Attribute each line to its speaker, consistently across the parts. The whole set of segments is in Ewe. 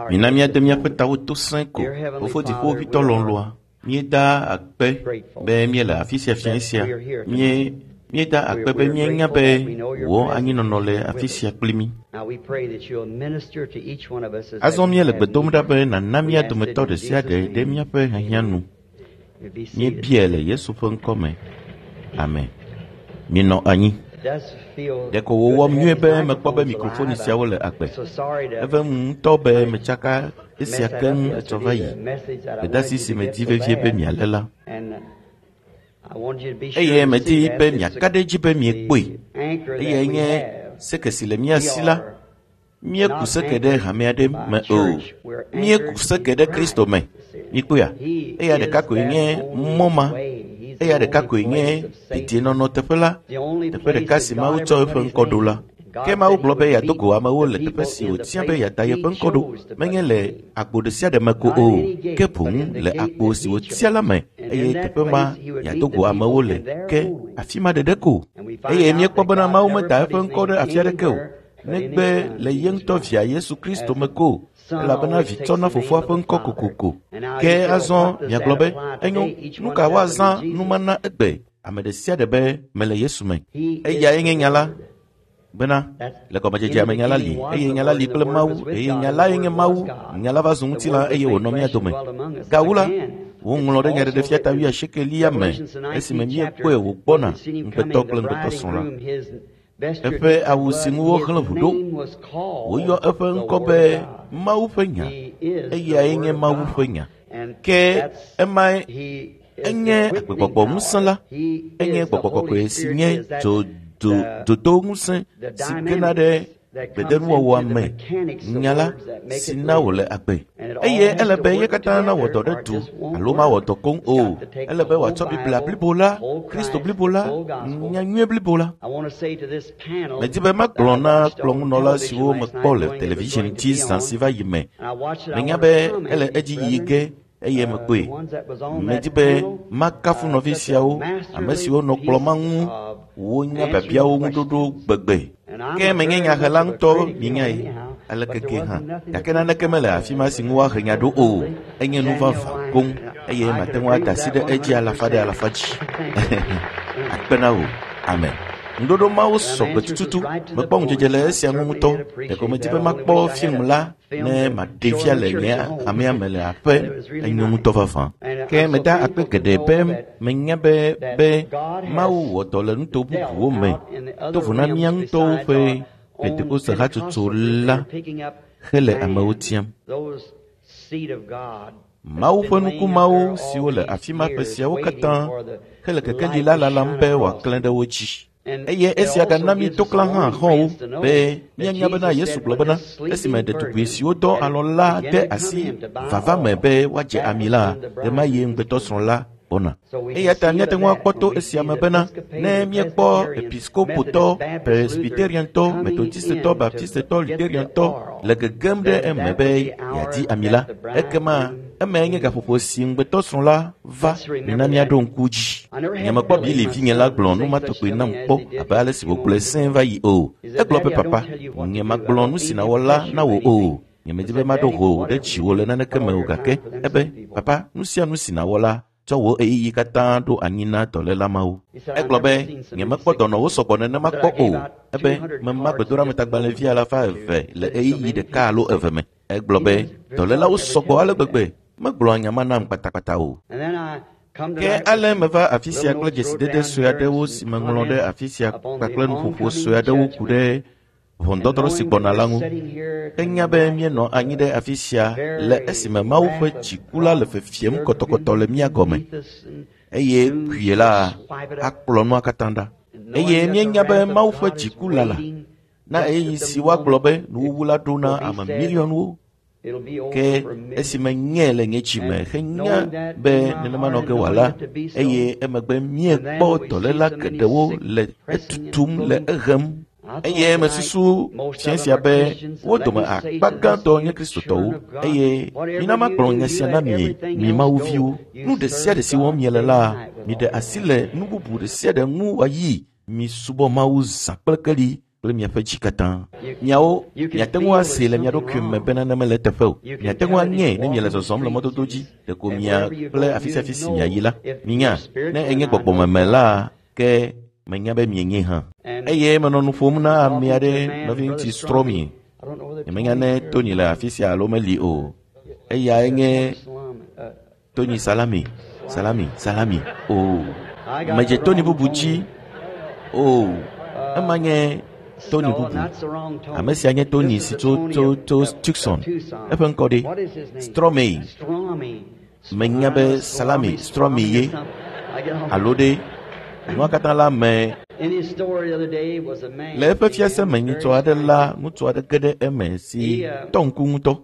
Speaker 1: Mina míade míaƒe tawo to sẽ ko. Fofo Dziƒoʋĩtɔ lɔlɔ̃a, míeda akpe be míele afi sia fiẽ sia. Míe míeda akpe be míenya be wò anyinɔnɔ le afi sia kpli mí. Azɔ míele gbe dom ɖa be nàna mía dometɔ ɖe sia ɖe ɖe míaƒe hiahiã nu. Míebiae le Yesu ƒe ŋkɔ me. Amen. Minɔ anyi. Ɖeko wòwɔm nyuie be mekpɔ be mikrofoni siawo le agbe. Evem ŋutɔ be metsaka esia keŋ etsɔ va yi. Gbedeasi si medi vevie be mialé la. Eye medi be miaka ɖe edzi be miekpɔe. Eyae nye seke si le mía si la. Míeku seke ɖe hame aɖe me o. Míeku seke ɖe Kristo me. Mikpɔea? Eya ɖeka koe nye mɔ ma. Eya ɖeka koe nye dedienɔnɔ teƒe la. Teƒe ɖeka si Mawu tsɔ eƒe ŋkɔ ɖo la. Ke Mawu gblɔ be yeado go amewo le teƒe si wòtia be yeada yeƒe ŋkɔ ɖo, menye le agbo ɖe sia ɖe me ko o, ke boŋ le agbo si wòtia la me, eye teƒe ma yeado go amewo le, ke afi ma ɖeɖe ko. Eye míekpɔ bena Mawu meda eƒe ŋkɔ ɖe afi aɖeke o, negbe le ye ŋutɔ via Yesu Kristo me ko, elabena vi tsɔna fofoa ƒe ŋkɔ kokoko. Ke azɔ miagblɔ be, enyo, nu ka woazã numana egbe? Ame ɖe sia ɖe be mele Yesu me. Eyae nye nya la bena le gɔmedzedzea me nya la li eye nya la li kple Mawu eye nya lae nye Mawu. Nya la va zu ŋutilã eye wònɔ mía dome. Gawu la, woŋlɔ ɖe Nyaɖeɖefia ta wuiasiekelia me esime míekpɔe wògbɔna ŋugbetɔ kple ŋugbetɔsrɔ̃ la. Eƒe awu si ŋu woxlẽ ʋu ɖo, woyɔ eƒe ŋkɔ be Mawu ƒe nya. Eyae nye Mawu ƒe nya. Ke emae enye agbegbɔgbɔ ŋusẽ la. Enye gbɔgbɔ kɔkɔe si nye dzodo ŋusẽ si gena ɖe gbedenuwɔwɔa me nya la si na wòle agbe. Eye ele be ye katã nawɔ dɔ ɖe du alo mawɔ dɔ koŋ o. Ele be wòatsɔ Biblia blibo la, Kristo blibo la, nyanyuie blibo la. Medi be magblɔ na kplɔŋunɔla siwo mekpɔ le television dzi zã si va yi me. Menya be ele edzi yi ge eye mekpɔe. Medi be makafu nɔvi siawo, ame siwo nɔ kplɔ ma ŋu wonya biabiawo ŋuɖoɖo gbegbe. Ke menye nyahela ŋutɔ mienyae aleke ke hã. Gake naneke mele afi ma si ŋu woahe nya ɖo o. Enye nu vavã koŋ eye mate ŋu ada asi ɖe edzi alafa ɖe alafa dzi. Akpe na wò. Amen. Ŋuɖoɖo mawo sɔgbe tututu. Mekpɔ ŋudzedze le esia ŋu ŋutɔ. Ɖeko medi be makpɔ film la ne maɖee fia le nye hamea me le aƒe. Enyo ŋutɔ vavã. Ke meda akpe geɖe be menya be be Mawu wɔ dɔ le nuto bubuwo me to vo na mía ŋutɔwo ƒe Pentekoste hatsotso la hele amewo tiam. Mawu ƒe nukumawo siwo le afi ma ƒe siawo katã hele kekeli la lalam be wòaklẽ ɖe wo dzi. Eye esia gana mí toklã hã xɔ̃wo be míanya bena Yesu gblɔ bena esime ɖetugbui siwo dɔ alɔ la de asi vava me be woadze ami la, ɣemaɣie ŋugbetɔsrɔ̃ la gbɔna. Eya ta míate ŋu akpɔ to esia me bena ne míekpɔ episkopotɔ, presbyteriantɔ, metodistetɔ, baptistetɔ, luteriantɔ le gegem ɖe eme be yeadi ami la, ekema emae nye gaƒoƒo si ŋugbetɔsrɔ̃ la va mina míaɖo ŋku dzi. Nyemekpɔ Bili vinye la gblɔ nu ma tɔgbi nam kpɔ abe ale si wògblɔe sẽe va yi o. Egblɔ be papa, nyemagblɔ nu si nàwɔ la na wò o. Nyemedi be maɖo ho ɖe dziwò le naneke me o gake ebe, papa, nu sia nu si nàwɔ la, tsɔ wò ɣeyiɣi katã ɖo anyi na dɔléla mawo. Egblɔ be, nyemekpɔ dɔnɔwo sɔgbɔ nenema kpɔ o. Ebe, mema gbedoɖametagbalẽvi alafa eve le ɣeyiɣi ɖeka alo eve me. Egblɔ be, dɔlélawo sɔgbɔ ale gbegbe. Megblɔa nya ma nam kpatakpata o. Ke ale meva afi sia kple dzesidede sue aɖewo si meŋlɔ ɖe afi sia kpakple nuƒoƒo sue aɖewo ku ɖe ʋɔnudɔdrɔ̃ si gbɔna la ŋu. Enya be míenɔ anyi ɖe afi sia le esime Mawu ƒe dziku la le fefiem kɔtɔkɔtɔ le mía gɔme eye kpuie la akplɔ nua katã ɖa. Eye míenya be Mawu ƒe dziku lala na ɣeyiɣi si woagblɔ be nuwuwu la ɖo na ame miliɔnwo. Ke esime nye le nye dzi me henya be nenema nɔ ge wòala eye emegbe míekpɔ dɔléla geɖewo le etutum le ehem. Eye mesusu fia sia be wo dome akpa gãtɔ nye Kristotɔwo eye mina magblɔ nya sia na mi, mi Mawu viwo. Nu ɖe sia ɖe si wɔm miele la, miɖe asi le nu bubu ɖe sia ɖe ŋu wòayi. Misubɔ Mawu zã kple keli. kple miaƒe dzi katã. Miawo, miate ŋu asee le mia ɖokui me be nane mele eteƒe o. Miate ŋu anyae ne miele zɔzɔm le mɔdodo dzi, ɖeko mia kple afi sia afi si miayi la. Minya, ne enye gbɔgbɔmeme la, ke menya be mienye hã. Eye menɔ nu ƒom na ame aɖe, nɔviŋutsu Stromi. Nyemenya ne Tony le afi sia alo meli o. Eyae nye Tony Salami, Salami, Salami. O, medze Tony bubu dzi. O, ema nye Tony bubu. Ame sia nye Tony si tso tso tso Tucson. Eƒe ŋkɔ ɖe? Stromi. Menya be Salami Stromi ye alo ɖe nua katã la me. Le eƒe fiase me nyitsɔ aɖe la, ŋutsu aɖe ge ɖe eme si tɔ ŋku ŋutɔ.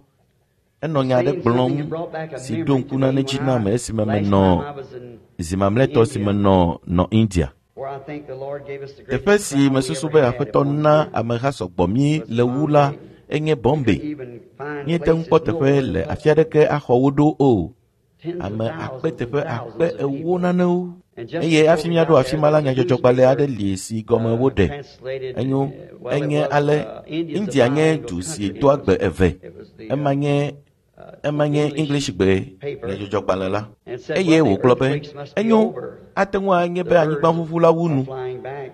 Speaker 1: Enɔ nya aɖe gblɔm si ɖo ŋku nane dzi nam esime menɔ zi mamlɛtɔ si menɔ nɔ India. Teƒe si mesusu be Aƒetɔ na ameha sɔgbɔ mí le wu la enye Bombay. Míete ŋu kpɔ teƒe le afi aɖeke axɔ wo ɖo o. Ame akpe teƒe akpe ewo nanewo. Eye hafi míaɖo afi ma la, nyadzɔdzɔgbalẽ aɖe li si gɔme woɖe. Enyo, enye ale India nye du si doa gbe eve. Ema nye ema nye Englishgbe nyadzɔdzɔgbalẽ la. Eye wògblɔ be, enyo, ate ŋu anye be anyigbaʋuʋu la wu nu.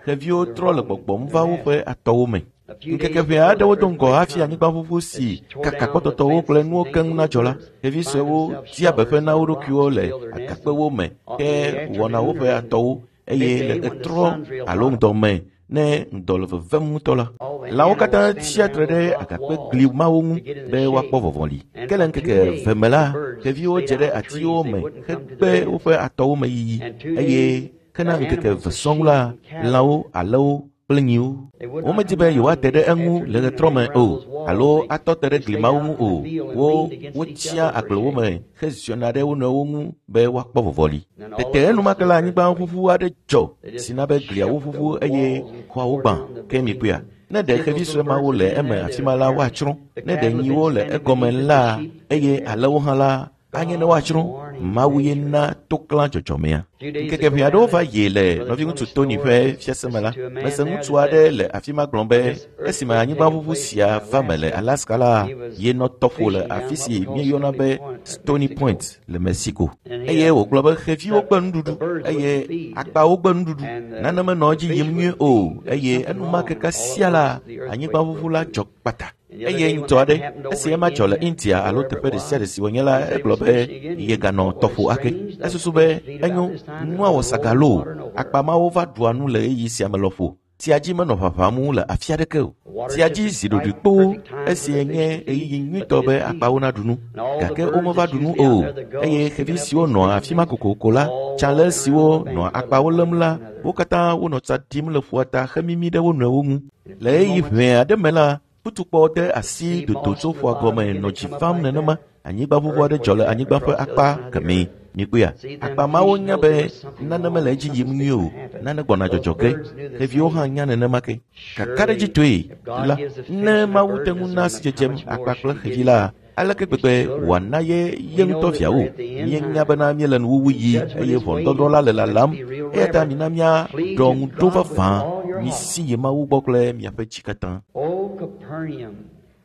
Speaker 1: Xeviwo trɔ le gbɔgbɔm va woƒe atɔwo me. Ŋkeke ʋɛ aɖewo do ŋgɔ hafi anyigbaʋuʋu si kaka kpɔtɔtɔwo kple nuwo keŋ nadzɔ la, xevi suewo dia beƒe na wo ɖokuiwo le agakpewo me ke wɔna woƒe atɔwo eye le ɣetrɔ alo ŋdɔ me ne ŋdɔ le vevem ŋutɔ la, lãwo katã tsia tre ɖe agakpe gli mawo ŋu be woakpɔ vɔvɔli. Ke le ŋkeke eve me la, xeviwo dze ɖe atiwo me hegbe woƒe atɔwo me yiyi eye hena ŋkeke eve sɔŋ la, lãwo, alẽwo kple nyiwo. Womedi be yewoate ɖe eŋu le ɣetrɔ me o alo atɔ te ɖe gli mawo ŋu o. Wo wotsia agblewo me heziɔna ɖe wo nɔewo ŋu be woakpɔ vɔvɔli. Tete enumake la anyigbaʋuʋu aɖe dzɔ si na be gliawo ʋuʋu eye xɔawo gbã. Ke mikpɔea? Ne ɖe xevi sue mawo le eme afi ma la, woatsrɔ̃. Ne ɖe nyiwo le egɔme la eye alẽwo hã la, anye ne woatsrɔ̃. Mawu ye na toklã dzɔdzɔmea. Ŋkeke ʋɛ aɖewo va yi le nɔviŋutsu Tony ƒe fiase me la, mese ŋutsu aɖe le afi ma gblɔ be esime anyigbaʋuʋu sia va me le Alaska la, yenɔ tɔƒo le afi si míeyɔna be Stony Point le Mexico. Eye wògblɔ be xeviwo gbe nuɖuɖu eye akpawo gbe nuɖuɖu. Nane menɔ edzi yim nyuie o eye enumake kasia la, anyigbaʋuʋu la dzɔ kpata. Eye ŋutsu aɖe, esi ema dzɔ le India alo teƒe ɖe sia ɖe si wònye la, egblɔ be yeganɔ tɔƒo ake. Esusu be enyo, nua wɔ sagalo. Akpa mawo va ɖua nu le ɣeyiɣi sia me lɔƒo. Tsia dzi menɔ ʋaʋãm le afi aɖeke o. Tsia dzi zi ɖoɖoe kpoo esi nye ɣeyiɣi nyuitɔ be akpawo naɖu nu. Gake womeva ɖu nu o. Eye xevi siwo nɔa afi ma kokoko la, tsalẽ siwo nɔa akpawo lém la, wo katã wonɔ tsa ɖim le ƒua ta hemimi ɖe wo nɔewo ŋu. Le ɣeyiɣi ʋɛ aɖe me la, futukpɔ de asi dodo tso ƒua gɔme nɔ dzi fam nenema. Anyigbaʋuʋu aɖe dzɔ le anyigba ƒe akpa kemɛ. Mikpɔea? Akpa mawo nya be nane mele edzi yim nyuie o. Nane gbɔna dzɔdzɔ ge. Xeviwo hã nya nenema ke. Kakaɖedzitɔe la, ne Mawu te ŋu na sidzedzem akpa kple xevi la, aleke gbegbe wòana ye ye ŋutɔ viawo? Míenya bena míele nuwuwu yi eye ʋɔnudɔdrɔ̃ la le lalam. Eya ta mina míaɖɔ ŋu ɖo vavã. Misi yi Mawu gbɔ kple miaƒe dzi katã.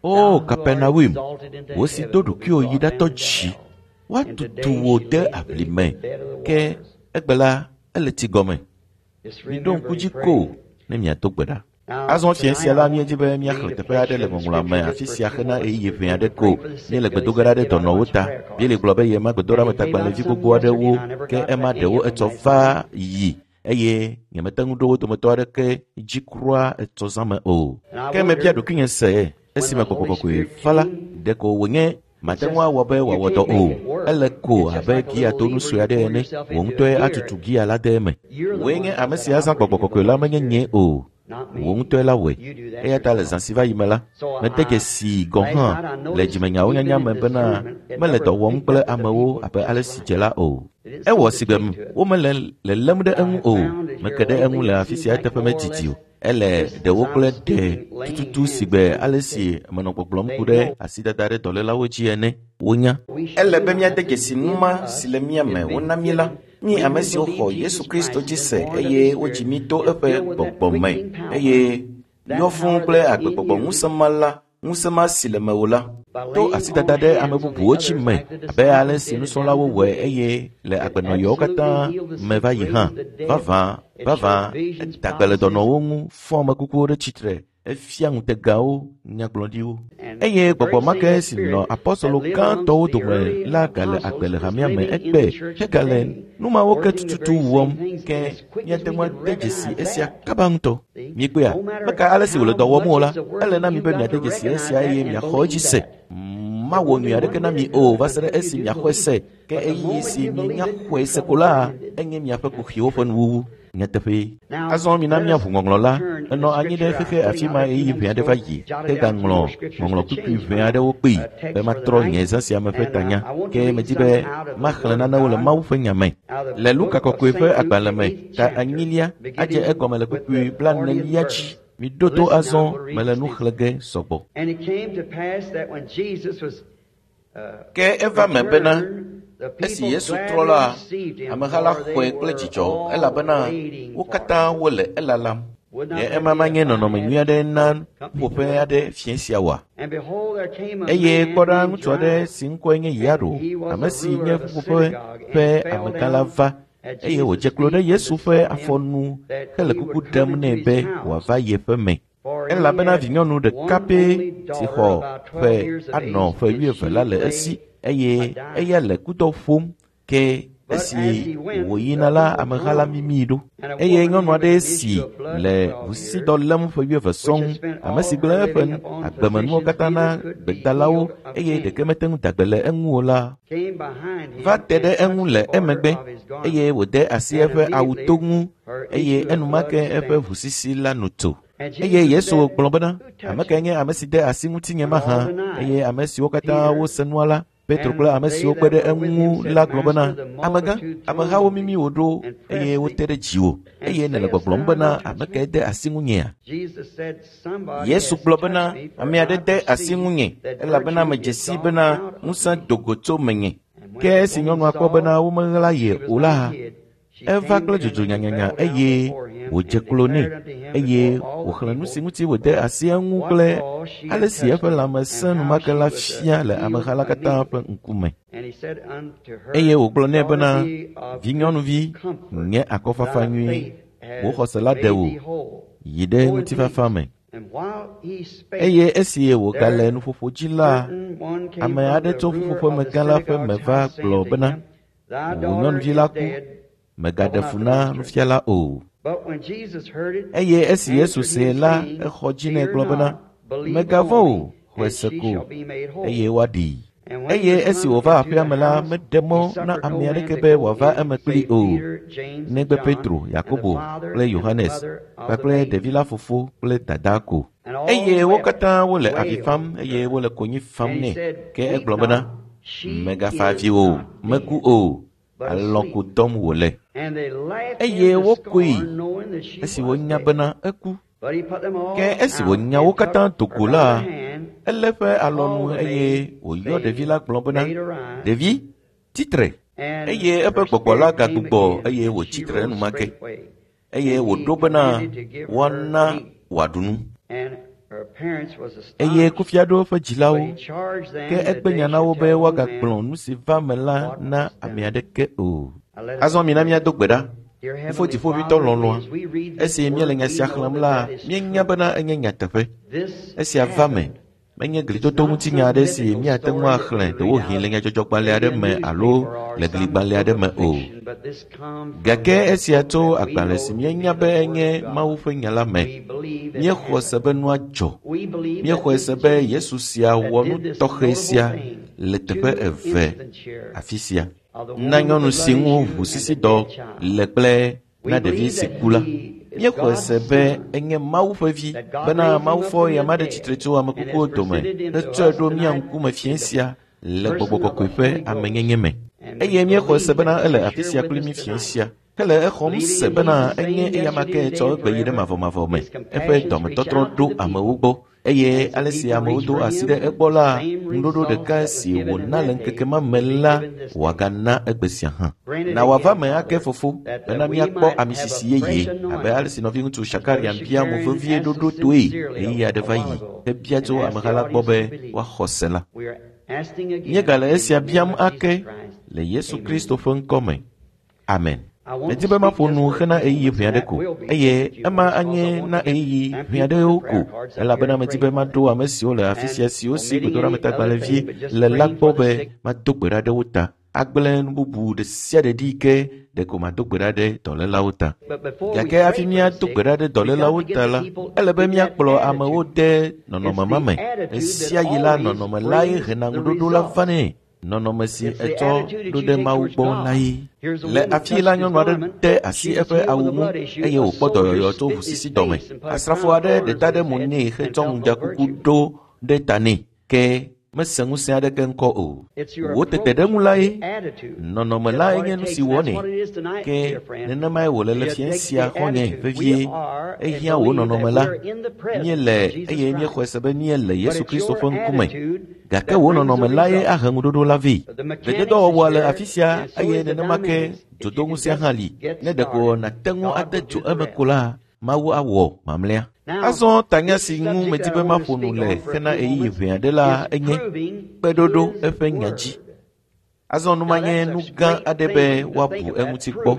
Speaker 1: O Kapernaum, wò si do ɖokuiwò yi ɖatɔ dzi, woatutu wò de aʋli me, ke egbe la ele tsi gɔme. Miɖo ŋku dzi ko ne miado gbe ɖa. Azɔ fiẽ sia la, míedi be míaxlẽ teƒe aɖe le ŋɔŋlɔa me afi sia hena ɣeyiɣi ʋɛ aɖe ko. Míele gbedo ge ɖa ɖe dɔnɔwo ta. Bíblia gblɔ be yema gbedoɖametagbalẽvi gbogbo aɖewo, ke ema ɖewo etsɔ va yi eye nyemete ŋu ɖo wo dometɔ aɖeke dzi kura etsɔ zã me o. Ke mebia ɖokuinye se esime Gbɔgbɔ Kɔkɔe va la, ɖeko wònye mate ŋu awɔ be wòawɔ dɔ o. Ele ko abe giatonu sue aɖe ene. Wò ŋutɔe atutu gia la de eme. Wòe nye ame si azã Gbɔgbɔ Kɔkɔe la menye nye o. Wò ŋutɔe la wɔe. Eya ta le zã si va yi me la, mede dzesii gɔ̃ hã le dzimenyawo nyanya me bena mele dɔ wɔm kple amewo abe ale si dze la o. Ewɔ sigbe womele lelém ɖe eŋu o. Meke ɖe eŋu le afi sia eteƒe medidi o. Ele ɖewo kple ɖe tututu sigbe ale si menɔ gbɔgblɔm ku ɖe asidada ɖe dɔlélawo dzi ene. Wonya. Ele be míade dzesi nu ma si le mía me wona mí la. Mí ame siwo xɔ Yesu Kristo dzi se eye wodzi mí to eƒe gbɔgbɔ me eye Yɔ fũu kple agbegbɔgbɔ ŋusẽ ma la, ŋusẽ ma si le mewò la, to asidada ɖe ame bubuwo dzi me abe ale si nusrɔ̃lawo wɔe eye le agbenɔɣiwo katã me va yi hã. Vavã, vavã, eda gbe le dɔnɔwo ŋu, fɔ ame kukuwo ɖe tsitre, efia ŋutegawo, nyagblɔɖiwo. Eye gbɔgbɔ ma ke si nɔ apɔstolo gãtɔwo dome la gale agbe le hamea me egbe hegale nu mawo ke tututu wɔm ke míate ŋu ade dzesi esia kaba ŋutɔ. Miekpɔea, meka ale si wòle dɔ wɔm o la, ele na mi be miade dzesi esia eye miaxɔ edzi se. Mawɔ nyui aɖeke na mi o va se ɖe esi miaxɔe se ke ɣeyiɣi si mienya xɔe se ko la, enye miaƒe kuxiwo ƒe nuwuwu. Nyateƒee. Azɔ mina míaʋu ŋɔŋlɔ la. Enɔ anyi ɖe xexe afi ma ɣeyiɣi ʋɛ aɖe va yi hegaŋlɔ ŋɔŋlɔ kpukpui ʋɛ aɖewo kpee be matrɔ nye zã sia me ƒe tanya. Ke medi be maxlẽ nanewo le Mawu ƒe nya me. Le Luka kɔkɔe ƒe agbalẽ me, ta enyilia adze egɔme le kpukpui blaenelia dzi. Miɖo to azɔ mele nu xlẽ ge sɔgbɔ. Ke eva me bena esi Yesu trɔ la, ameha la xɔe kple dzidzɔ elabena wo katã wole elalam. Ɖe ema manye nɔnɔme nyui aɖe na ƒuƒoƒe aɖe fiẽ sia oa? Eye kpɔ ɖa ŋutsu aɖe si ŋkɔe nye Yairo, ame si nye ƒuƒoƒe ƒe amegã la va eye wòdze klo ɖe Yesu ƒe afɔnu hele kuku ɖem nɛ be wòava yeƒe me. Elabena vinyɔnu ɖeka pɛ si xɔ ƒe anɔ ƒe wuieve la le esi eye eya le kudɔ ƒom ke esi wòyina la ameha la mimii ɖo. Eye nyɔnu aɖe si le ʋusisidɔ lém ƒe wuieve sɔŋ, ame si gblẽ eƒe agbemenuwo katã na gbedalawo eye ɖeke mete ŋu da gbe le eŋu o la, va te ɖe eŋu le emegbe eye wòde asi eƒe awuto ŋu eye enumake eƒe ʋusisi la nu tso. Eye Yesu gblɔ bena, ame kae nye ame si de asi ŋutinye mahã? Eye ame siwo katã wose nua la, Petro kple ame siwo kpe ɖe eŋu la gblɔ bena, amegã, amehawo mimi wò ɖo eye wote ɖe dziwò eye nèle gbɔgblɔm bena ame kae de asi ŋunyea? Yesu gblɔ bena, ame aɖe de asi ŋunye elabena medze sii bena ŋusẽ do go tso menye. Ke esi nyɔnua kpɔ bena womeɣla ye o la, eva kple dzodzo nyanyanya eye wòdze klo nɛ eye wòxlẽ nu si ŋuti wòde asi eŋu kple ale si eƒe lãme sẽ enumake la fia le ameha la katã ƒe ŋkume. Eye wògblɔ nɛ bena, vinyɔnuvi, nye akɔfafa nyui, wò xɔse la ɖe wò, yi ɖe ŋutifafa me. Eye esi wògale nuƒoƒo dzi la, ame aɖe tso ƒuƒoƒemegã la ƒe me va gblɔ bena, wò nyɔnuvi la ku, mègaɖe fu na nufiala o. Eye esi Yesu see la, exɔ dzi nɛ gblɔ bena, mègavɔ̃ o, xɔe se ko, eye woaɖee. Eye esi wòva aƒea me la, meɖe mɔ na ame aɖeke be wòava eme kplii o, negbe Petro, Yakobo kple Yohanes kpakple ɖevi la fofo kple dadaa ko. Eye wo katã wole avi fam eye wole konyi fam nɛ. Ke egblɔ bena, mègafa avi o, meku o, alɔ̃ ko dɔm wòle. Eye wokoe esi wonya bena eku. Ke esi wònya wo katã do go la, elé eƒe alɔnu eye wòyɔ ɖevi la gblɔ bena, ɖevi, tsitre. Eye eƒe gbɔgbɔ la gagbugbɔ eye wòtsi tre enumake. Eye wòɖo bena woana wòaɖu nu. Eye kufia ɖo eƒe dzilawo, ke egbe nya na wo be woagagblɔ nu si va me la na ame aɖeke o. Azɔ mina míado gbe ɖa. Fofo Dziƒoʋĩtɔ lɔlɔ̃a, esi míele nya sia xlẽm la, míenya bena enye nyateƒe. Esia va me. Menye glitoto ŋutinya aɖe si míate ŋu axlẽ ɖewohĩ le nyadzɔdzɔgbalẽ aɖe me alo le gligbalẽ aɖe me o. Gake esia tso agbalẽ si míenya be enye Mawu ƒe nya la me. Míexɔe se be nua dzɔ. Míexɔe se be Yesu sia wɔ nu tɔxɛ sia le teƒe eve afi sia. Na nyɔnu si ŋu ʋusisidɔ le kple na ɖevi si ku la. Míexɔe se be enye Mawu ƒe vi bena Mawu fɔ eya ma ɖe tsitre tso ame kukuwo dome hetsɔe ɖo mía ŋkume fiẽ sia le gbɔgbɔ kɔkɔe ƒe amenyenye me. Eye míexɔe se bena ele afi sia kpli mí fiẽ sia hele exɔm se bena enye eya ma ke tsɔ egbe yi ɖe mavɔmavɔ me. Eƒe dɔmetɔtrɔ ɖo amewo gbɔ. Eye ale si amewo do asi ɖe egbɔ la, ŋuɖoɖo ɖeka si wòna le ŋkeke ma me la, wòagana egbe sia hã. Na wòava me ake fofo bena míakpɔ amisisi yeye abe ale si nɔviŋutsu Shakarian bia mo vevie ɖoɖo toe ɣeyiɣi aɖe va yi hebia tso ameha la gbɔ be woaxɔ se la. Míegale esia biam ake le Yesu Kristo ƒe ŋkɔ me. Amen. Medi be maƒo nu hena ɣeyiɣi ʋɛ aɖe ko eye ema anye na ɣeyiɣi ʋɛ aɖewo ko elabena medi be maɖo ame siwo le afi sia siwo si gbedoɖametagbalẽvi le la gbɔ be mado gbe ɖa ɖe wo ta. Agblẽ nu bubu ɖe sia ɖe ɖi ke ɖeko mado gbe ɖa ɖe dɔlélawo ta. Gake hafi míado gbe ɖa ɖe dɔlélawo ta la, ele be míakplɔ amewo de nɔnɔme ma me. Ɣesia ɣi la, nɔnɔme lae hena ŋuɖoɖo la vanɛ. Nɔnɔme si etsɔ ɖo ɖe Mawu gbɔ lae. Le afi la, nyɔnu aɖe de asi eƒe awu ŋu eye wòkpɔ dɔyɔyɔ tso ʋusisi dɔme. Asrafo aɖe ɖe ta ɖe mo nɛ hetsɔ ŋudzakuku ɖo ɖe ta nɛ ke mese ŋusẽ aɖeke ŋkɔ o. Wò tete ɖe ŋu lae. Nɔnɔme lae nye nu si wɔnɛ. Ke nenemae wòle le fiẽ sia xɔ̃nye vevie. Ehiã wò nɔnɔme la. Míele eye míexɔe se be míele Yesu Kristo ƒe ŋkume. Gake wò nɔnɔme lae ahe ŋuɖoɖo la vɛ. Dzedzedɔwɔwɔa le afi sia eye nenema ke dzodoŋusẽa hã li. Ne ɖeko nàte ŋu ade dzo eme ko la, Mawu awɔ mamlɛa. Azɔ tanya si ŋu medi be maƒo nu le hena ɣeyiɣi ʋɛ aɖe la enye kpeɖoɖo eƒe nya dzi. Azɔ nu ma nye nu gã aɖe be woabu eŋuti kpɔ.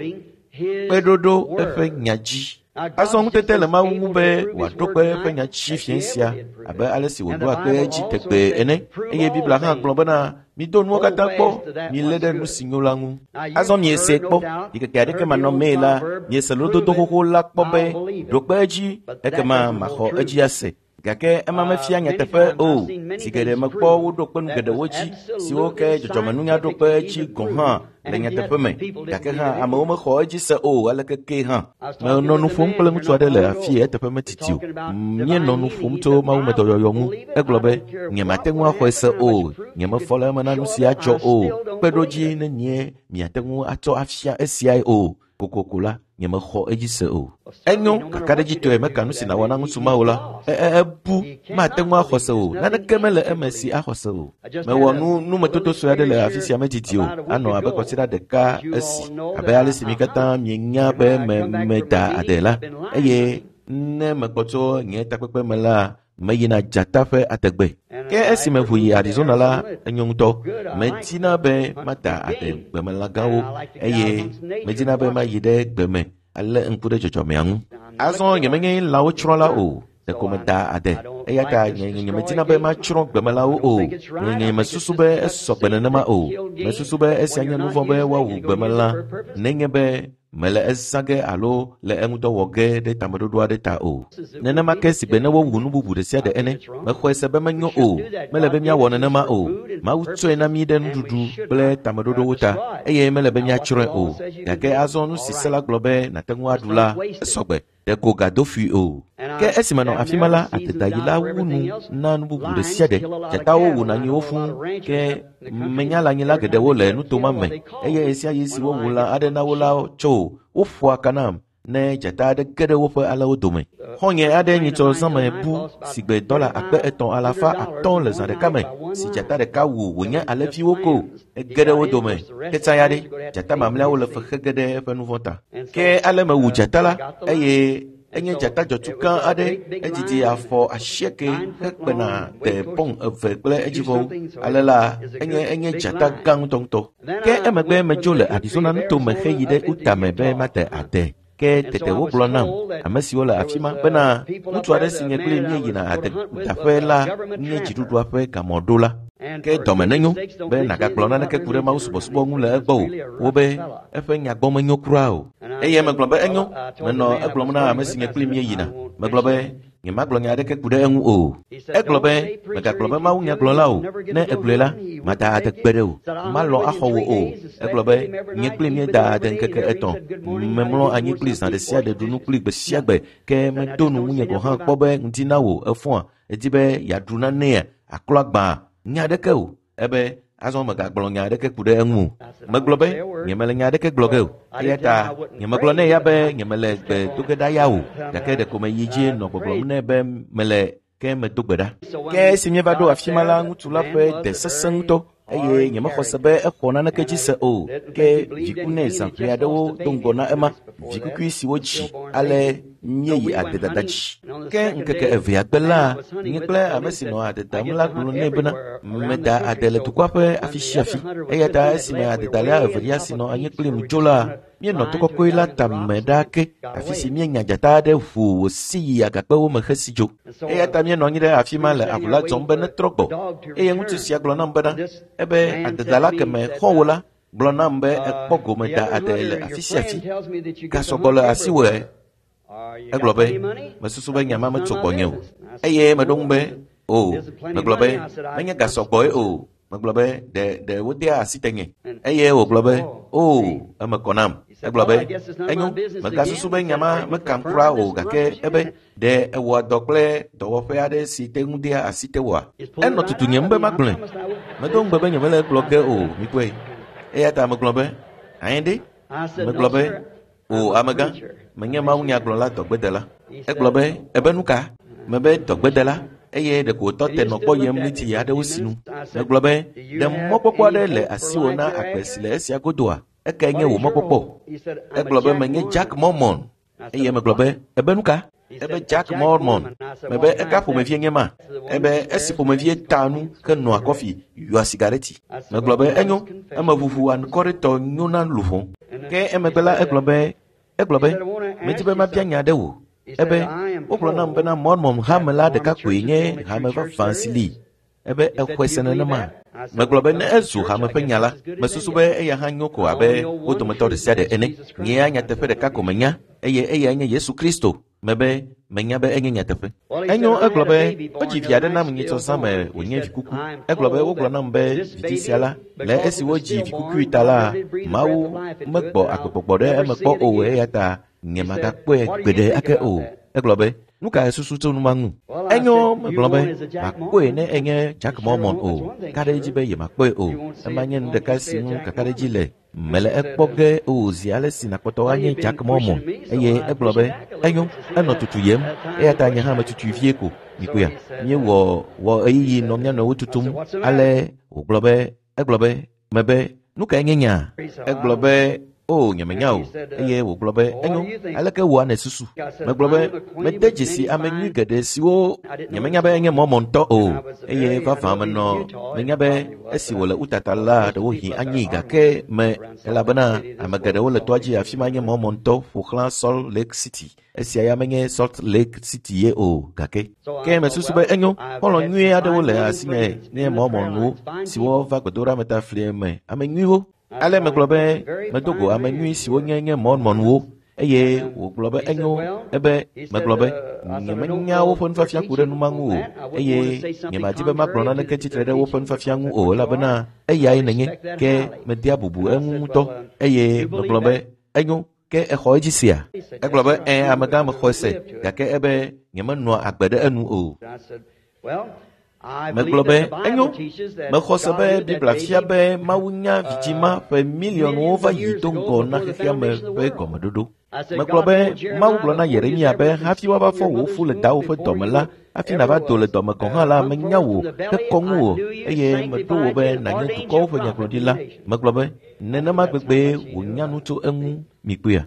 Speaker 1: Kpeɖoɖo eƒe nya dzi. Azɔ ŋutete le Mawu ŋu be wòaɖo kpe eƒe nya dzi fiẽ sia abe ale si wòɖoa kpe edzi tegbee ene. Eye Biblia hã gblɔ bena mido nuwo katã kpɔ, milé ɖe nu si nyo la ŋu. Azɔ miese kpɔ, ɖikeke aɖeke manɔmee la, miese lododo xoxo la kpɔ be ɖo kpe edzi ekema maxɔ edzi ase. Gake ema mefia nyateƒe o. Zi geɖe mekpɔ woɖo kpe nu geɖewo dzi siwo ke dzɔdzɔmenunya ɖo kpe edzi gɔ̃ hã le nyateƒe me. Gake hã amewo mexɔ edzi se o aleke ke hã. Menɔ nu ƒom kple ŋutsu aɖe le afi eteƒe metiti o. Míenɔ nu ƒom tso mawumedɔyɔyɔ ŋu. Egblɔ be, nyemate ŋu axɔe se o. Nyemefɔ le eme na nu si adzɔ o. Kpeɖodzi nenie miate ŋu atsɔ afia esiae o. Kokoko la, nyemexɔ edzi se o. Enyo, kakaɖedzitɔe meka nu si nàwɔ na ŋutsu ma o la, ebu mate ŋu axɔ se o. Naneke mele eme si axɔ se o. Mewɔ nu numetoto sue aɖe le afi sia medidi o. Anɔ abe kɔsiɖa ɖeka esi abe ale si mi katã mienya be meda ade la. Eye ne mekpɔ tso nye takpekpe me la, meyina dzata ƒe adegbe. Ke esi meʋu yi Arizona la, enyo ŋutɔ. Medina be mada ade gbemelã gãwo eye medina be mayi ɖe gbeme alé ŋku ɖe dzɔdzɔmea ŋu. Azɔ nyemenye lãwo tsrɔ̃la o. Ɖeko meda ade. Eya ta nyemedina be matsrɔ̃ gbemelãwo o. Nye mesusu be esɔ gbe nenema o. Mesusu be esia nye nu vɔ̃ be woawu gbemelã nenye be mele ezã ge alo le eŋudɔ wɔ ge ɖe tameɖoɖo aɖe ta o. Nenema ke sigbe ne wowu nu bubu ɖe sia ɖe ene. Mexɔe se be menyo o. Mele be míawɔ nenema o. Mawu tsɔe na mí ɖe nuɖuɖu kple tameɖoɖowo ta eye mele be míatsrɔ̃e o. Gake azɔ nu si se la gblɔ be nàte ŋu aɖu la, esɔ gbe. Ɖeko gado fui o. Ke esi menɔ afi ma la, adedayila wu nu na nu bubu ɖe sia ɖe. Dzatawo wuna nyiwo fũu ke menya lãnyila geɖewo le nuto ma me eye ɣesiaɣi si wowu lã aɖe na wo la tso woƒoa ka nam ne dzata aɖe ge ɖe woƒe alẽwo dome. Xɔ̃nye aɖe nyitsɔ zãme bu sigbe dɔla 3500 le zã ɖeka me si dzata ɖeka wu wònye alẽviwo ko ege ɖe wo dome. Ketsa ya ɖe, dzata mamlɛawo le fexe ge ɖe eƒe nu vɔ̃ ta. Ke ale mewu dzata la eye enye dzata dzɔtsu gã aɖe. Edidi afɔ 8 hekpena de pɔn 2 kple edzivɔwo. Ale la, enye dzata gã ŋutɔŋutɔ. Ke emegbe medzo le Arizona nutome heyi ɖe Utah me be mate ade. Ke tete wogblɔ nam, ame siwo le afi ma bena ŋutsu aɖe si nye kpli míeyina adedaƒe la nye dziɖuɖua ƒe gamɔɖola. Ke dɔme nenyo be nàgagblɔ naneke ku ɖe Mawu subɔsubɔ ŋu le egbɔ o. Wobe eƒe nyagbɔ menyo kura o. Eye megblɔ be enyo. Menɔ egblɔm na ame si nye kpli míeyina. Megblɔ be nyemagblɔ nya aɖeke ku ɖe eŋu o. Egblɔ be megagblɔ be Mawu nyagblɔla o. Ne egblɔe la, mada ade gbe ɖe o. Malɔ̃ axɔ wò o. Egblɔ be nye kpli míeda ade ŋkeke 3. Memlɔ anyi kpli zã ɖe sia ɖe ɖu nu kpli gbe sia gbe. Ke medo nu ŋunye gɔ̃ hã kpɔ be ŋdi na wò efɔa. Edi be yeaɖu nanea, aklɔ agbã. Nya aɖeke o. Ebe azɔ megagblɔ nya aɖeke ku ɖe eŋu o. Megblɔ be nyemele nya aɖeke gblɔ ge o. Eya ta nyemegblɔ nɛ ya be nyemele gbe do ge ɖa ya o. Gake ɖeko meyi dzi nɔ gbɔgblɔm nɛ be mele Ke medo gbe ɖa. Ke esi míeva ɖo afi ma la, ŋutsu la ƒe de sesẽ ŋutɔ eye nyemexɔ se be exɔ naneke dzi se o. Ke viku nɛ zã ʋɛ aɖewo do ŋgɔ na ema, vikukui si wodzi ale míeyi adedada dzi. Ke ŋkeke evea gbe la, nye kple ame si nɔ ade dam la gblɔ nɛ bena meda ade le dukɔa ƒe afi sia afi. Eya ta esime adedala evelia si nɔ anyi kplim dzo la, míenɔ to kɔkɔe la tame ɖaa ke, afi si míenya dzata aɖe ʋu wòsi yi agakpewo me hesi dzo. Eya ta míenɔ anyi ɖe afi ma le avu la dzɔm be netrɔ gbɔ. Eye ŋutsu sia gblɔ nam bena, ebe adedala keme xɔ̃wò la gblɔ nam be ekpɔ gome da ade le afi sia afi. Ga sɔgbɔ le asiwòe. Egblɔ be, mesusu be nya ma metso gbɔnye o. Eye meɖo ŋu be, o, megblɔ be, menye ga sɔgbɔe o. Megblɔ be, ɖe wodea asi tenye. Eye wògblɔ be, o, eme kɔ nam. Egblɔ be, enyo, megasusu be nya ma mekam kura o, gake ebe, ɖe ewɔa dɔ kple dɔwɔƒe aɖe si te ŋu dea asi tewòa? Enɔ tutunyem be magblɔe. Medo ŋugbe be nyemele egblɔ ge o, mikpɔe. Eya ta megblɔ be, anyi ɖe? Megblɔ be, o, amegã, menye mawunyagblɔla dɔgbedela. Egblɔ be, ebe nu ka? Mebe dɔgbedela. Eye ɖeko wòtɔ te nɔ gbɔ yem ɣleti aɖewo sinu. Megblɔ be, ɖe mɔkpɔkpɔ aɖe le asiwò na agbe si le esia godoa? Ekae nye wò mɔkpɔkpɔ? Egblɔ be, menye Jack Mormon. Eye megblɔ be, ebe nu ka? Ebe Jack Mormon. Mebe eka ƒomevie nye ma? Ebe esi ƒomevie ta nu henɔa kɔfi yɔa sigareti. Megblɔ be enyo, emeʋuʋu anukɔretɔ nyo na luʋɔ. Ke emegbe la egblɔ be, medi be mabia nya aɖe wò. Ebe wogblɔ nam bena Mormon hame la ɖeka koe nye hame vavã si li. Ebe exɔe se nenema. Megblɔ be ne ezu hame ƒe nya la, mesusu be eya hã nyo ko abe wo dometɔ ɖe sia ɖe ene. Nyea nyateƒe ɖeka ko menya, eye eyae nye Yesu Kristo. Mebe menya be enye nyateƒe. Enyo, egblɔ be wodzi vi aɖe nam nyitsɔ zã me wònye vikuku. Egblɔ be wogblɔ nam be vidzi sia la, le esi wodzi vikukui ta la, Mawu megbɔ agbegbɔgbɔ ɖe eme kpɔ o, eya ta nyemagakpɔe gbeɖe ake o. Egblɔ be, nu ka susu tso nu ma ŋu? Enyo, megblɔ be, makpɔe ne enye Jack Mormon o. Ka ɖe edzi be yemakpɔe o. Ema nye nu ɖeka si ŋu kakaɖedzi le. Mele ekpɔ ge o zi ale si nakpɔtɔ anye Jack Mormon. Eye egblɔ be, enyo, enɔ tutu yem. Eya ta nye hã metutui vie ko. Mikpɔea, míewɔ wɔ ɣeyiɣi nɔ mía nɔewo tutum. Ale wògblɔ be, egblɔ be, mebe, nu kae nye nya? Egblɔ be, o, nyemenya o. Eye wògblɔ be, enyo, aleke wòa nèsusu? Megblɔ be, mede dzesi ame nyui geɖe siwo nyemenya be enye Mormontɔ o. Eye vavã menɔ, menya be esi wòle Utah la, ɖewohĩ anyi gake me, elabena ame geɖewo le toa dzi afi ma nye Mormontɔ ƒo xlã Salt Lake City. Esia ya menye Salt Lake City ye o gake. Ke mesusu be enyo, xɔlɔ̃ nyui aɖewo le asinye nye Mormonwo siwo va gbedoɖameta flie me, ame nyuiwo. Ale megblɔ be medo go ame nyui siwo nye nye Mormonwo. Eye wògblɔ be enyo, ebe megblɔ be nyemenya woƒe nufiafia ku ɖe nu ma ŋu o, eye nyemadi be magblɔ naneke tsitre ɖe woƒe nufiafia ŋu o, elabena eyae nenye, ke medea bubu eŋu ŋutɔ. Eye megblɔ be enyo, ke exɔ edzi sia? Egblɔ be ẽ, amegã mexɔe se, gake ebe nyemenɔa agbe ɖe enu o. Megblɔ be enyo, mexɔ se be Biblia fia be Mawu nya vidzĩ ma ƒe miliɔnwo va yi do ŋgɔ na xexea me ƒe gɔmeɖoɖo. Megblɔ be Mawu gblɔ na Yeremia be hafi woava fɔ wò fu le dawò ƒe dɔme la, hafi nava do le dɔme gɔ̃ hã la, menya wò hekɔ ŋuwò, eye meɖo wò be nànye dukɔwo ƒe nyagblɔɖila. Megblɔ be nenema gbegbee wònya nu tso eŋu mikpɔea?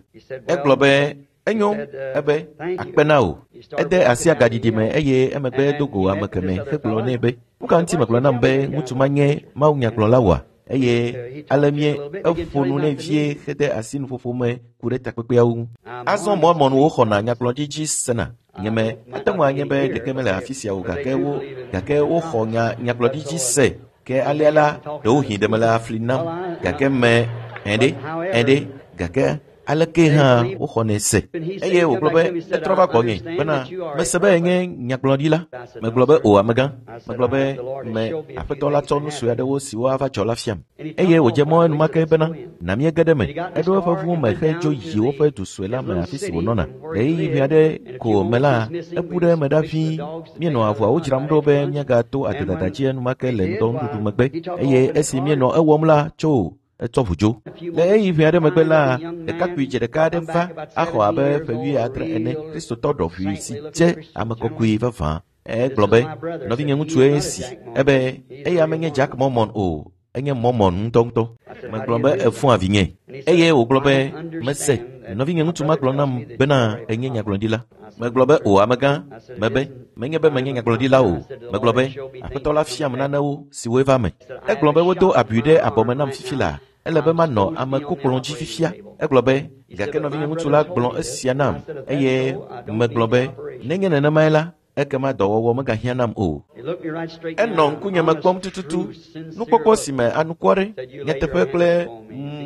Speaker 1: Egblɔ be enyo, ebe akpe na wò. Ede asi agaɖiɖi me eye emegbe do go ame keme hegblɔ nɛ be, nu ka ŋuti megblɔ nam be ŋutsu ma nye mawunyagblɔla oa? Eye ale mie eƒo nu nɛ vie hede asi nuƒoƒo me ku ɖe takpekpeawo ŋu. Azɔ Mormonwo xɔna nyagblɔɖi dzi sena. Nyeme ate ŋu anye be ɖeke mele afi sia o, gake woxɔ nyagblɔɖi dzi se. Ke alea la, ɖewohĩ ɖe mele afli nam, gake me ɛɖe, gake aleke hã woxɔnɛ se. Eye wògblɔ be etrɔ va gbɔnye bena mese be enye nyagblɔɖila. Megblɔ be o, amegã. Megblɔ be me aƒetɔ la tsɔ nu sue aɖewo siwo ava dzɔ la fiam. Eye wòdze mɔ enumake bena na míege ɖe me. Eɖo eƒe ʋu me hedzo yi woƒe du sue la me afi si wònɔna. Ɣeyiɣi ʋɛ aɖe ko me la, ebu ɖe eme ɖa ʋĩi. Míenɔ avuawo dzram ɖo be míagato adedada dzi enumake le ŋdɔnuɖuɖu megbe. Eye esi míenɔ ewɔm la, tso etsɔ ʋu dzo. Le ɣeyiɣi ʋɛ aɖe megbe la, ɖekakpui dze ɖeka aɖe va axɔ abe ƒe 70 ene, Kristotɔ ɖɔʋui si dze ame kɔkɔe vavã. Egblɔ be, nɔvinye ŋutsue esi. Ebe eya menye Jack Mormon o, enye Mormon ŋutɔŋutɔ. Megblɔ be efua vinye. Eye wògblɔ be, mese, nɔvinye ŋutsu ma gblɔ nam bena enye nyagblɔɖila. Megblɔ be, o amegã, mebe, menye be menye nyagblɔɖila o. Megblɔ be, aƒetɔ la fiam nanewo siwoe va me. Egblɔ be wodo abui ɖe abɔme nam fifi laa. Ele be manɔ amekokplɔ̃ dzi fifia. Egblɔ be, gake nɔvinye ŋutsu la gblɔ esia nam eye megblɔ be, nenye nenemae la, ekema dɔwɔwɔ megahiã nam o. Enɔ ŋkunye me kpɔm tututu, nukpɔkpɔ si me anukware, nyateƒe kple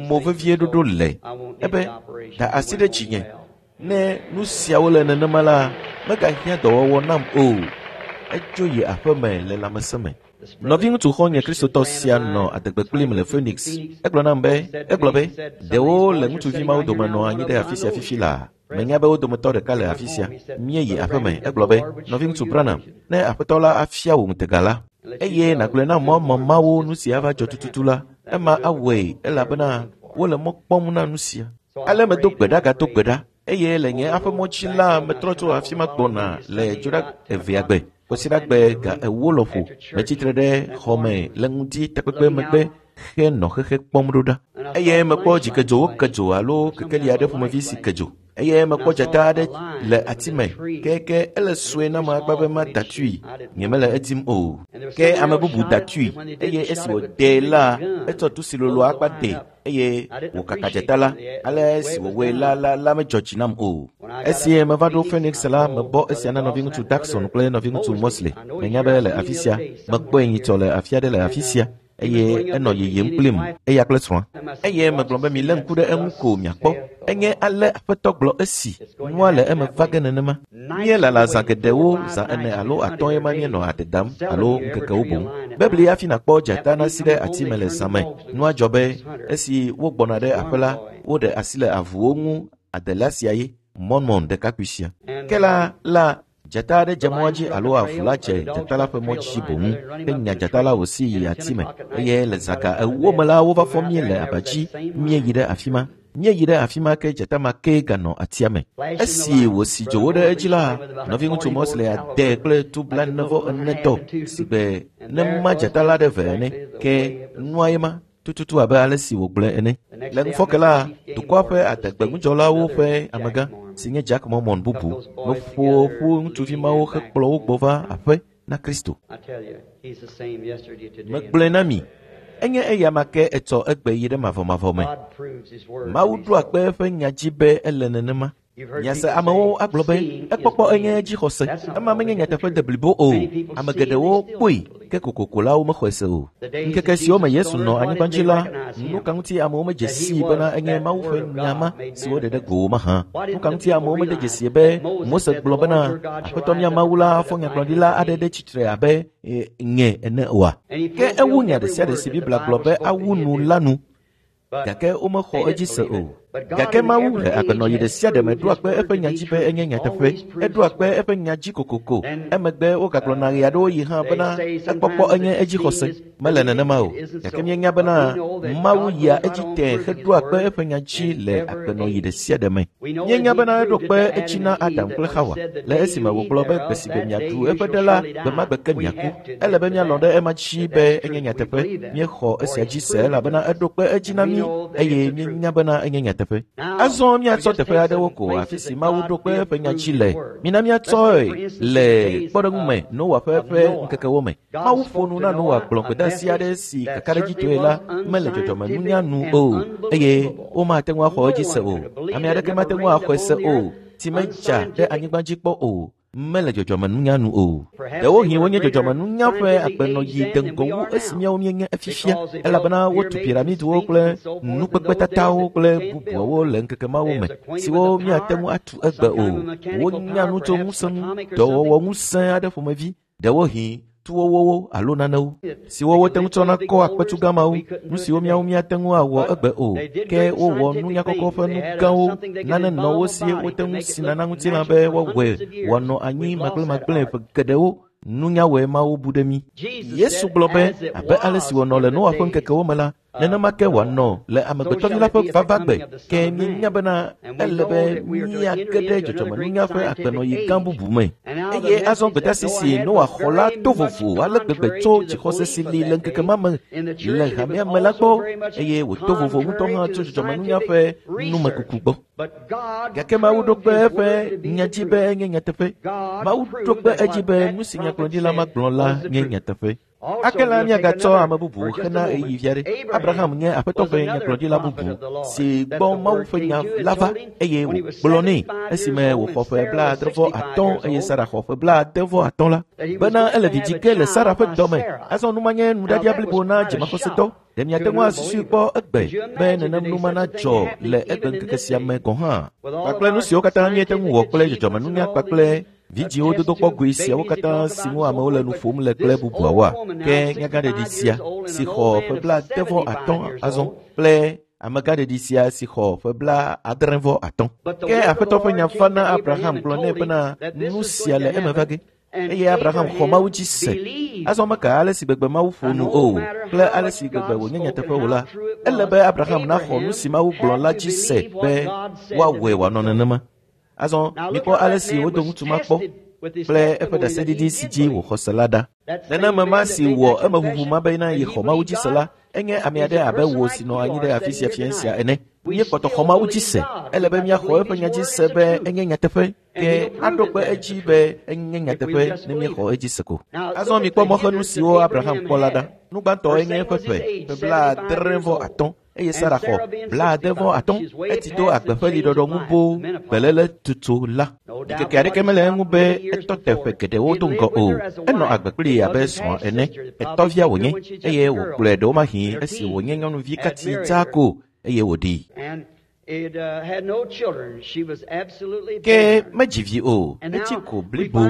Speaker 1: mo vevie ɖoɖo le. Ebe, da asi ɖe dzinye. Ne nu siawo le nenema la, megahiã dɔwɔwɔ nam o. Edzo yi aƒeme le lãmesẽ me. Nɔviŋutsu xɔ̃nye Kristotɔ sia nɔ adegbe kplim le Phoenix. Egblɔ nam be, egblɔ be, ɖewo le ŋutsuvi mawo dome nɔ anyi ɖe afi sia fifi laa. Menya be wo dometɔ ɖeka le afi sia. Míeyi aƒeme. Egblɔ be, nɔviŋutsu Branham, ne aƒetɔ la afia wò ŋutega la, eye nàgblɔe na mɔ mawo nu si ava dzɔ tututu la, ema awɔe elabena wole mɔ kpɔm na nu sia. Ale medo gbe ɖa gato gbe ɖa eye le nye aƒemɔ dzi la metrɔ tso afi ma gbɔna le dzoɖa evea gbe. Kwasiɖagbe ga 4 lɔƒo metsitre ɖe xɔ me le ŋdi takpekpe megbe henɔ xexe kpɔm ɖo ɖa. Eye mekpɔ dzikedzowo ke dzo alo kekeli aɖe ƒomevi si ke dzo. Eye mekpɔ dzata aɖe le ati me keke ele sue nam akpa be mada tui. Nyemele edim o. Ke ame bubu da tui eye esi wòdee la, etsɔ tu si lolo akpa de eye wòkaka dzata la. Ale esi wòwɔe la medzɔ dzi nam o. Esi meva ɖo Phoenix la, mebɔ esia na nɔviŋutsu Jackson kple nɔviŋutsu Mosley. Menya be le afi sia, mekpɔe nyitsɔ le afi aɖe le afi sia. Eye enɔ yiyim kplim, eya kple srɔ̃a. Eye megblɔ be milé ŋku ɖe eŋu ko miakpɔ. Enye ale aƒetɔ gblɔ esi nua le eme va ge nenema. Míelala zã geɖewo, zã 4 alo 5 ye ma míenɔ ade dam alo ŋkekewo boŋ. Bebli hafi nàkpɔ dzata nasi ɖe ati me le zã me. Nua dzɔ be esi wogbɔna ɖe aƒe la, woɖe asi le avuwo ŋu adela sia ye, Mormon ɖekakpui sia. Ke la dzata aɖe dze mɔa dzi alo avu la dze dzata la ƒe mɔ dzi boŋ henya dzata la wòsi yi ati me. Eye le zã ga 4 me la wova fɔ mí le aba dzi míeyi ɖe afi ma. Míeyi ɖe afi ma ke dzata ma ke ganɔ atia me. Esi wòsi dzowo ɖe edzi la, nɔviŋutsu Mosley ade kple tu 44 si gbe ne ma dzata la ɖe ve ene. Ke nua ye ma tututu abe ale si wògblɔe ene. Le ŋufɔke la, dukɔa ƒe adegbeŋudzɔlawo ƒe amegã si nye Jack Mormon bubu meƒo ƒu ŋutsuvi mawo hekplɔ wo gbɔ va aƒe na Kristo. Megblɔe na mi, enye eya ma ke etsɔ egbe yi ɖe mavɔmavɔ me. Mawu ɖoa kpe eƒe nya dzi be ele nenema. Miase amewo agblɔ be ekpɔkpɔ enye dzixɔse. Ema menye nyateƒe de blibo o. Ame geɖewo kpɔe ke kokoko la womexɔe se o. Ŋkeke siwo me Yesu nɔ anyigba dzi la, nu ka ŋuti amewo medze sii bena enye Mawu ƒe nya ma si woɖe ɖe go mahã? Nu ka ŋuti amewo mede dzesie be Mose gblɔ bena Aƒetɔ mía Mawu la fɔ nyagblɔɖila aɖe ɖe tsitre abe nye ene oa? Ke ewu nya ɖe sia ɖe si Biblia gblɔ be awu nu la nu. Gake womexɔ edzi se o. Gake Mawu le agbenɔɣi ɖe sia ɖe me ɖoa kpe eƒe nya dzi be enye nyateƒe. Eɖoa kpe eƒe nya dzi kokoko. Emegbe wogagblɔna ɣe aɖewo yi hã bena ekpɔkpɔ enye edzixɔse. Mele nenema o. Gake míenya bena Mawu yia edzi tẽe heɖoa kpe eƒe nya dzi le agbenɔɣi ɖe sia ɖe me. Míenya bena eɖo kpe edzi na Adam kple Xawa le esime wògblɔ be gbe si gbe miaɖu eƒe ɖe la, gbe ma gbe ke miaku. Ele be míalɔ̃ ɖe ema dzi be enye nyateƒe. Míexɔ esia dzi se elabena eɖo kpe edzi na mí eye míenya bena enye nyateƒe. Azɔ míatsɔ teƒe aɖewo ko afi si Mawu ɖo kpe eƒe nya dzi le. Mina míatsɔe le kpɔɖeŋu me Noa ƒe eƒe ŋkekewo me. Mawu ƒo nu na Noa gblɔ gbedeasi aɖe si kakaɖedzitɔe la mele dzɔdzɔmenunya nu o eye womate ŋu axɔ edzi se o. Ame aɖeke mate ŋu axɔe se o. Tsi medza ɖe anyigba dzi kpɔ o. Mele dzɔdzɔmenunya nu o. Ɖewohĩ wonye dzɔdzɔmenunya ƒe agbenɔɣi de ŋgɔ wu esi míawo míenye efifia, elabena wotu piramidwo kple nukpekpetatawo kple bubuawo le ŋkeke mawo me siwo míate ŋu atu egbe o. Wonya nu tso ŋusẽ ŋu, dɔwɔwɔ ŋusẽ aɖe ƒomevi, ɖewohĩ tuwɔwɔwo alo nanewo siwo wote ŋu tsɔna kɔ akpetu gã mawo, nu siwo míawo míate ŋu awɔ egbe o. Ke wowɔ nunyakɔkɔ ƒe nu gãwo, nane nɔ wo si wote ŋu sina na ŋutilã be woawɔe wòanɔ anyi magblẽmagblẽ ƒe geɖewo. Nunyawɔe mawo bu ɖe mí. Yesu gblɔ be abe ale si wònɔ le Noa ƒe ŋkekewo me la, Nenema ke wòanɔ le Amegbetɔvi la ƒe vavagbe. Ke míenya bena ele be míage ɖe dzɔdzɔmenunya ƒe agbenɔɣi gã bubu me. Eye azɔ gbedeasi si Noa xɔ la to vovo ale gbegbe tso dzixɔse si li le ŋkeke ma me le hamea me la gbɔ, eye wòto vovo ŋutɔ hã tso dzɔdzɔmenunya ƒe numekuku gbɔ. Gake Mawu ɖo kpe eƒe nya dzi be enye nyateƒe. Mawu ɖo kpe edzi be nu si nyagblɔɖila ma gblɔ la nye nyateƒe. Ake la míagatsɔ ame bubu hena ɣeyiɣi vi aɖe. Abraham nye Aƒetɔ ƒe nyagblɔɖila bubu si gbɔ Mawu ƒe nya la va, eye wògblɔ nɛ esime wòxɔ ƒe 65 eye Sara xɔ ƒe 85 la, bena ele vi dzi ge le Sara ƒe dɔme. Azɔ nu ma nye nuɖaɖia blibo na dzimaxɔsetɔ. Ɖe miate ŋu asusui kpɔ egbe be nenem nu ma nadzɔ le egbeŋkeke sia me gɔ̃ hã? Kpakple nu siwo katã míete ŋu wɔ kple dzɔdzɔmenunya kpakple vidzĩwo dodokpɔ goe siawo katã si ŋu amewo le nu ƒom le kple bubuawoa? Ke nyagãɖeɖi sia si xɔ ƒe 55 azɔ kple amegãɖeɖi sia si xɔ ƒe 75. Ke Aƒetɔ ƒe nya va na Abraham gblɔ nɛ bena nu sia le eme va ge. Eye Abraham xɔ Mawu dzi se. Azɔ meka ale si gbegbe Mawu ƒo nu o kple ale si gbegbe wònye nyateƒe o la, ele be Abraham naxɔ nu si Mawu gblɔ la dzi se be woawɔe wòanɔ nenema. Azɔ mikpɔ ale si wodo ŋutsu ma kpɔ kple eƒe ɖaseɖiɖi si dzi wòxɔ se la ɖa. Nenema ma si wɔ emeʋuʋu ma bena yexɔ Mawu dzi se la, enye ame aɖe abe wò si nɔ anyi ɖe afi sia fia sia ene. Míekpɔtɔ xɔ Mawu dzi se. Ele be míaxɔ eƒe nya dzi se be enye nyateƒe. Ke aɖo kpe edzi be enye nyateƒe ne míexɔ edzi se ko. Azɔ mikpɔ mɔxenu siwo Abraham kpɔ la ɖa. Nu gbãtɔe nye eƒe ƒe 75 eye Sara xɔ 75. Etsi do agbe ƒe liɖɔɖɔ ŋu boo gbeléle tutu la. Ɖikeke aɖeke mele eŋu be etɔ te ƒe geɖewo do ŋgɔ o. Enɔ agbe kplii abe srɔ̃a ene. Etɔvia wònye eye wòkplɔe ɖewomahi esi wònye nyɔnuvi katsi dzaa ko eye wòɖii. Ke medzi vi o, etsi ko blibo.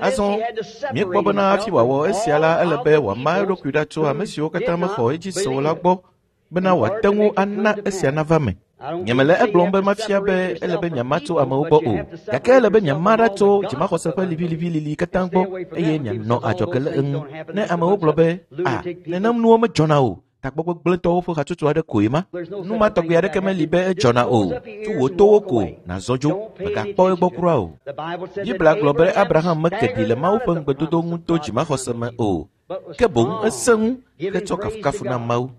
Speaker 1: Azɔ míekpɔ bena hafi wòawɔ esia la, ele be wòama eɖokui ɖa tso ame siwo katã mexɔ edzi se o la gbɔ bena wòate ŋu ana esia nava me. Nyemele egblɔm be mafia be ele be miama tso amewo gbɔ o, gake ele be miama ɖa tso dzimaxɔse ƒe liʋiliʋilili katã gbɔ eye mianɔ adzɔge le eŋu. Ne amewo gblɔ be, “A, nenem nuwo medzɔna o,” tagbɔgbegblẽtɔwo ƒe hatsotso aɖe koe ma. Nu ma tɔgbi aɖeke meli be edzɔna o. Tu wò towo ko nàzɔ dzo, mègakpɔ egbɔ kura o. Biblia gblɔ be Abraham meke ɖi le Mawu ƒe ŋugbedodo ŋu to dzimaxɔse me o, ke boŋ esẽ ŋu hetsɔ kafukafu na Mawu.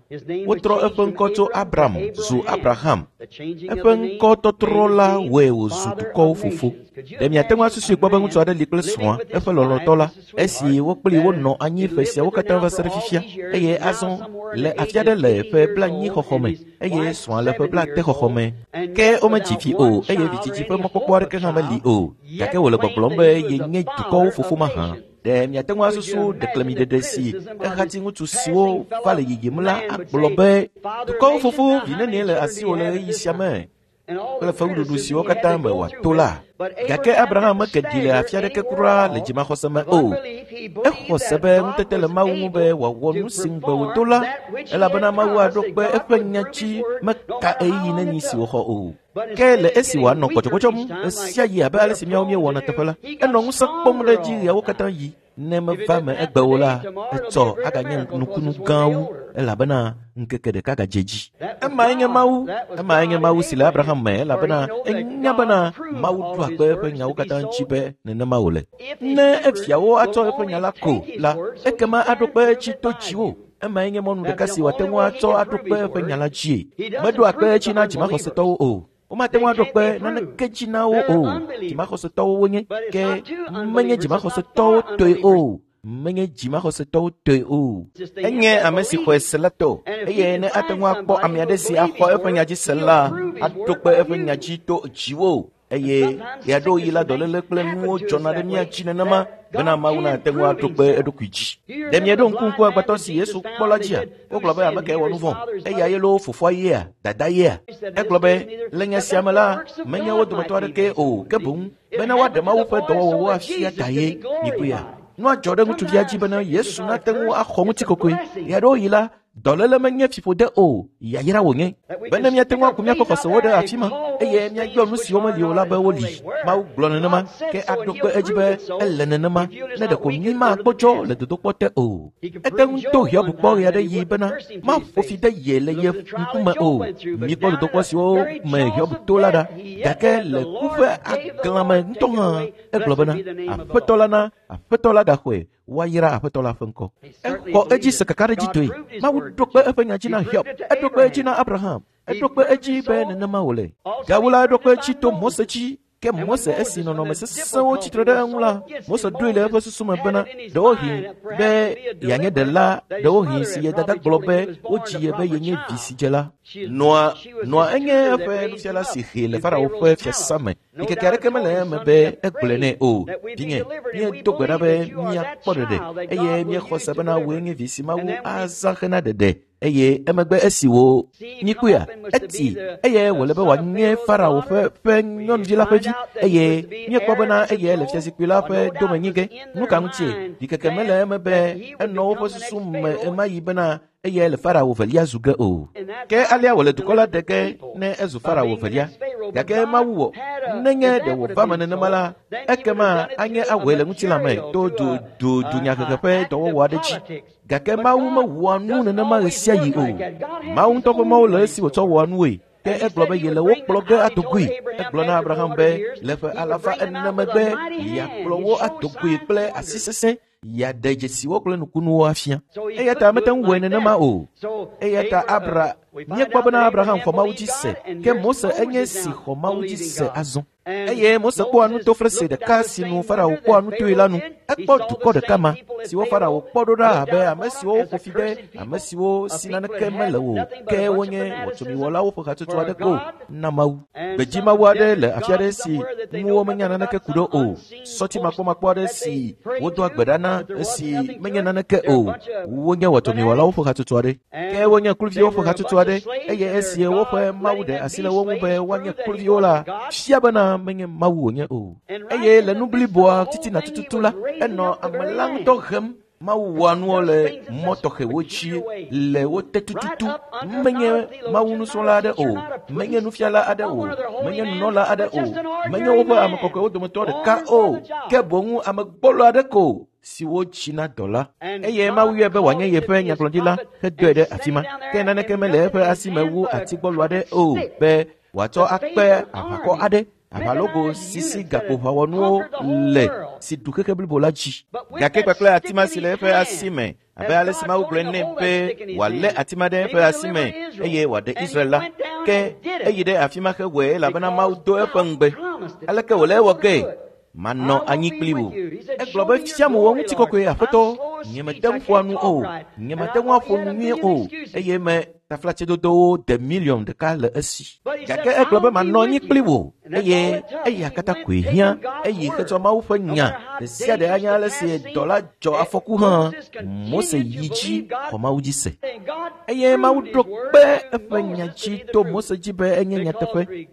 Speaker 1: Wotrɔ eƒe ŋkɔ tso Abram zu Abraham. Eƒe ŋkɔtɔtrɔ la wɔe wòzu dukɔwo fofo. Ɖe miate ŋu asusui kpɔ be ŋutsu aɖe li kple srɔ̃a, eƒe lɔlɔ̃tɔ la, esi wo kpli wonɔ anyi ƒe siawo katã va se ɖe fifia, eye azɔ le afi aɖe le ƒe 90 xɔxɔ me, eye srɔ̃a le ƒe 80 xɔxɔ me. Ke womedzi vi o, eye vidzidzi ƒe mɔkpɔkpɔ aɖeke hã meli o, gake wòle gbɔgblɔm be yenye dukɔwo fofo mahã. Ɖe miate ŋu asusu ɖeklemiɖeɖe si ehati ŋutsu siwo va le yiyim la agblɔ be dukɔwo fofo vi nenie le asiwò le ɣeyiɣi sia me kple fewuɖuɖu siwo katã me wòato la. Gake Abraham meke ɖi le afi aɖeke kura le dzimaxɔse me o. Exɔ se be ŋutete le Mawu ŋu be wòawɔ nu si ŋugbe wòdo la, elabena Mawu aɖo kpe eƒe nya dzi meka ɣeyiɣi neni si wòxɔ o. Ke le esi wòanɔ gbɔdzɔgbɔdzɔm ɣe sia ɣi abe ale si míawo míewɔna teƒe la, enɔ ŋusẽ kpɔm ɖe edzi ɣeawo katã ɣi. Ne meva me egbe o la, etsɔ aganye nukunu gã wu, elabena ŋkeke ɖeka gadze dzi. Emae nye Mawu, emae nye Mawu si le Abraham me, elabena enya bena Mawu ɖoa kpe eƒe nyawo katã dzi be nenema wòle. Ne eviawo atsɔ eƒe nya la ko la, ekema aɖo kpe edzi to dziwò. Emae nye mɔnu ɖeka si wòate ŋu atsɔ aɖo kpe eƒe nya la dzie. Meɖoa kpe edzi na dzimaxɔsetɔwo o. Womate ŋu aɖo kpe naneke dzi na wo o. Dzimaxɔsetɔwo wonye, ke menye dzimaxɔsetɔwo tɔe o. Menye dzimaxɔsetɔwo tɔe o. Enye ame si xɔe se la tɔ, eye ne ate ŋu akpɔ ame aɖe si axɔ eƒe nya dzi se la, aɖo kpe eƒe nya dzi to dziwò. Eye ɣeaɖewoɣi la dɔléle kple nuwo dzɔna ɖe mía dzi nenema bena Mawu nate ŋu aɖo kpe eɖokui dzi. Ɖe mieɖo ŋku ŋku agbetɔ si Yesu kpɔ la dzia? Wogblɔ be ame kae wɔ nu vɔ̃? Eya ye loo fofoa yea? Dada yea? Egblɔ be le nya sia me la, menye wo dometɔ aɖekee o, ke boŋ bena woaɖe Mawu ƒe dɔwɔwɔwo afia ta ye. Mikpɔea? Nua dzɔ ɖe ŋutsuvia dzi bena Yesu nate ŋu axɔ ŋutikɔkɔe. Ɣeaɖewoɣi la, dɔléle menye fiƒode o, yayra wònye. Bene míate ŋu aku míaƒe xɔsewo ɖe afi ma. eye míayɔ nu siwo meli o la be woli. Mawu gblɔ nenema, ke aɖo kpe edzi be ele nenema, ne ɖeko mí magbɔdzɔ le dodokpɔ te o. Ete ŋu to Hiob kpɔ ɣe aɖe ɣi bena maƒo fi de ye le ye ŋkume o. Míkpɔ dodokpɔ siwo me Hiob to la ɖa, gake le ku ƒe aglãme ŋutɔ hã egblɔ bena Aƒetɔ la na, Aƒetɔ la gaxɔe, woayra Aƒetɔ la ƒe ŋkɔ. Exɔ edzi se kakaɖedzitɔe. Mawu ɖo kpe eƒe nya dzi na Hiob, eɖo kpe edzi na Abraham, eɖo kpe edzi be nenema wòle. Gawu la, eɖo kpe edzi to Mose dzi. Ke Mose esi nɔnɔme sesẽwo tsitre ɖe eŋu la, Mose ɖoe le eƒe susu me bena ɖewohĩ be yeanye ɖela, ɖewohĩ si ye dada gblɔ be wodzi ye be yenye vi si dze la. Nɔa enye eƒe nufiala si hee le Farao ƒe fiasã me. Ɖikeke aɖeke mele eme be egblɔe nɛ o. Vinye, míedo gbe ɖa be míakpɔ ɖeɖe eye míexɔ se bena wòe nye vi si Mawu azã hena ɖeɖe. Eye emegbe esi wò nyikpɔea, eti eye wòle be wòanye Farao ƒe nyɔnuvi la ƒe vi eye míekpɔ bena eyae le fiazikpui la ƒe domenyi ge. Nu ka ŋutie? Ɖikeke mele eme be enɔ woƒe susu me ɣemaɣi bena eyae le Farao velia zu ge o. Ke alea wòle dukɔ la ɖe ge ne ezu Farao velia. Gake Mawu wɔ, nenye ɖe wòva me nenema la, ekema anye awɔe le ŋutilã me to dunyahehe ƒe dɔwɔwɔ aɖe dzi. Gake Mawu mewɔa nu nenema ɣe sia ɣi o. Mawu ŋutɔ ƒe mɔwo le esi wòtsɔ wɔa nue. Ke egblɔ be yele wo kplɔ ge ado goe. Egblɔ na Abraham be le ƒe 400 megbe yeakplɔ wo ado goe kple asi sesẽ, yeaɖe dzesiwo kple nukunuwo afia. Eya ta mete ŋu wɔe nenema o. Eya ta míekpɔ bena Abraham xɔ Mawu dzi se, ke Mose enye si xɔ Mawu dzi se azɔ. Eye Mose kpɔa nutoflese ɖeka si nu Farao kpɔa nutoe la nu. Ekpɔ dukɔ ɖeka ma, siwo Farao kpɔ ɖo ɖa abe ame siwo woƒo fi de, ame siwo si naneke mele o, ke wonye wɔtsomiwɔlawo ƒe hatsotso aɖe ko na Mawu. Gbedzi Mawu aɖe le afi aɖe si ŋu womenya naneke ku ɖo o. Sɔti makpɔmakpɔ aɖe si wodoa gbe ɖa na esi menye naneke o. Wonye wɔtsomiwɔlawo ƒe hatsotso aɖe. Ke wonye kluviwo ƒe hatsotso aɖe eye esi woƒe Mawu ɖe asi le wo ŋu be woanye kluviwo la, fia bena menye Mawu wònye o. Eye le nu bliboa titina tututu la, enɔ ame la ŋutɔ hem. Mawu wɔa nuwo le mɔ tɔxɛwo dzi le wo te tututu. Menye Mawu nusrɔ̃la aɖe o, menye nufiala aɖe o, menye nunɔla aɖe o, menye woƒe ame kɔkɔewo dometɔ ɖeka o, ke boŋ ame gbɔlo aɖe ko si wodzi na dɔ la. Eye Mawu yɔe be wòanye yeƒe nyagblɔɖila hedɔe ɖe afi ma. Ke naneke mele eƒe asi me wu ati gbɔlo aɖe o be wòatsɔ akpe aʋakɔ aɖe, aʋalogo sisi gakpoʋawɔnuwo le si ɖu xexe blibo la dzi. Gake kpakple ati ma si le eƒe asi me, abe ale si Mawu gblɔe nɛ be wòalé ati ma ɖe eƒe asi me eye wòaɖe Israel la, ke eyi ɖe afi ma hewɔe elabena Mawu do eƒe ŋugbe. Aleke wòle ewɔ ge? Manɔ anyi kpli wò. Egblɔ be fiam wò ŋutikɔkɔe Aƒetɔ, nyemete ŋu ƒoa nu o, nyemete ŋu aƒo nu nyuie o, eye me taflatsedodowo de miliɔn ɖeka le esi. Gake egblɔ be manɔ anyi kpli wò, eye eya katã koe hiã. Eyi hetsɔ Mawu ƒe nya ɖe sia ɖe anye ale si dɔ la dzɔ afɔku hã. Mose yi dzi xɔ Mawu dzi se. Eye Mawu ɖo kpe eƒe nya dzi to Mose dzi be enye nyateƒe.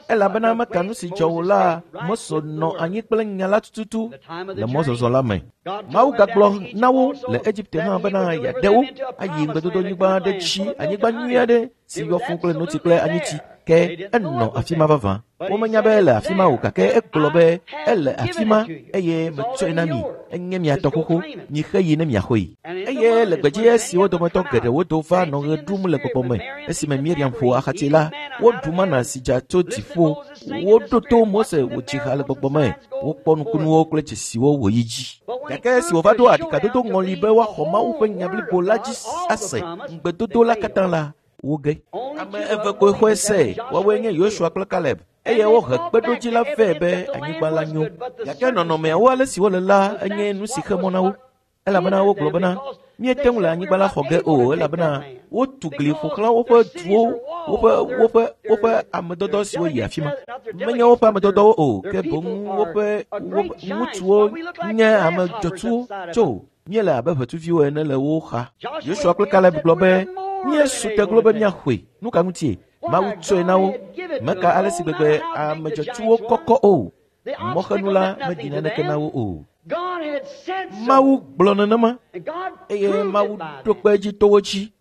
Speaker 1: Elabena meka nu si dzɔ wò la, Mose nɔ anyi kple nya la tututu le mɔzɔzɔ la me. Mawu gagblɔ na wo le Egipte hã bena yeaɖe wo ayi ŋugbedodonyigba aɖe dzi, anyigba nyui aɖe si yɔ fũu kple notsi kple anyitsi. Ke enɔ afi ma vavã. Womenya be ele afi ma o, gake egblɔ be ele afi ma eye metsɔe na mi. Enye mia tɔ xoxo, mixe yi ne miaxɔe. Eye le gbedzi esiwo dometɔ geɖewo do va nɔ ɣe ɖum le gbɔgbɔ me, esime Miriam ƒo axatsi la, woɖu mana si dza tso dziƒo. Woɖo to Mose wòdzi ha le gbɔgbɔ me. Wokpɔ nukunuwo kple dzesiwo wòyi dzi. Gake esi wòva ɖo aɖikadodo ŋɔli be woaxɔ Mawu ƒe nya blibo la dzi ase ŋugbedodo la katã la, woge. Ame eve koe xɔe se, woawoe nye Yosua kple Kaleb. Eye wohe kpeɖodzi la vɛ be anyigba la nyo. Gake nɔnɔmeawo ale si wole la enye nu si xe mɔ na wo. Elabena wogblɔ bena míete ŋu le anyigba la xɔ ge o, elabena wotu gli ƒo xlã woƒe duwo, woƒe amedɔdɔ siwo yi afi ma. Menye woƒe amedɔdɔwo o, ke boŋ woƒe ŋutsuwo nye ame dzɔtsuwo tso. Míele abe ʋetsuviwo ene le wo xa. Yosua kple Kaleb gblɔ be míesu te glo be míaxɔe. Nu ka ŋutie? Mawu tsɔe na wo. Meka ale si gbegbe ame dzɔtsuwo kɔkɔ o. Mɔxenu la meɖi naneke na wo o. Mawu gblɔ nenema eye Mawu ɖo kpe edzi to wo dzi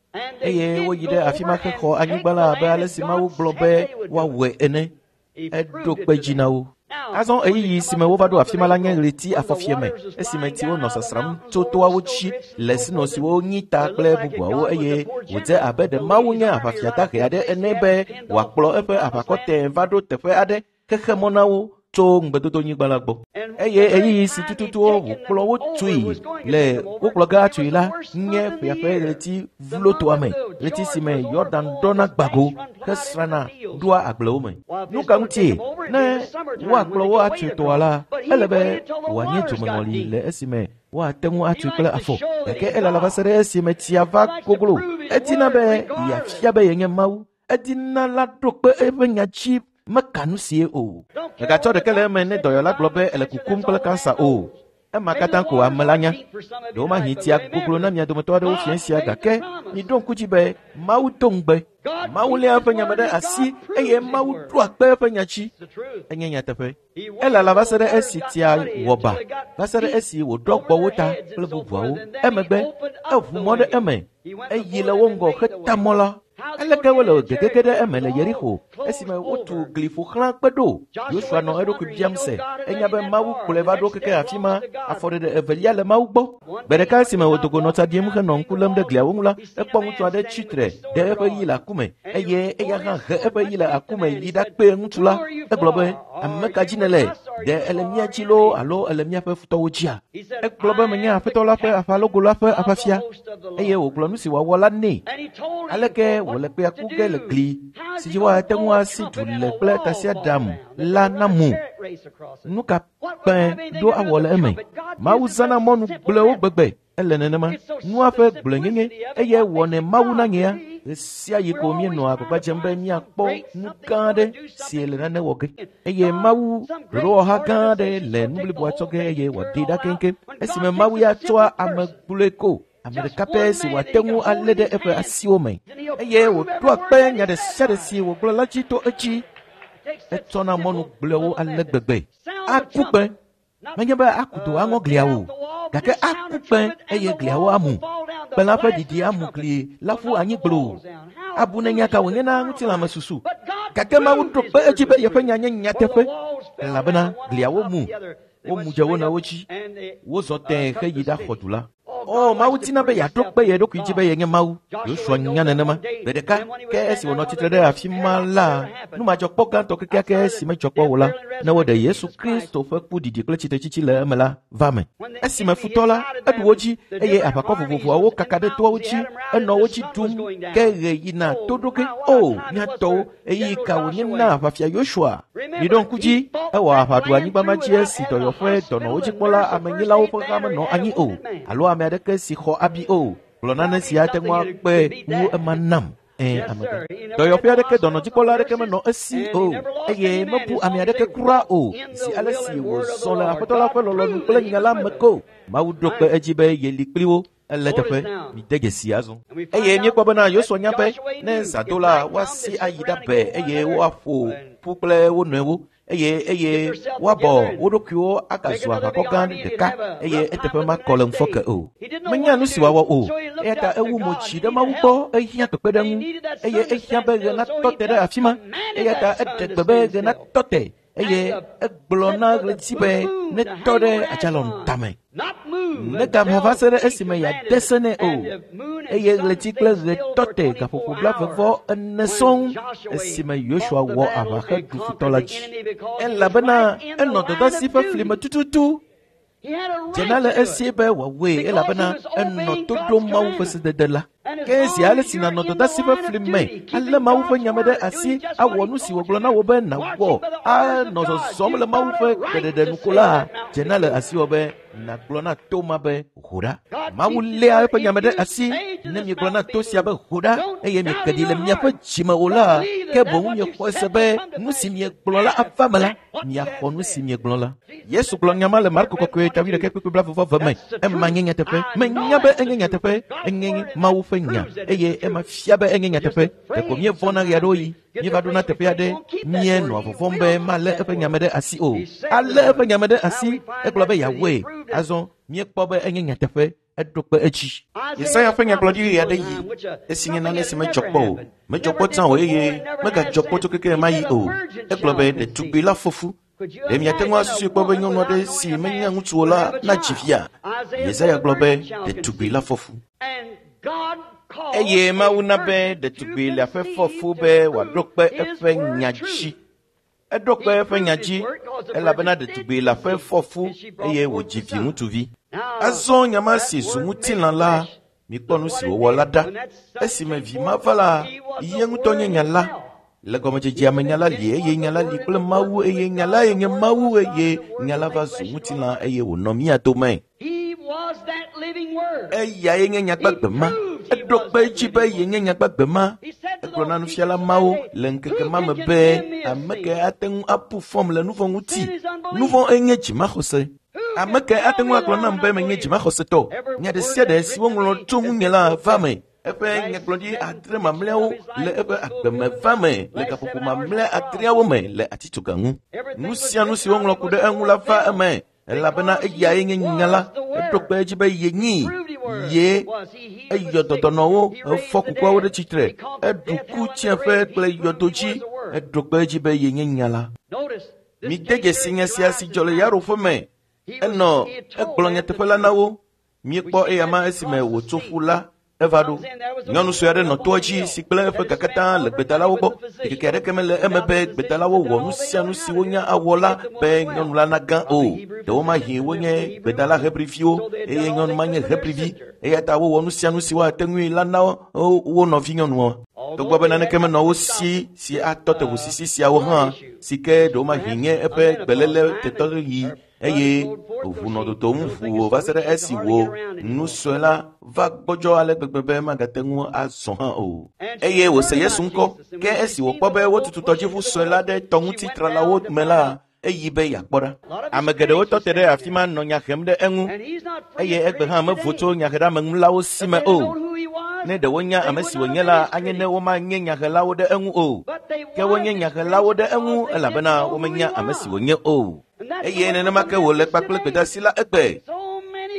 Speaker 1: eye woyi ɖe afi ma hexɔ anyigba la abe ale si Mawu gblɔ be woawɔe ene. Eɖo kpe dzi na wo. Azɔ ɣeyiɣi si me wova ɖo afi ma la nye ɣleti afɔfiame, esime tsiwo nɔ sasram tso toawo dzi le sinɔ siwo nyi ta kple bubuawo eye wòdze abe ɖe Mawu nye aʋafia dahe aɖe ene be wòakplɔ eƒe aʋakɔ tẽe va ɖo teƒe aɖe xexe mɔ na wo tso ŋugbedodonyigba la gbɔ. Eye ɣeyiɣi si tututu wòkplɔ wo tui le wokplɔ ge atui la nye ƒea ƒe ɣleti vlotoa me, ɣleti si me Yɔdan ɖɔna gbago hesrana ɖoa agblewo me. Nu ka ŋutie? Ne woakplɔ wo atui tɔa la, ele be wòanye dzomeŋɔli le esime woate ŋu atui kple afɔ, gake elala va se ɖe esime tsia va goglo. Edina be yeafia be yenye Mawu. Edina la ɖo kpe eƒe nya dzi meka nu sie o. Mègatsɔ ɖeke le eme ne dɔyɔla gblɔ be ele kukum kple kansa o. Ema katã ko ame la nya. Ɖewomahi tsia goglo na mia dometɔ aɖewo fiẽ sia gake miɖo ŋku dzi be Mawu do ŋugbe. Mawu léa eƒe nya me ɖe asi eye Mawu ɖoa kpe eƒe nya dzi. Enye nyateƒe. Elala va se ɖe esi tsia wɔ ba, va se ɖe esi wòɖɔ gbɔ wo ta kple bubuawo. Emegbe eʋu mɔ ɖe eme eyi le wo ŋgɔ heta mɔ la. Aleke wole gegege ɖe eme le Yerixo esime wotu gli ƒo xlã kpe ɖo? Yosua nɔ eɖokui biam se. Enya be Mawu kplɔe va ɖo keke afi ma. Afɔɖeɖe evelia le Mawu gbɔ. Gbe ɖeka esime wòdo go nɔ tsa ɖim henɔ ŋku lém ɖe gliawo ŋu la, ekpɔ ŋutsu aɖe tsi tre ɖe eƒe ɣi le aku me eye eya hã he eƒe ɣi le aku me yi ɖakpe ŋutsu la. Egblɔ be, ame ka dzi nèle? Ɖe ele mía dzi loo alo ele míaƒe futɔwo dzia? Egblɔ be menye Aƒetɔ la ƒe aʋalogo la ƒe aʋafia eye wògblɔ nu si wòawɔ la nɛ. Aleke wòle kpea ku ge le gli si dzi woate ŋu asi du le kple tasiaɖam la namu? Nu ka kpẽ ɖo awɔ le eme? Mawu zãna mɔnu gblɔewo gbegbe. Ele nenema. Nua ƒe gblɔenyenye eye wɔnɛ Mawu nanyea. Ɣe sia ɣi ko míenɔa agbagba dzem be míakpɔ nu gã aɖe si le nane wɔ ge. Eye Mawu ɖoɖowɔha gã aɖe le nu bliboa tsɔ ge eye wòaɖee ɖa keŋkeŋ. Esime Mawu ya tsɔa ame gblɔe ko. Ame ɖeka pɛ si wòate ŋu alé ɖe eƒe asiwo me eye wòɖoa kpe nya ɖe sia ɖe si wògblɔ la dzi to edzi. Etsɔna mɔnu gblɔewo ale gbegbe. Aku kpẽ. Menye be aku do aŋɔ gliawo o, gake aku kpẽ eye gliawo amu. Kpẽ la ƒe ɖiɖi amu gli la ƒu anyi gbloo. Abu ne nya ka wònye na ŋutilãmesusu. Gake Mawu ɖo kpe edzi be yeƒe nya nye nyateƒe, elabena gliawo mu. Womu dze wo nɔewo dzi. Wozɔ tẽe heyi ɖaxɔ du la. O, Mawu dina be yeaɖo kpe ye ɖokui dzi be yenye Mawu. Yosua nya nenema. Gbe ɖeka ke esi wònɔ tsitre ɖe afi ma la, nu madzɔkpɔ gãtɔ kekeake si medzɔ kpɔ o la, ne woɖe Yesu Kristo ƒe ku ɖiɖi kple tsitretsitsi le eme la va me. Esime futɔ la, eɖu wo dzi eye aʋakɔ vovovoawo kaka ɖe toawo dzi, enɔ wo dzi ɖum ke ɣe yina to ɖo ge. O, mía tɔwo, ɣeyiɣi ka wònye na aʋafia Yosua? Miɖo ŋku dzi, ewɔ aʋa ɖu anyigba ma dzi esi dɔyɔƒe dɔnɔwo dzikpɔla amenyilawo ƒe ha menɔ anyi o, alo ame aɖeke si xɔ abi o. Gblɔ nane si ate ŋu akpe wu ema nam. Amegã. Dɔyɔƒe aɖeke dɔnɔdzikpɔla aɖeke menɔ esi o eye mebu ame aɖeke kura o zi ale si wòzɔ le Aƒetɔ la ƒe lɔlɔ̃nu kple nya la me ko. Mawu ɖo kpe edzi be yeli kpli wo. Ele teƒe, mide dzesi azɔ. Eye míekpɔ bena Yosua nya be ne zã do la, woasi ayi ɖabe eye woaƒo ƒu kple wo nɔewo eye woabɔ wo ɖokuiwo agazu aʋakɔ gã ɖeka eye eteƒe makɔ le ŋufɔke o. Menya nu si wòawɔ o, eya ta ewu mo dzi ɖe Mawu gbɔ ehiã kpekpeɖeŋu eye ehiã be ɣe natɔ te ɖe afi ma. Eya ta eɖe gbe be ɣe natɔ te eye egblɔ na ɣleti be netɔ ɖe adzalɔn tame. Negaʋã va se ɖe esime yeade se nɛ o. Eye ɣleti kple ɣe tɔ te gaƒoƒo 44 sɔŋ esime Yosua wɔ aʋa heɖu futɔ la dzi. Elabena enɔ dɔdeasi ƒe fli me tututu. Dzena le esi be wòawɔe elabena enɔ to ɖom Mawu ƒe sedede la. Ke zi ale si nànɔ dɔdeasi ƒe fli me, alé Mawu ƒe nya me ɖe asi, awɔ nu si wògblɔ na wò be nàwɔ, anɔ zɔzɔm le Mawu ƒe gbeɖeɖe nu ko la, dzena le asiwò be nàgblɔ na to ma be ho ɖa. Mawu léa eƒe nya me ɖe asi. Ne miegblɔ na to sia be ho ɖa eye mieke ɖi le miaƒe dzime o la, ke boŋ miexɔe se be nu si miegblɔ la ava me la, miaxɔ nu si miegblɔ la. Yesu gblɔ nya ma le Marko kɔkɔe ta 8:42 me. Ema nye nyateƒe. Menya be enye nyateƒe. Enye Mawu ƒe nya eye ema fia be enye nyateƒe. Ɖeko míevɔ̃na ɣe aɖewo ɣi. Míeva ɖona teƒe aɖe, míenɔa vɔvɔ̃m be malé eƒe nya me ɖe asi o. Alé eƒe nya me ɖe asi, egblɔ be yeawɔe. Azɔ míekpɔ be enye nyateƒe. Eɖo kpe edzi. Yesaya ƒe nyagblɔɖi ɣe aɖe yi esi nye nane si medzɔ kpɔ o. Medzɔ kpɔ tsã o eye megadzɔ kpɔ tso keke ma yi o. Egblɔ be ɖetugbi la fɔ fu. Ɖe miate ŋu asusui kpɔ be nyɔnu aɖe si menya ŋutsu o la nadzi via? Yesaya gblɔ be ɖetugbi la fɔ fu. Eye Mawu na be ɖetugbi le aƒe fɔ fu be wòaɖo kpe eƒe nya dzi. Eɖo kpe eƒe nya dzi elabena ɖetugbi le aƒe fɔ fu eye wòdzi vi ŋutsuvi. Azɔ nya ma si zu ŋutilã la, mikpɔ nu si wòwɔ la ɖa. Esime vi ma va la, ye ŋutɔ nye nya la. Le gɔmedzedzea me nya la li eye nya la li kple Mawu eye nya lae nye Mawu eye nya la va zu ŋutilã eye wònɔ mía dome. Eyae nye nyagbagbe ma. Eɖo kpe edzi be yenye nyagbagbe ma. Egblɔ na nufiala mawo le ŋkeke ma me be ame ke ate ŋu abu fɔm le nu vɔ̃ ŋuti. Nu vɔ̃ enye dzimaxɔse. Ame ke ate ŋu agblɔ nam be menye dzimaxɔsetɔ. Nya ɖe sia ɖe si woŋlɔ tso ŋunye la va me. Eƒe nyagblɔɖi adre mamlɛawo le eƒe agbeme va me le gaƒoƒo mamlɛ adreawo me le atitsoga ŋu. Nu sia nu si woŋlɔ ku ɖe eŋu la va eme elabena eyae nye nya la. Eɖo kpe edzi be yenyi ye eyɔ dɔdɔnɔwo, efɔ kukuawo ɖe tsitre, eɖu ku tsiẽƒe kple yɔdo dzi. Eɖo kpe edzi be yenye nya la. Mide dzesi nya sia si dzɔ le Yairo ƒe me. Enɔ egblɔ nyateƒe la na wo. Míekpɔ eya ma esime wòtso ƒu la eva ɖo. Nyɔnu sue aɖe nɔ toa dzi si gblẽ eƒe ga katã le gbedalawo gbɔ. Ɖikeke aɖeke mele eme be gbedalawo wɔ nu sia nu si wonya awɔ la be nyɔnu la nagã o. Ɖewomahi wonye gbedala Hebriviwo eye nyɔnu ma nye Hebrivi eya ta wowɔ nu sia nu si woate ŋui la na wo nɔvi nyɔnua. Togbɔ be naneke menɔ wo si si atɔ te ʋusisi siawo hã si ke ɖewomahi nye eƒe gbeléle tetɔɣi eye ʋu nɔ dodom ʋuu va se ɖe esi wò nu sue la va gbɔdzɔ ale gbegbe be magate ŋu azɔ hã o. Eye wòse Yesu ŋkɔ ke esi wòkpɔ be wotutu tɔdziʋu sue la ɖe tɔŋutitralawo me la, eyi be yeakpɔ ɖa. Ame geɖewo tɔ te ɖe afi ma nɔ nya hem ɖe eŋu eye egbe hã mevo tso nyaheɖeameŋulawo si me o. Ne ɖe wonya ame si wònye la, anye ne womanye nyahelawo ɖe eŋu o. Ke wonye nyahelawo ɖe eŋu elabena womenya ame si wònye o. Eye nenema ke wòle kpakple gbedeasi la egbe.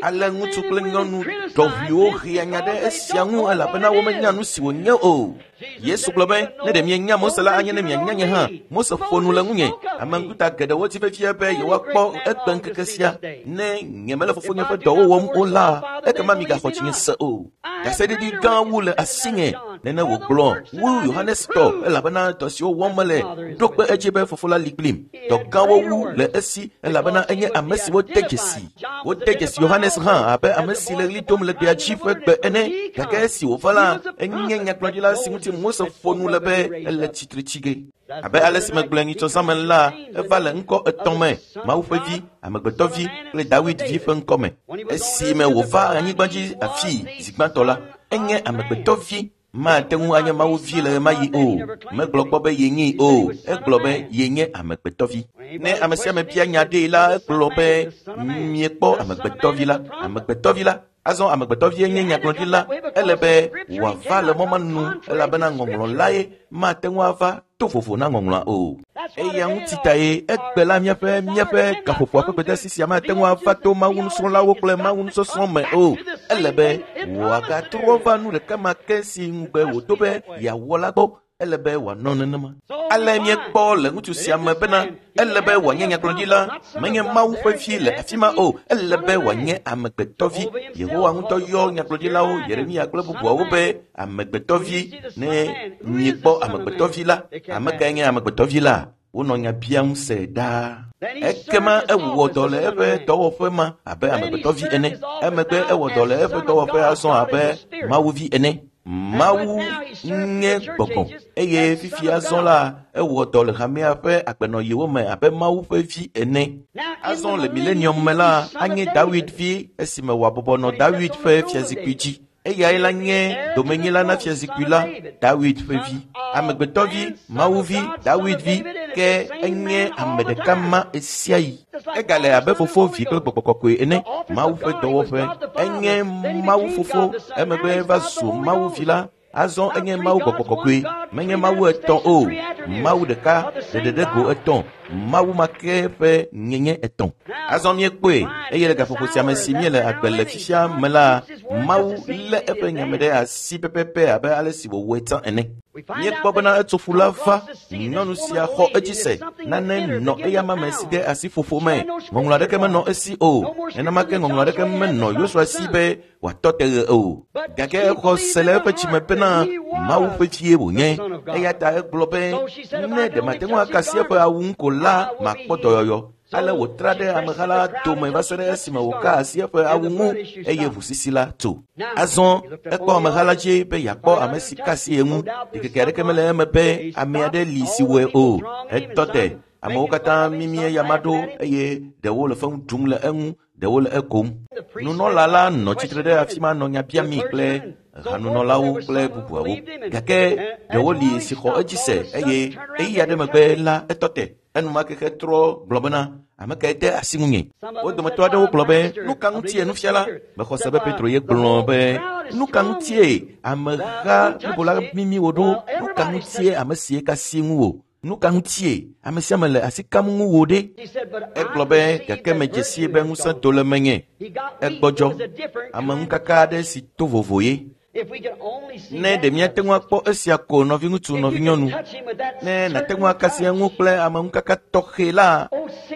Speaker 1: Ale ŋutsu kple nyɔnu ɖɔʋuiwo hea nya ɖe esia ŋu elabena womenya nu si wònye o. Yesu gblɔ be ne ɖe mienya Mose la anye ne mianya nye hã. Mose ƒo nu le ŋunye. Ame ŋkuta geɖewo di vevie be yewoakpɔ egbe ŋkeke sia. Ne nyemele fofonye ƒe dɔwo wɔm o la, ekema migaxɔ dzinye se o. Ɖaseɖiɖi gã wu le asinye nene wògblɔ wu Yohanes tɔ elabena dɔ siwo wɔm mele ɖo kpe edzi be fofo la li kplim. Dɔ gãwo wu le esi elabena enye ame si wode dzesi. Wode dzesi Yohanes hã abe ame si le ɣli dom le gbea dzi ƒe gbe ene. Gake esi wòva la, enye nyagblɔɖila si ŋuti Mose ƒo nu le be ele tsitre tsi ge. Abe ale si megblɔe nyitsɔ zã me la, eva le ŋkɔ etɔ̃ me: Mawu ƒe vi, amegbetɔ vi kple Dawid vi ƒe ŋkɔ me. Esime wòva anyigba dzi afii zi gbãtɔ la, enye amegbetɔ vi. Mate ŋu anye Mawu vi le ɣemaɣi o. Megblɔ kpɔ be yenyee o. Egblɔ be yenye amegbetɔvi. Ne ame sia ame bia nya ɖee la, egblɔ be miekpɔ amegbetɔvi la. Amegbetɔvi la. Azɔ amegbetɔvie nye nyagblɔɖila. Ele be wòava le mɔ ma nu elabena ŋɔŋlɔ lae mate ŋu ava to vovo na ŋɔŋlɔa o. Eya ŋuti tae egbe la míaƒe gaƒoƒoa ƒe gbedeasi sia mate ŋu ava to Mawu nusrɔ̃lawo kple Mawu nusɔsrɔ̃ me o. Ele be wòagatrɔ va nu ɖeka ma ke si ŋugbe wòdo be yeawɔ la gbɔ. Ele be wòanɔ nenema. Ale míekpɔ le ŋutsu sia me bena ele be wòanye nyagblɔɖila, menye Mawu ƒe vi le afi ma o. Ele be wòanye amegbetɔvi. Yehowa ŋutɔ yɔ nyagblɔɖilawo Yeremia kple bubuawo be amegbetɔvi. Ne miekpɔ amegbetɔvi la, ame kae nye amegbetɔvi la? Wonɔ nya biam se ɖaa. Ekema ewɔ dɔ le eƒe dɔwɔƒe ma abe amegbetɔvi ene. Emegbe ewɔ dɔ le eƒe dɔwɔƒe azɔ abe Mawuvi ene. Mawu nye gbɔgbɔ eye fifia azɔ la ewɔ dɔ le hamea ƒe agbenɔɣiwo me abe Mawu ƒe vi ene. Azɔ le milenium me la anye Dawid vi esime wòabɔbɔ nɔ Dawid ƒe fiazikpui dzi. Eyae la nye domenyila na fiazikpui la, Dawid ƒe vi. Amegbetɔvi, Mawu vi, Dawid vi, ke enye ame ɖeka ma ɣesiaɣi. Egale abe fofo, vi kple gbɔgbɔ kɔkɔe ene. Mawu ƒe dɔwɔƒe. Enye Mawu fofo, emegbe va zu Mawu vi la. Azɔ enye Mawu gbɔgbɔ kɔkɔe. Menye Mawu etɔ̃ o, Mawu ɖeka ɖeɖe ɖe go etɔ̃, Mawu ma ke ƒe nyenye etɔ̃. Azɔ míekpɔe eye le gaƒoƒo sia me si míele agbe le fifia me la, Mawu lé eƒe nyame ɖe asi pɛpɛpɛ abe ale si wòwɔe tsã ene. Míekpɔ bena etso ƒu la va, nyɔnu sia xɔ edzi se, nane nɔ eyama me si de asi ƒoƒo me. Ŋɔŋlɔ aɖeke menɔ esi o. Nenema ke ŋɔŋlɔ aɖeke menɔ Yosua si be wòatɔ te ɣe o. Gake exɔ se le eƒe dzime bena Mawu ƒe vie wònye. Eya ta egblɔ be, ne ɖe mate ŋu akasi eƒe awu ŋu ko la, makpɔ dɔyɔyɔ. Ale wòtra ɖe ameha la dome va se ɖe esime wòka asi eƒe awu ŋu eye ʋusisi la tso. Azɔ ekpɔ ameha la dzi be yeakpɔ ame si ka asi ye ŋu. Ɖikeke aɖeke mele eme be ame aɖe li si wɔe o. Etɔ te. Amewo katã mimi eyama ɖo eye ɖewo le fewu ɖum le eŋu, ɖewo le ekom. Nunɔla la nɔ tsitre ɖe afi ma nɔ nya biami kple hanunɔlawo kple bubuawo. Gake ɖewo li si xɔ edzi se eye ɣeyiɣi aɖe megbe la etɔ te. Enumake trɔ gblɔ bena, ame kae de asi ŋunye? Wo dometɔ aɖewo gblɔ be, nu ka ŋutie nufiala? Mexɔ se be Petro ye gblɔ be, nu ka ŋutie ameha blibo la mimi wò ɖo? Nu ka ŋutie ame si ka asi ŋuwò? Nu ka ŋutie ame sia ame le asi kam ŋuwò ɖe? Egblɔ be, gake medze sie be ŋusẽ do le menye. Egbɔdzɔ. Ameŋukaka aɖe si to vovo ye. Ne ɖe míate ŋu akpɔ esia ko nɔviŋutsu nɔvinyɔnu, ne nàte ŋu akasi eŋu kple ameŋukaka tɔxɛ la,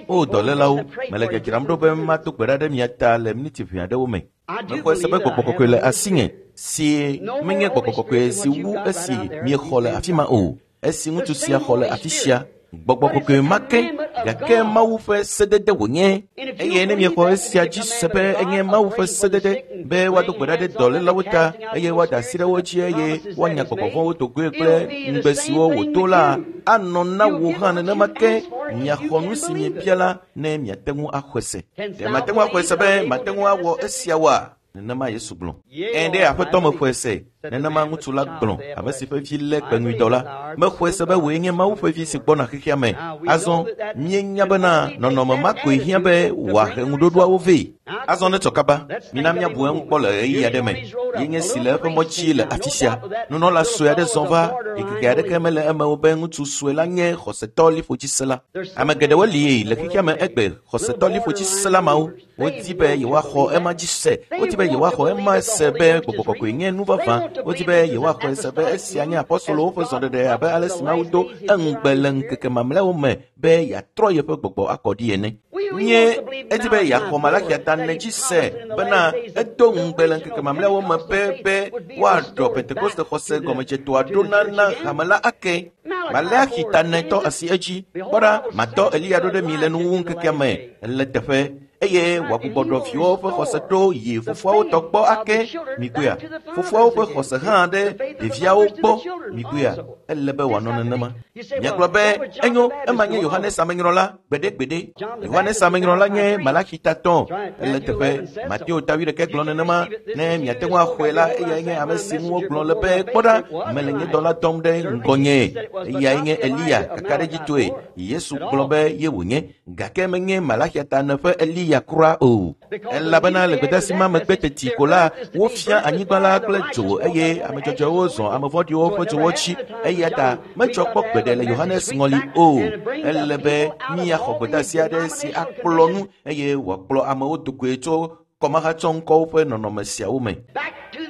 Speaker 1: o dɔlélawo, mele dzadzram ɖo be mado gbe ɖa ɖe mia ta le miniti ʋɛ aɖewo me. Mexɔe se be gbɔgbɔ kɔkɔe le asinye si menye gbɔgbɔ kɔkɔe si wu esi miexɔ le afi ma o. Esi ŋutsu sia xɔ le afi sia, gbɔgbɔ kɔkɔe ma ke, gake Mawu ƒe sedede wònye. Eye ne miexɔ esia dzi se be enye Mawu ƒe sedede be woado gbe ɖa ɖe dɔlélawo ta eye woada asi ɖe wo dzi eye woanya gbɔgbɔ vɔ̃wo do goe kple ŋugbe siwo wòdo la, anɔ na wò hã nenema ke miaxɔ nu si miebia la ne miate ŋu axɔe se. Ɖe mate ŋu axɔe se be mate ŋu awɔ esia oa? Nenema Yesu gblɔ. Ẽ ɖe aƒetɔ mexɔe se. Nenema ŋutsu la gblɔ, ame si ƒe vi lé kpeŋuidɔ la. Mexɔe se be wòe nye Mawu ƒe vi si gbɔna xexea me. Azɔ, míenya bena nɔnɔme ma koe hiã be wòahe ŋuɖoɖoawo vɛ. Azɔ netsɔ kaba, mina míabu eŋu kpɔ le ɣeyiɣi aɖe me. Ye nye si le eƒe mɔ dzi le afi sia. Nunɔla sue aɖe zɔ va, ɖikeke aɖeke mele eme o be ŋutsu sue la nye xɔsetɔ liƒodzisela. Ame geɖewo li le xexea me egbe xɔsetɔ liƒodzisela mawo. Wodi be yewoaxɔ ema dzi se. Wodi be yewoaxɔ ema se be gbɔgbɔ kɔkɔe nye nu vavã. Wodi be yewoaxɔe se be esia nye apɔstolowo ƒe zɔɖeɖe abe ale si Mawu do eŋugbe le ŋkeke mamlɛawo me be yeatrɔ yeƒe gbɔgbɔ akɔ ɖi ene. Nye edi be yeaxɔ Malakia ta ne dzi se bena edo ŋugbe le ŋkeke mamlɛawo me be woaɖɔ Pentekoste xɔse gɔmedzetoa ɖo na hame la ake. Malachi ta ne tɔ asi edzi. Kpɔ ɖa, matɔ Eliya ɖo ɖe mi le nuwuwu ŋkekea me le teƒe eye wòagbugbɔ ɖɔ viwo ƒe xɔse ɖo yi fofoawo tɔ gbɔ ake mikpɔea. Fofoawo ƒe xɔse hã ɖe ɖeviawo gbɔ mikpɔea. Ele be wòanɔ nenema. Miagblɔ be enyo, ema nye Yohanes Amenyrɔla gbeɖegbeɖe. Yohanes Amenyrɔla nye Malachi ta tɔ ele teƒe. Mateo ta wuiɖekɛ gblɔ nenema. Ne miate ŋu axɔe la, eyae nye ame si ŋu wogblɔ le be kpɔ ɖa, mele nye dɔla dɔm ɖe ŋgɔnye. Eyae nye Eliya kakaɖedzitɔe. Yesu gblɔ be ye wònye, gake menye Malachi ta ne ƒe Eliya kura o. Elabena le gbedeasi ma megbe teti ko la, wofia anyigba la kple dzo eye ame dzɔdzɔewo zɔ ame vɔ̃ɖiwo ƒe dzowo dzi. Eya ta medzɔ kpɔ gbeɖe le Yohanes ŋɔli o. Ele be míaxɔ gbedeasi aɖe si akplɔ nu eye wòakplɔ amewo do goe tso kɔmahatsɔŋkɔwo ƒe nɔnɔme siawo me.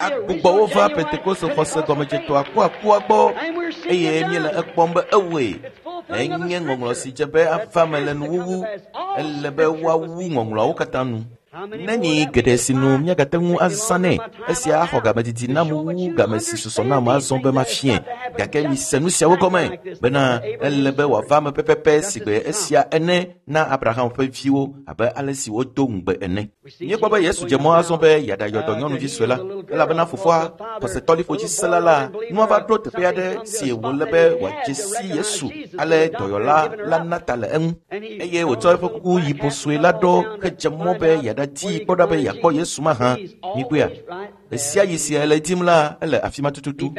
Speaker 1: Agbugbɔ wo va Pentekoste xɔse gɔmedzetoa kuakua gbɔ eye míele ekpɔm be ewɔe. Enye ŋɔŋlɔ si dze be ava me le nuwuwu. Ele be woawu ŋɔŋlɔawo katã nu. Nenyi geɖe si nu míagate ŋu azã nɛ. Esia axɔ game didi nam wu game si susɔ nam azɔ be mafiɛ. Gake mise nu siawo gɔme bena ele be wòava me pɛpɛpɛ sigbe esia ene na Abraham ƒe viwo abe ale si wodo ŋugbe ene. Míekpɔ be Yesu dze mɔ azɔ be yeaɖayɔ dɔ nyɔnuvi sue la, elabena fofoa xɔsetɔ liƒodzisela la nua va ɖo teƒe aɖe si wòle be wòadze si Yesu ale dɔyɔla la na ta le eŋu eye wòtsɔ eƒe kuku yibɔ sue la ɖo hedze mɔ be yeaɖadze Megadii kpɔ ɖa be yeakpɔ Yesu mahã. Mikpɔea? Ɣe sia ɣi si ele dim la, ele afi ma tututu.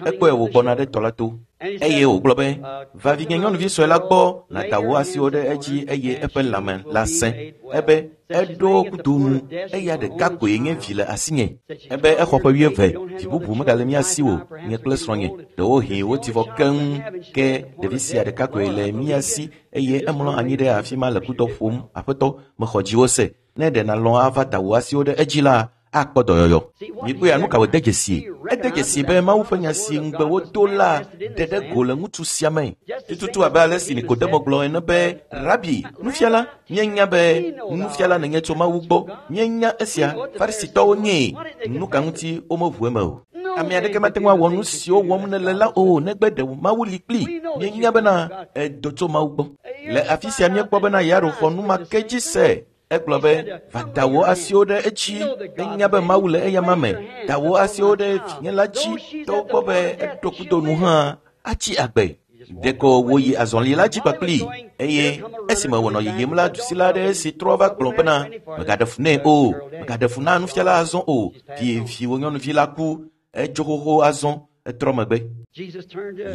Speaker 1: Ekpɔe wògbɔna ɖe tɔ la to. Eye wògblɔ be, va vinye nyɔnuvi sue la gbɔ nàda wò asiwo ɖe edzi eye eƒe lãme la sẽ. Ebe eɖo kudo nu, eya ɖeka koe nye vi le asinye. Ebe exɔ ƒe 20, vi bubu megale mía si o, nye kple srɔ̃nye. Ɖewohĩ woti vɔ keŋ, ke ɖevi sia ɖeka koe le mía si eye emlɔ anyi ɖe afi ma le kudɔ ƒom. Aƒetɔ, mexɔ dziwò se. Ne ɖe nàlɔ̃ ava da wò asiwo ɖe edzi la, akpɔ dɔyɔyɔ. Mikpɔea, nu ka wòde dzesi? Ede dzesi be Mawu ƒe nya si ŋugbe wodo la ɖe ɖe go le ŋutsu sia me. Tututu abe ale si Nikodemo gblɔ ene be, Rabi, nufiala, míenya be nufiala nènye tso Mawu gbɔ. Míenya esia. Farisitɔwo nyee. Nu ka ŋuti womeʋu eme o? Ame aɖeke mate ŋu awɔ nu siwo wɔm nèle la o negbe ɖe Mawu li kplii. Míenya bena edo tso Mawu gbɔ. Le afi sia míekpɔ bena Yairo xɔ nu ma ke dzi se. Egblɔ be, va da wò asiwo ɖe edzi. Enya be Mawu le eyama me. Da wò asiwo ɖe vinye la dzi. Togbɔ be eɖo kudo nu hã, atsi agbe. Ɖeko wòyi azɔli la dzi kpakplii eye esime wònɔ yiyim la, dusila aɖe si trɔ va gblɔ bena, megaɖe fu nɛ o, megaɖe fu na nufiala azɔ o. Viwò nyɔnuvi la ku, edzo xoxo azɔ, etrɔ megbe.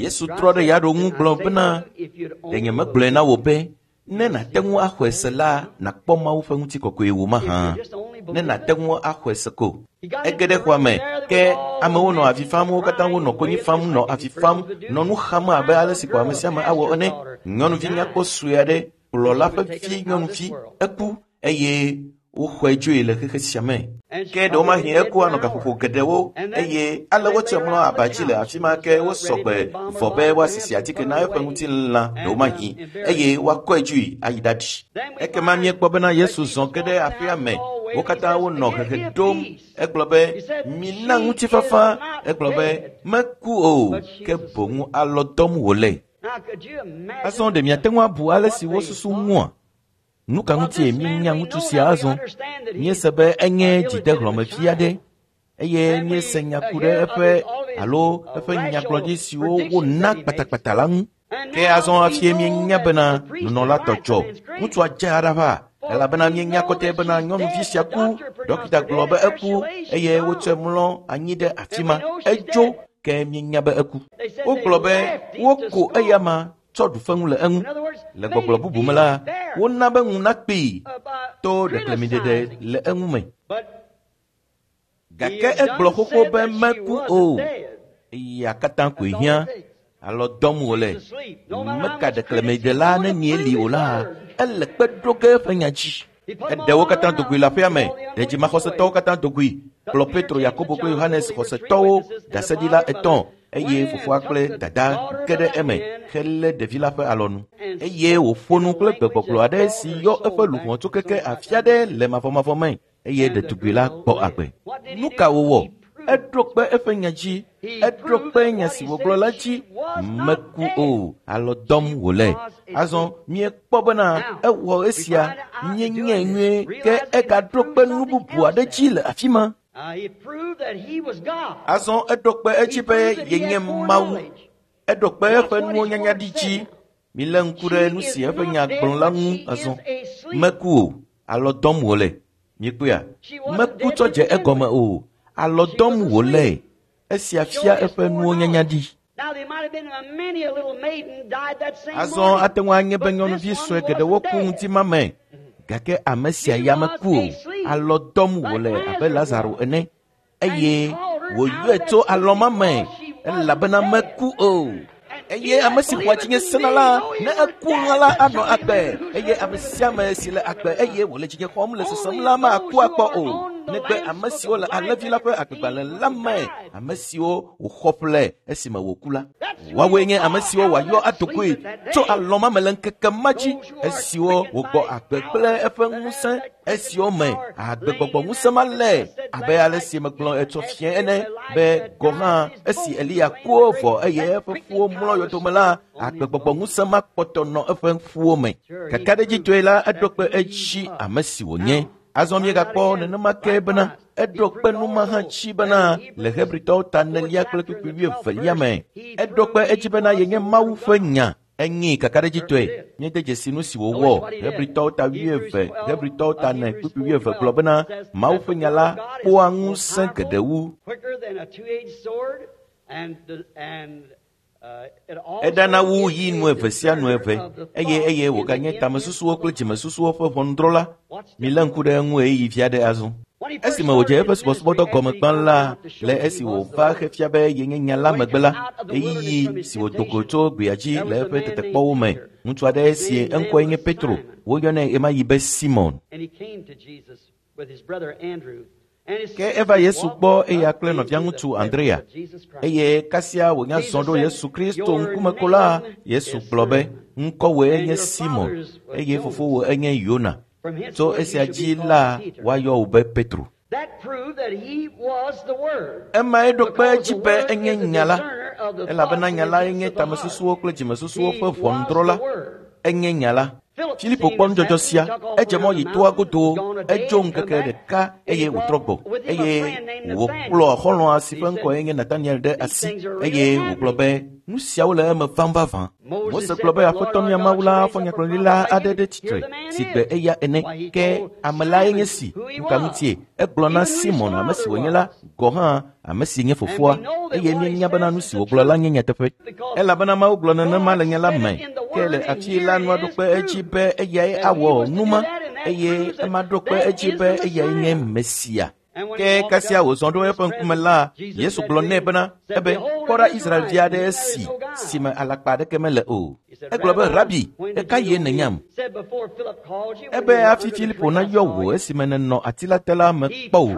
Speaker 1: Yesu trɔ ɖe Yairo ŋu gblɔ bena, ɖe nyemegblɔe na wò be, ne nàte ŋu axɔe se la, nàkpɔ Mawu ƒe ŋutikɔkɔe wò mahã. Ne nàte ŋu axɔe se ko. Ege ɖe xɔa me, ke amewo nɔ avi fam, wo katã wonɔ konyi fam, nɔ avi fam, nɔ nu xam abe ale si ko ame sia ame awɔ ene. Nyɔnuvi nyakpɔ sue aɖe, kplɔla ƒe vi nyɔnuvi, eku eye woxɔe dzoe le xexe sia me. Ke ɖewomahi eku anɔ gaƒoƒo geɖewo eye ale wotsɔe mlɔ aba dzi le afi ma ke wosɔgbe vɔ be woasisi atike na eƒe ŋutilã ɖewomahi eye woakɔe dzoe ayi ɖaɖi. Ekema míekpɔ bena Yesu zɔ ge ɖe aƒea me. Wo katã wonɔ hehe ɖom. Egblɔ be, mina ŋutifafa. Egblɔ be, meku o, ke boŋ alɔ dɔm wòle. Azɔ ɖe miate ŋu abu ale si wosusu ŋua? Nu ka ŋutie míenya ŋutsu sia azɔ? Míese be enye dzidehlɔ̃mevi aɖe eye míese nya ku ɖe eƒe alo eƒe nyagblɔɖi siwo wona kpatakpata la ŋu. Ke azɔ hafie míenya bena nunɔla tɔ dzɔ. Ŋutsua dze aɖaʋa elabena míenya kɔtɛ bena nyɔnuvi sia ku. Dɔkita gblɔ be eku eye wotsɔe mlɔ anyi ɖe afi ma. Edzo ke míenya be eku. Wogblɔ be woko eyama tsɔ ɖu feŋu le eŋu. Le gbɔgblɔ bubu me la, wona be ŋu nakpee to ɖeklemiɖeɖe le eŋu me. Gake egblɔ xoxo be meku o. Eya katã koe hiã. Alɔ dɔm wòle. Meka ɖeklemiɖela nenie li o la, ele kpe ɖo ge eƒe nya dzi. Eɖe wo katã dogoe le aƒea me. Ɖedzimaxɔsetɔwo katã dogoe. Kplɔ Petro, Yakobo kple Yohanes xɔsetɔwo ɖaseɖila etɔ̃ eye fofoa kple dada ge ɖe eme helé ɖevi la ƒe alɔnu. Eye wòƒo nu kple gbegbɔgblɔ aɖe si yɔ eƒe luʋɔ tso keke afi aɖe le mavɔmavɔ me eye ɖetugbi la gbɔ agbe. Nu ka wòwɔ? Eɖo kpe eƒe nya dzi. Eɖo kpe nya si wògblɔ la dzi. Meku o, alɔ dɔm wòle. Azɔ míekpɔ bena ewɔ esia míenyae nyuie ke egaɖo kpe nu bubu aɖe dzi le afi ma. Azɔ eɖo kpe edzi be yenye Mawu. Eɖo kpe eƒe nuwo nyanya ɖi dzi. Milé ŋku ɖe nu si eƒe nya gblɔ la ŋu azɔ. Meku o, alɔ dɔm wòle. Mikpɔea? Meku tsɔ dze egɔme o, alɔ dɔm wòle. Esia fia eƒe nuwo nyanya ɖi. Azɔ ate ŋu anye be nyɔnuvi sue geɖewo ku ŋuti ma me. Gake ame sia ya meku o, alɔ dɔm wòle abe Lazaro ene. Eye wòyɔe tso alɔ ma me elabena meku o. Eye ame si xɔa dzinye sena la, ne eku hã la anɔ agbe. Eye ame sia ame si le agbe eye wòle dzinye xɔm le sesem la maku akpɔ o. Negbe ame siwo le alẽvi la ƒe agbegbalẽ la me, ame siwo wòxɔ ƒle esime wòku la. Woawoe nye ame siwo wòayɔ adogoe tso alɔ ma me le ŋkeke ma dzi, esiwo wògbɔ agbe kple eƒe ŋusẽ, esiwo me agbegbɔgbɔ ŋusẽ ma le, abe ale si megblɔ etsɔ fia ene be gɔ hã esi Eliya ku vɔ eye eƒe ƒuwo mlɔ yɔdome la, agbegbɔgbɔ ŋusẽ ma kpɔtɔ nɔ eƒe ƒuwo me. Kakaɖedzitɔe la, eɖo kpe edzi ame si wònye. Azɔ míegakpɔ nenema ke bena eɖo kpe nu ma hã dzi bena le Hebritɔwo ta 4 kple kpukpui 22 me. Eɖo kpe edzi bena yenye Mawu ƒe nya. Enyi kakaɖedzitɔe. Míede dzesi nu si wòwɔ. Hebritɔwo ta 11, Hebritɔwo ta 4, kpukpui 11 gblɔ bena Mawu ƒe nya la kpɔa ŋusẽ geɖe wu. Eɖana wu yi nu eve sia nu eve eye eye wòganye tamesusuwo kple dzimesusuwo ƒe ʋɔnudrɔ̃la. Milé ŋku ɖe eŋu ɣeyiɣi vi aɖe azɔ. Esime wòdze eƒe subɔsubɔdɔ gɔme gbã la, le esi wòva xefia be yenye nya la megbe la, ɣeyiɣi si wòdo go tso gbea dzi le eƒe tetekpɔwo me, ŋutsu aɖe si eŋkɔe nye Petro, woyɔnɛ ɣemaɣi be Simon. Ke eva Yesu gbɔ eya kple nɔviaŋutsu Andrea, eye kasia wònya zɔ ɖo Yesu Kristo ŋkume ko la, Yesu gblɔ be, ŋkɔwòe nye Simon, eye fofowò enye Yona. Tso esia dzi la woayɔ wò be Petro. Emae ɖo kpe edzi be enye nya la, elabena nya lae nye tamesusuwo kple dzimesusuwo ƒe ʋɔnudrɔ̃la. Enye nya la. Filipo kpɔ nudzɔdzɔ sia, edze mɔ yi toa godo, edzo ŋkeke ɖeka eye wòtrɔ gbɔ, eye wòkplɔ xɔlɔ̃a si ƒe ŋkɔe nye Nataniel ɖe asi, eye wògblɔ be nu siawo le eme vam vavã. Mose gblɔ be Aƒetɔ mía Mawu la fɔ nyagblɔɖila aɖe ɖe tsitre si gbe eya ene, ke ame lae nye si. Nu ka ŋutie? Egblɔ na Simon, ame si wònye la, gɔ̃ hã ame si nye fofoa, eye míenya bena nu si wògblɔ la nye nyateƒe. Elabena Mawu gblɔ nenema le nya la me, ke le afi la nua ɖo kpe edzi be eyae awɔ nu ma, eye ema ɖo kpe edzi be eyae nye Mesia. Ke kasia wòzɔ ɖo eƒe ŋkume la, Yesu gblɔ nɛ bena, ebe, kpɔ ɖa Israelvi aɖe si me alakpa aɖeke mele o. Egblɔ be, Rabi, ɣekaɣie nènyam? Ebe hafi Filipo nayɔ wò esime nènɔ ati la te la mekpɔ wò.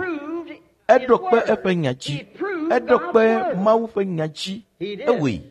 Speaker 1: Eɖo kpe eƒe nya dzi. Eɖo kpe Mawu ƒe nya dzi. Ewɔe.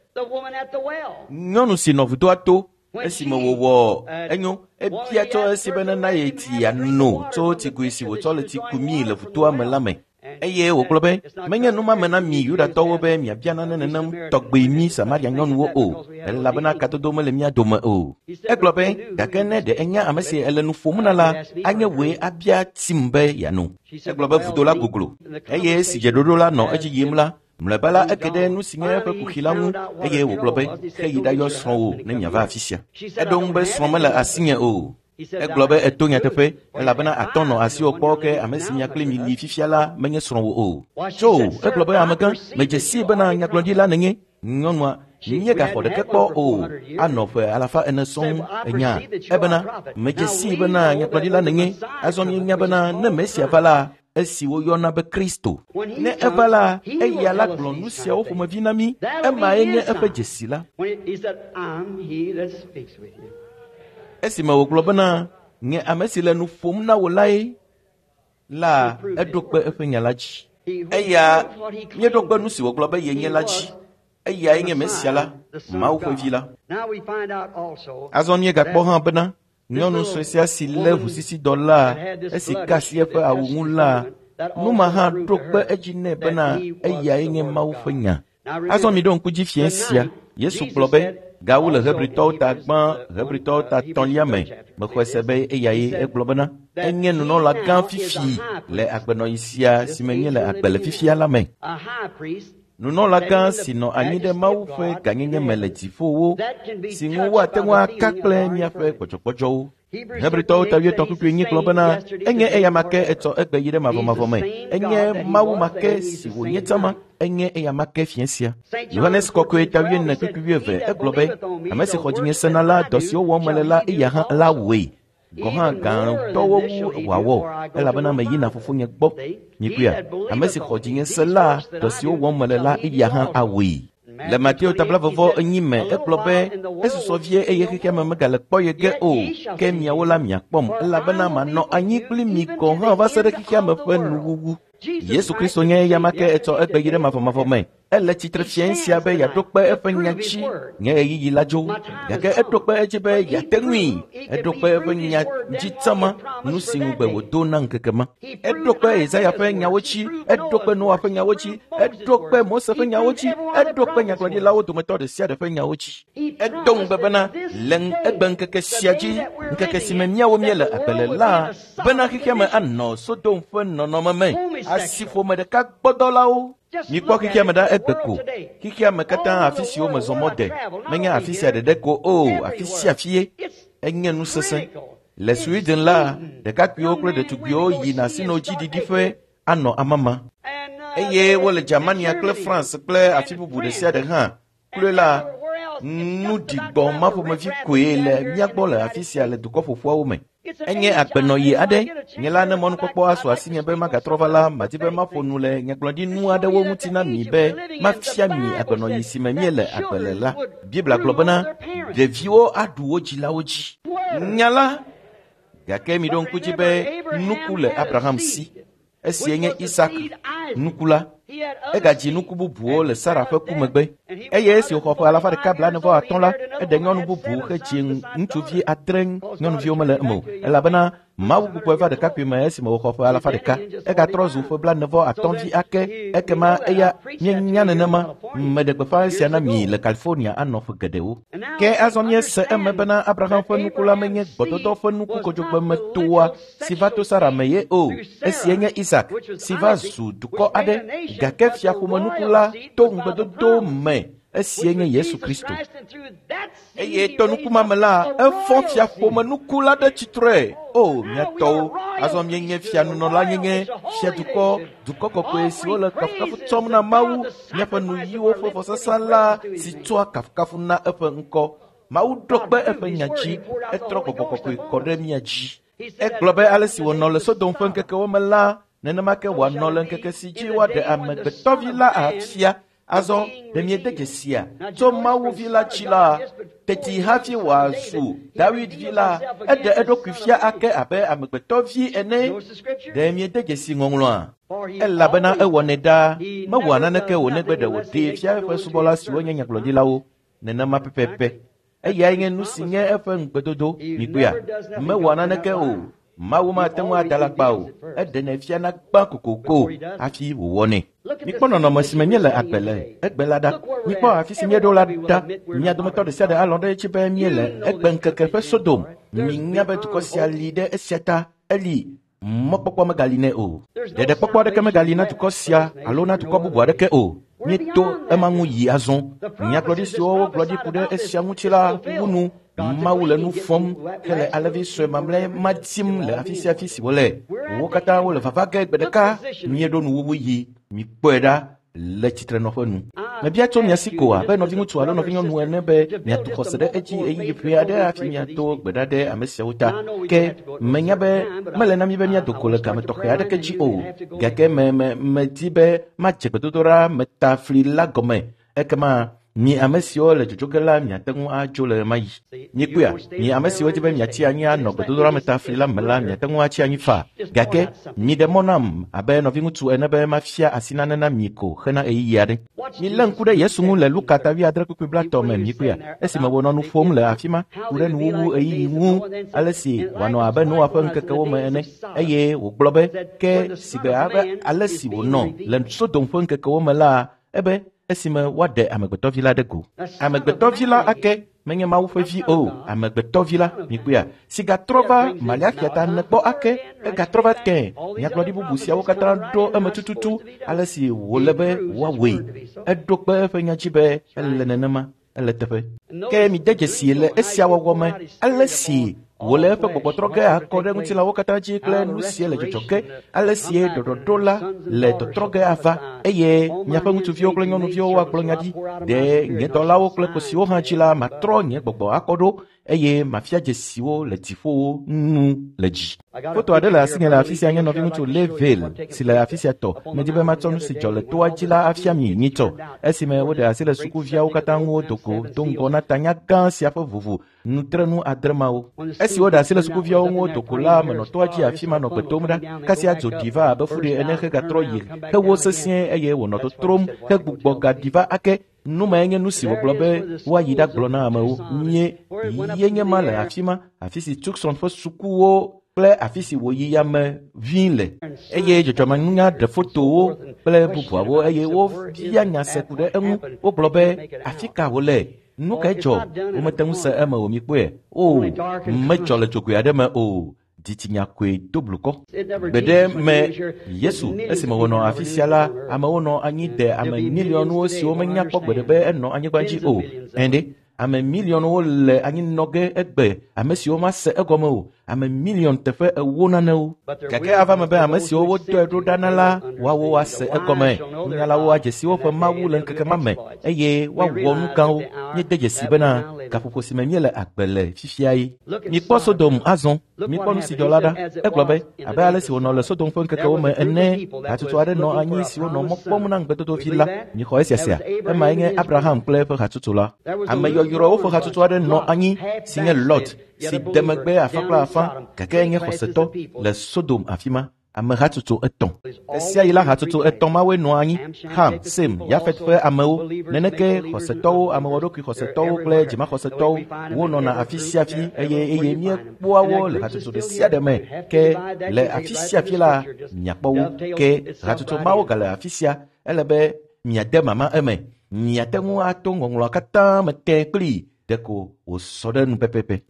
Speaker 1: Nyɔnu si nɔ vudoa to esime wòwɔ enyo, ebia tso esi be nena ye tsi yeano tso tsigoe si wòtsɔ le tsi kumii le vudoa me la me. Eye wògblɔ be, menye numame na mi Yudatɔwo be miabia nane nenem tɔgbe mi Samaria nyɔnuwo o, elabena kadodo mele mía dome o. Egblɔ be, gake ne ɖe enya ame si ele nu ƒom na la, anye wòe abia tsim be yeano. Egblɔ be vudo la goglo, eye esi dzeɖoɖo la nɔ edzi yim la, mlɔeba la eke ɖe nu si nye eƒe kuxi la ŋu, eye wògblɔ be, xe yi ɖayɔ srɔ̃wò ne miava afi sia. Eɖo ŋu be srɔ̃ mele asinye o. Egblɔ be eto nyateƒe, elabena atɔ nɔ asiwò kpɔ ke ame si mia kpli mi li fifia la menye srɔ̃wò o. Tso, egblɔ be amegã, medze sii bena nyagblɔɖila nènye. Nyɔnua, míegaxɔ ɖeke kpɔ o, anɔ ƒe 400 sɔŋ enya. Ebena, medze sii bena nyagblɔɖila nènye. Azɔ míenya bena ne Mesia va la, esi woyɔna be Kristo. Ne eva la, eya la gblɔ nu siawo ƒomevi na mí. Emae nye eƒe dzesi la. Esime wògblɔ bena, nye ame si le nu ƒom na wò lae la, eɖo kpe eƒe nya la dzi. Eya míeɖo kpe nu si wògblɔ be yenye la dzi. Eyae nye Mesia la, Mawu ƒe vi la. Azɔ míegakpɔ hã bena nyɔnu sue sia si lé ʋusisidɔ la, esi ka asi eƒe awu ŋu la, nu ma hã ɖo kpe edzi nɛ bena eyae nye Mawu ƒe nya. Azɔ miɖo ŋku dzi fiẽ sia. Yesu gblɔ be, gawu le Hebritɔwo ta gbã, Hebritɔwo ta 3 me, mexɔe se be eyae. Egblɔ bena, enye nunɔlagã fifi le agbenɔɣi sia si me míele agbe le fifia la me. Nunɔlagã si nɔ anyi ɖe Mawu ƒe gãnyenye me le dziƒowo, si ŋu woate ŋu aka kple míaƒe gbɔdzɔgbɔdzɔwo. Hebritɔwo ta 8:4 gblɔ bena, enye eyama ke etsɔ egbe yi ɖe mavɔmavɔ me. Enye Mawu ma ke si wònye tsã enye eyama ke fiẽ sia. Yohanes Kɔkɔe ta 4:11 egblɔ be, ame si xɔ dzinye sena la, dɔ siwo wɔm mele la, eya hã la wɔe. Gɔ̃ hã gãtɔwo wu wòawɔ, elabena meyina fofonye gbɔ. Mikpɔea, ame si xɔ dzinye se la, dɔ siwo wɔm mele la, eya hã awɔe. Le Mateo ta 24 me, egblɔ be, esusɔ vie eye xexea me megale kpɔ ye ge o, ke miawo la miakpɔm, elabena manɔ anyi kpli mi gɔ̃ hã va se ɖe xexea me ƒe nuwuwu. Yesu Kristo nye eyama ke etsɔ egbe yi ɖe mavɔmavɔ me. Ele tsitre fiẽ sia be yeaɖo kpe eƒe nya dzi. Nye ɣeyiɣi la dzo, gake eɖo kpe edzi be yeate ŋui. Eɖo kpe eƒe nya dzi tsama, nu si ŋugbe wòdo na ŋkeke ma. Eɖo kpe Yesaya ƒe nyawo dzi, eɖo kpe Noa ƒe nyawo dzi, eɖo kpe Mose ƒe nyawo dzi, eɖo kpe nyagblɔɖilawo dometɔ ɖe sia ɖe ƒe nyawo dzi. Edo ŋugbe bena le egbe ŋkeke sia dzi, ŋkeke si me míawo míele agbe le la, bena xexea me anɔ Sodom ƒe nɔnɔme me. Asiƒome ɖeka gbɔdɔlawo. Mikpɔ xexea me ɖa egbe ko. Xexea me katã afi siwo mezɔ mɔ de. Menye afi sia ɖeɖe ko o, afi sia afie. Enye nu sesẽ. Le Sweden la, ɖekakpuiwo kple ɖetugbiwo yina sinodziɖiɖiƒe anɔ amama. Eye wole Germania kple France kple afi bubu ɖe sia ɖe hã. Kloe la, nu ɖigbɔ ma ƒomevi koe le mía gbɔ le afi sia le dukɔ ƒoƒuawo me. Enye agbenɔɣi aɖe. Nye la ne mɔnukpɔkpɔ asu asinye be magatrɔ va la, madi be maƒo nu le nyagblɔɖinu aɖewo ŋuti na mi be mafia mi agbenɔɣi si me míele agbe le la. Biblia gblɔ bena ɖeviwo aɖu wo dzilawo dzi. Nya la, gake miɖo ŋku dzi be nuku le Abraham si. Esie nye Isak nuku la. Egadzi nuku bubuwo le Sara ƒe ku megbe. Eye esi wòxɔ ƒe alafa ɖeka blaene-vɔ-atɔ̃ la, eɖe nyɔnu bubu hedzi ŋutsuvi adre nyɔnuviwo mele eme o, elabena Mawu gbugbɔe va ɖekakpui me esime wòxɔ ƒe alafa ɖeka. Egatrɔ zu ƒe blaene-vɔ-atɔ̃ vi ake. Ekema eya míenya nenema. Meɖe gbeƒã esia na mi le California anɔ ƒe geɖewo. Ke azɔ míese eme bena Abraham ƒe nuku la menye gbɔdɔdɔ ƒe nuku kodzogbe si va to Sara me ye o. Esie nye Isak si va zu dukɔ aɖe, gake fiaƒomenuku la to ŋugbedodo me. Esie nye Yesu Kristo. Eye to nuku ma me la, efɔ fiaƒomenuku la ɖe tsitre. O, mía tɔwo, azɔ míenye fianunɔlanyenye, fiadukɔ, dukɔ kɔkɔe siwo le kafukafu tsɔm na Mawu, míaƒe nuyiwo ƒe vɔsasa la si tsɔa kafukafu na eƒe ŋkɔ. Mawu ɖo kpe eƒe nya dzi, etrɔ gbɔgbɔ kɔkɔe kɔ ɖe mía dzi. Egblɔ be ale si wònɔ le Sodom ƒe ŋkekewo me la, nenema ke wòanɔ le ŋkeke si dzi woaɖe amegbetɔvi la afia. Azɔ ɖe miede dzesia tso Mawu vi la dzi la, teti hafi wòazu David vi la, eɖe eɖokui fia ake abe amegbetɔvi ene. Ɖe miede dzesi ŋɔŋlɔa? Elabena ewɔnɛ ɖaa, mewɔa naneke o negbe ɖe wòɖee fia eƒe subɔla siwo nye nyagblɔɖilawo. Nenema pɛpɛpɛ. Eyae nye nu si nye eƒe ŋugbedodo. Mikpɔea? Mewɔa naneke o. Mawu mate ŋu ada alakpa o. Eɖenɛ fiana gbã kokoko hafi wòwɔnɛ. Mikpɔ nɔnɔme si me míele agbe le egbe la ɖa. Mikpɔ afi si míeɖo la ɖa. Mia dometɔ ɖe sia ɖe alɔ̃ ɖe edzi be míele egbeŋkeke ƒe Sodom. Minya be dukɔ sia li ɖe esia ta. Eli mɔkpɔkpɔ megali nɛ o. Ɖeɖekpɔkpɔ aɖeke megali na dukɔ sia alo na dukɔ bubu aɖeke o. Míeto ema ŋu yi azɔ. Nyagblɔɖi siwo wogblɔ ɖi ku ɖe esia ŋuti la wu nu. Mawu le nu fɔm hele alẽvi sue mamlɛ ma dim le afi sia afi si wole. Wo katã wole vava ge gbe ɖeka. Míeɖo nuwuwu yi. Mikpɔe ɖa le tsitrenɔƒe nu. Mebia tso mia si ko abe nɔviŋutsu alo nɔvinyɔnu ene be miatu xɔse ɖe edzi ɣeyiɣi ƒe aɖe hafi miado gbe ɖa ɖe ame siawo ta. Ke menya be mele na mi be míado go le game tɔxɛ aɖeke dzi o. Gake medi be madze gbedodoɖa metafli la gɔme. Ekema mi ame siwo le dzodzo ge la miate ŋu adzo le ɣemaɣi. Mikpɔea, mi ame siwo di be miatsi anyi anɔ gbedodoɖa metafli la me la miate ŋu atsi anyi faa. Gake miɖe mɔ nam abe nɔviŋutsu ene be mafia asi nane na mi ko hena ɣeyiɣi aɖe. Milé ŋku ɖe Yesu ŋu le Luka ta wuiadre kpukpui blaetɔ̃ me mikpɔea, esime wònɔ nu ƒom le afi ma ku ɖe nuwuwu ɣeyiɣi ŋu, ale si wòanɔ abe Noa ƒe ŋkekewo me ene. Eye wògblɔ be ke sigbe abe ale si wònɔ le Sodom ƒe ŋkekewo me la, ebe esime woaɖe amegbetɔvi la ɖe go. Amegbetɔvi la ake menye Mawu ƒe vi o, amegbetɔvi la, mikpɔea, si gatrɔ va Malaxia ta ene gbɔ ake, egatrɔ va tẽ. Nyagblɔɖi bubu siawo katã ɖo eme tututu ale si wòle be woawɔe. Eɖo kpe eƒe nya dzi be ele nenema, ele teƒe. Ke mide dzesi le esia wɔwɔ me ale si wòle eƒe gbɔgbɔ trɔ ge akɔ ɖe ŋutilãwo katã dzi kple nu sie le dzɔdzɔ ge, ale si ɖɔɖɔɖo la le tɔtrɔ ge ava, eye miaƒe ŋutsuviwo kple nyɔnuviwo woagblɔ nya ɖi. Ɖe nye dɔlawo kple kosiwo hã dzi la, matrɔ nye gbɔgbɔ akɔ ɖo, eye mafia dzesiwo le dziƒowo nu le dzi. Foto aɖe le asinye le afi sia nye nɔviŋutsu Leville si le afi sia tɔ. Medi be matsɔ nu si dzɔ le toa dzi la afia mi nyitsɔ. Esime woɖe asi le sukuviawo katã ŋu wodo go do ŋgɔ na tanya gã sia ƒe vovo nutrenu adre mawo. Esi woɖe asi le sukuviawo ŋu wodo go la, menɔ toa dzi afi ma nɔ gbe dom ɖa. Kasia dzo ɖi va abe fuɖi ene hegatrɔ yi hewo sesĩe eye wònɔ totrom hegbugbɔ gaɖi va ake. Nu mae nye nu si wògblɔ be woayi ɖagblɔ na amewo. Mie ye nye ma le afi ma, afi si Tucson ƒe sukuwo kple afi si wòyi yame ʋĩ le. Eye dzɔdzɔmenunya ɖe fotowo kple bubuawo eye wobia nya se ku ɖe eŋu. Wogblɔ be afi ka wòle? Nu kae dzɔ? Womete ŋu se eme o, mikpɔe. O, medzɔ le dzogoe aɖe me o. Dzitsinya koe do blukɔ. Gbe ɖe me Yesu esime wònɔ afi sia la, amewo nɔ anyi de ame miliɔnwo siwo menya kpɔ gbeɖe be enɔ anyigba dzi o. Ɛ̃ ame miliɔnwo le anyinɔ ge egbe, ame siwo mase egɔme o, ame miliɔn teƒe 40 nanewo. Gake ava me be ame siwo wodɔe ɖo ɖa na la, woawo ase egɔme. Nunyalawo adze si woƒe Mawu le ŋkeke ma me eye woawɔ nu gãwo. Míede dzesi bena gaƒoƒo si me míele agbe le fifia ye. Mikpɔ Sodom azɔ, mikpɔ nu si dzɔ la ɖa. Egblɔ be abe ale si wònɔ le Sodom ƒe ŋkekewo me ene, hatsotso aɖe nɔ anyi siwo nɔ mɔ kpɔm na ŋugbedodovi la. Mixɔ esia sia. Emae nye Abraham kple eƒe hatsotso la. Ame yɔyrɔwo ƒe hatsotso aɖe nɔ anyi si nye Lot, si de megbe afã kple afã, gake enye xɔsetɔ le Sodom afi ma. Ame hatsotso 3. Esia yi la hatsotso 3 mawoe nɔa anyi: Ham, Sem, Yafet ƒe amewo. Neneke xɔsetɔwo, amewɔɖokui xɔsetɔwo kple dzimaxɔsetɔwo wonɔna afi sia afi eye míekpɔa wo le hatsotso ɖe sia ɖe me. Ke le afi sia afi la miakpɔ wo. Ke hatsotso mawo gale afi sia. Ele be miade mama eme. Miate ŋu ato ŋɔŋlɔa katã me tẽ kplii ɖeko wòsɔ ɖe nu pɛpɛpɛ.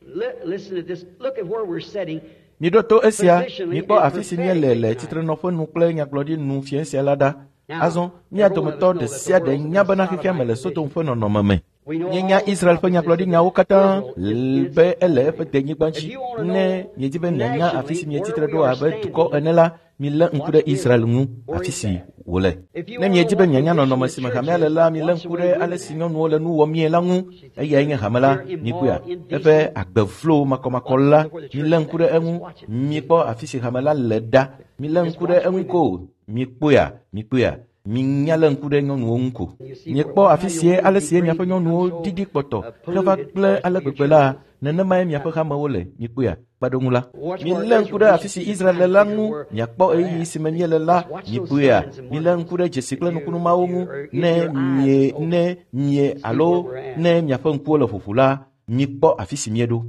Speaker 1: Miɖo to esia, mikpɔ afi si míele le tsitrenɔƒe nu kple nyagblɔɖi nu fiẽ sia la ɖa. Azɔ mía dometɔ ɖe sia ɖe nya bena xexea me le Sodom ƒe nɔnɔme me. Míenya Israel ƒe nyagblɔɖinyawo katã be ele eƒe denyigba dzi. Ne miedi be mianya afi si mietsitre ɖo abe dukɔ ene la, milé ŋku ɖe Israel ŋu, afi si wòle. Ne miedi be mianya nɔnɔme si me hamea le la, milé ŋku ɖe ale si nyɔnuwo le nu wɔmie la ŋu. Eyae nye hame la, mikpɔea, eƒe agbe vlo makɔmakɔ la, milé ŋku ɖe eŋu. Mikpɔ afi si hame la le ɖa. Milé ŋku ɖe eŋu ko. Mikpɔea, mikpɔea. Minya lé ŋku ɖe nyɔnuwo ŋu ko. Miekpɔ afi sie ale sie miaƒe nyɔnuwo ɖiɖi kpɔtɔ heva gblẽ ale gbegbe la, nenemae miaƒe hamewo le. Mikpɔea, kpeɖeŋu la. Milé ŋku ɖe afi si Israel le la ŋu, miakpɔ ɣeyiɣi si me míele la. Mikpɔea, milé ŋku ɖe dzesi kple nukunu mawo ŋu. Ne mie ne mie alo ne miaƒe ŋkuwo le ƒoƒu la, mikpɔ afi si míeɖo.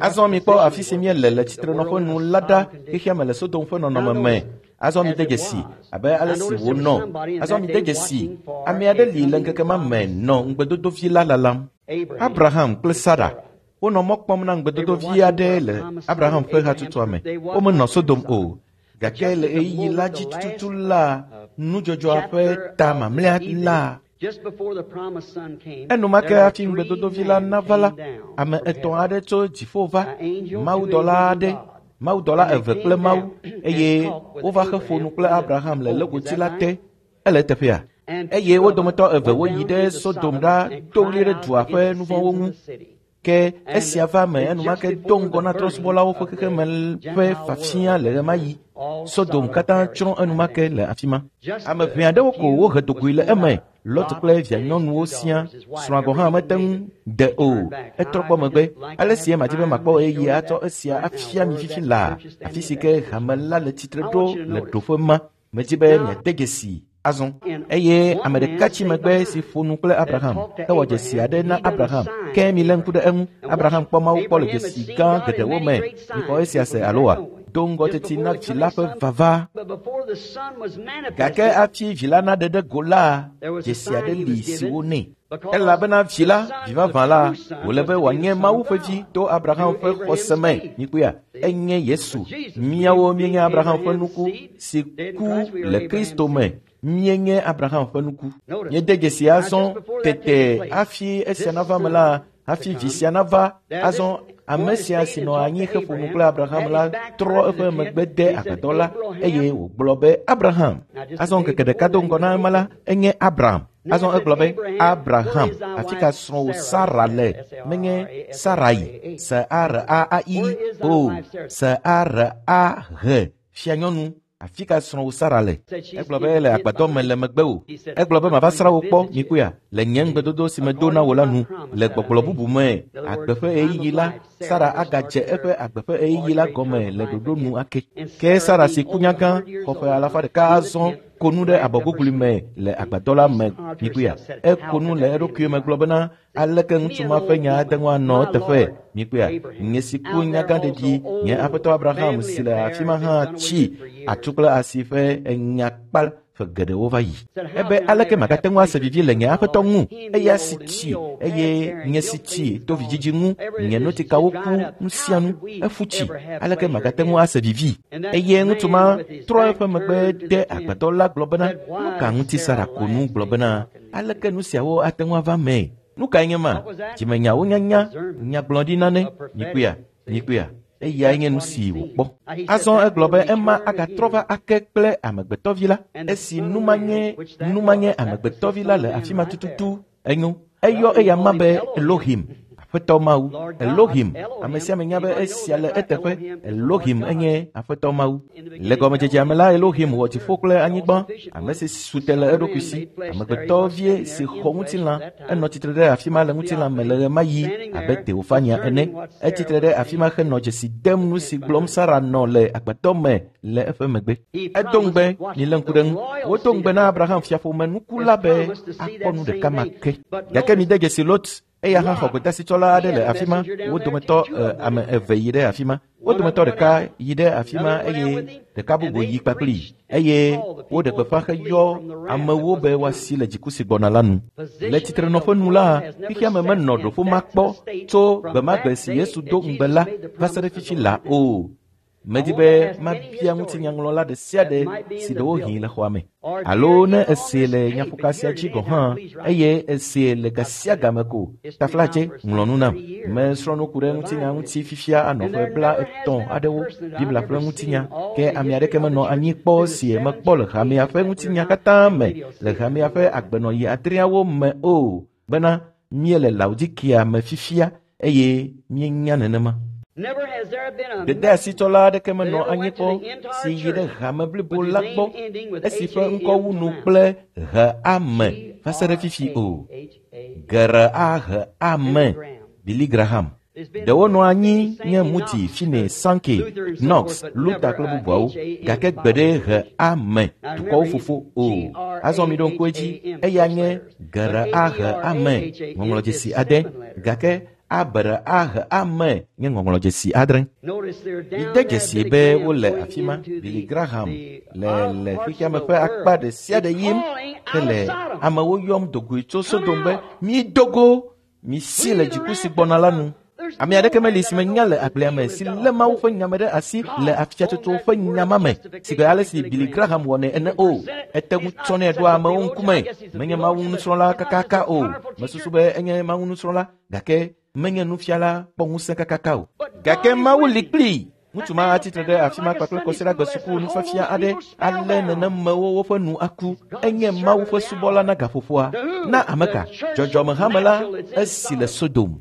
Speaker 1: Azɔ mikpɔ afi si míele le tsitrenɔƒe nu la ɖa. Xexea me le Sodom ƒe nɔnɔme me. Azɔ mide dzesi abe ale si wònɔ. Azɔ mide dzesi ame aɖe li le ŋkeke ma me nɔ ŋugbedodovi la lalam. Abraham kple Sara wonɔ mɔ kpɔm na ŋugbedodovi aɖe le Abraham ƒe hatsotsoa me. Womenɔ Sodom o. Gake le ɣeyiɣi la dzi tututu la, nudzɔdzɔa ƒe ta mamlɛa la, enumake hafi ŋugbedodovi la nava la, ame 3 aɖe tso dziƒo va, mawudɔla aɖe, mawudɔla 2 kple Mawu, eye wova xe ƒo nu kple Abraham le legoti la te. Ele teƒea. Eye wo dometɔ 2 woyi ɖe Sodom ɖa do ɣli ɖe dua ƒe nuvɔ̃wo ŋu. Ke esia va me enumake do ŋgɔ na trɔ̃subɔlawo ƒe xexeme ƒe fafia le ɣemaɣi. Sodom katã tsrɔ̃ enumake le afi ma. Ame ʋɛ aɖewo ko wohe dogoe le eme. Lot kple vianyɔnuwo sia, srɔ̃a gɔ̃ hã mete ŋu de o. Etrɔ gbɔ megbe. Ale si madi be makpɔ ɣeyiɣi atsɔ esia afia mi fifi laa, afi si ke hame la le tsitre ɖo le ɖoƒe ma. Medzi be miade dzesi azɔ. Eye ame ɖeka tsi megbe si ƒo nu kple Abraham, ewɔ dzesi aɖe na Abraham. Ke milé ŋku ɖe eŋu. Abraham kpɔ Mawu kpɔ le dzesi gã geɖewo me. Mixɔ esia se aloa? Do ŋgɔ teti na vi la ƒe vava. Gake hafi vi la naɖe ɖe go la, dzesi aɖe li si wonɛ. Elabena vi la, vi vavã la, wòle be wòanye Mawu ƒe vi to Abraham ƒe xɔse me. Mikpɔea, enye Yesu. Míawo míenye Abraham ƒe nuku si ku le Kristo me. Míenye Abraham ƒe nuku. Míede dzesi azɔ tete hafi esia nava me la, hafi vi sia nava. Azɔ ame sia si nɔ anyi heƒo nu kple Abraham la trɔ eƒe megbe de agbadɔ la eye wògblɔ be Abraham. Azɔ ŋkeke ɖeka do ŋgɔ na ema la, enye Abraham. Azɔ egblɔ be Abraham, afi ka srɔ̃wò Sara le? Menye Sarai, S-A-R-A-I o, S-A-R-A-H, fianyɔnu. Afi ka srɔ̃wò Sara le? Egblɔ be ele agbadɔ me le megbe o. Egblɔ be mava srã wò kpɔ, mikpɔea, le nye ŋugbedodo si medo na wò la nu. Le gbɔgblɔ bubu me, agbe ƒe ɣeyiɣi la, Sara agadze eƒe agbe ƒe ɣeyiɣi la gɔme le ɖoɖo nu ake. Ke Sara si ku nyagã, xɔ ƒe 100 azɔ, ko nu ɖe abɔgugli me le agbadɔ la me, mikpɔea. Eko nu le eɖokui me gblɔ bena, aleke ŋutsu ma ƒe nya ate ŋu anɔ eteƒe? Mikpɔea, nye si ku nyagã ɖeɖi, nye aƒetɔ Abraham si le afi ma hã tsi atu kple asi ƒe enyakpa Ƒe geɖewo va yi. Ebe aleke magate ŋu ase vivi le nye aƒetɔ ŋu? Eya si tsi eye nye si tsi to vidzidzi ŋu, nye notikawo ku nu sia nu, efu tsi. Aleke magate ŋu ase vivi? Eye ŋutsu ma trɔ eƒe megbe de agbadɔ la gblɔ bena, nu ka ŋuti Sara ko nu gblɔ bena, aleke nu siawo ate ŋu ava mee? Nu kae nye ma? Dzimenyawo nyanya, nyagblɔɖi nane, mikpɔea? Eyae nye nu si wòkpɔ. Azɔ egblɔ be ema agatrɔ va ake kple amegbetɔvi la. Esi numanye amegbetɔvi la le afi ma tututu enyo. Eyɔ eya ma be Elohim, Aƒetɔ Mawu. Elohim, ame sia ame nya be esia le eteƒe. Elohim enye Aƒetɔ Mawu. Le gɔmedzedzea me la, Elohim wɔ dziƒo kple anyigba, ame si su te le eɖokui si. Amegbetɔvie si xɔ ŋutilã, enɔ tsitre ɖe afi ma le ŋutilã me le ɣemaɣi abe Teofania ene. Etsitre ɖe afi ma henɔ dzesi dem nu si gblɔm Sara nɔ le agbadɔ me le eƒe megbe. Edo ŋugbe, milé ŋku ɖe ŋu. Wodo ŋugbe na Abraham fiaƒome nuku la be akpɔ nu ɖeka ma ke. Gake mide dzesi Lot, eya hã xɔ gbedasitsɔla aɖe le afi ma. Wo dometɔ ame eve yi ɖe afi ma. Wo dometɔ ɖeka yi ɖe afi ma eye ɖeka bubu yi kpakplii. Eye woɖe gbeƒã heyɔ amewo be woasi le dziku si gbɔna la nu. Le tsitrenɔƒe nu la, xexea me menɔ ɖoƒe ma kpɔ tso gbe ma gbe si Yesu do ŋugbe la va se ɖe fifi la o. Medi be mabia ŋutinyaŋlɔla ɖe sia ɖe si ɖewohĩ le xɔa me. Alo ne esee le nyaƒoka sia dzi gɔ̃ hã, eye esee le ga sia game ko, taflatse ŋlɔ nu nam. Mesrɔ̃ nu ku ɖe ŋutinya ŋuti fifia anɔ ƒe 30 aɖewo, Biblia ƒe ŋutinya, ke ame aɖeke menɔ anyi kpɔ si mekpɔ le hamea ƒe ŋutinya katã me, le hamea ƒe agbenɔɣi adreawo me o, bena míele Laodikea me fifia eye míenya nenema. Gbedeasitsɔla aɖeke menɔ anyi kpɔ si yi ɖe hame blibo la gbɔ esi ƒe ŋkɔ wu nu kple he-ame va se ɖe fifi o. G-R-A-H-A-M, Billy Graham. Ɖewo nɔ anyi nye Moody, Finney, Sankey, Knox, Luther kple bubuawo, gake gbe ɖe he-ame dukɔwo fofo o. Azɔ mi ɖo ŋku edzi, eya nye G-R-A-H-A-M, ŋɔŋlɔdzesi ade, gake A-B-R-A-H-A-M nye ŋɔŋlɔdzesi adre. Mide dzesi be wole afi ma. Billy Graham le xexea me ƒe akpa ɖe sia ɖe yim hele amewo yɔm dogoe tso Sodom be mido go, misi le dziku si gbɔna la nu. Ame aɖeke meli si menya le agblea me si lé Mawu ƒe nya me ɖe asi le afiatsotso ƒe nya ma me si gbe ale si Billy Graham wɔnɛ ene o. Ete ŋu tsɔnɛ ɖoa amewo ŋkume. Menye Mawu nusrɔ̃la kakaka o. Mesusu be enye Mawu nusrɔ̃la, gake menye nufiala kpɔ ŋusẽ kakaka o. Gake Mawu li kplii. Ŋutsu ma atsitre ɖe afi ma kpakple kɔsiɖagbe suku nufiafia aɖe ale nenemewo woƒe nu aku. Enye Mawu ƒe subɔla na gaƒoƒoa. Na ame ka? Dzɔdzɔmehame la esi le Sodom.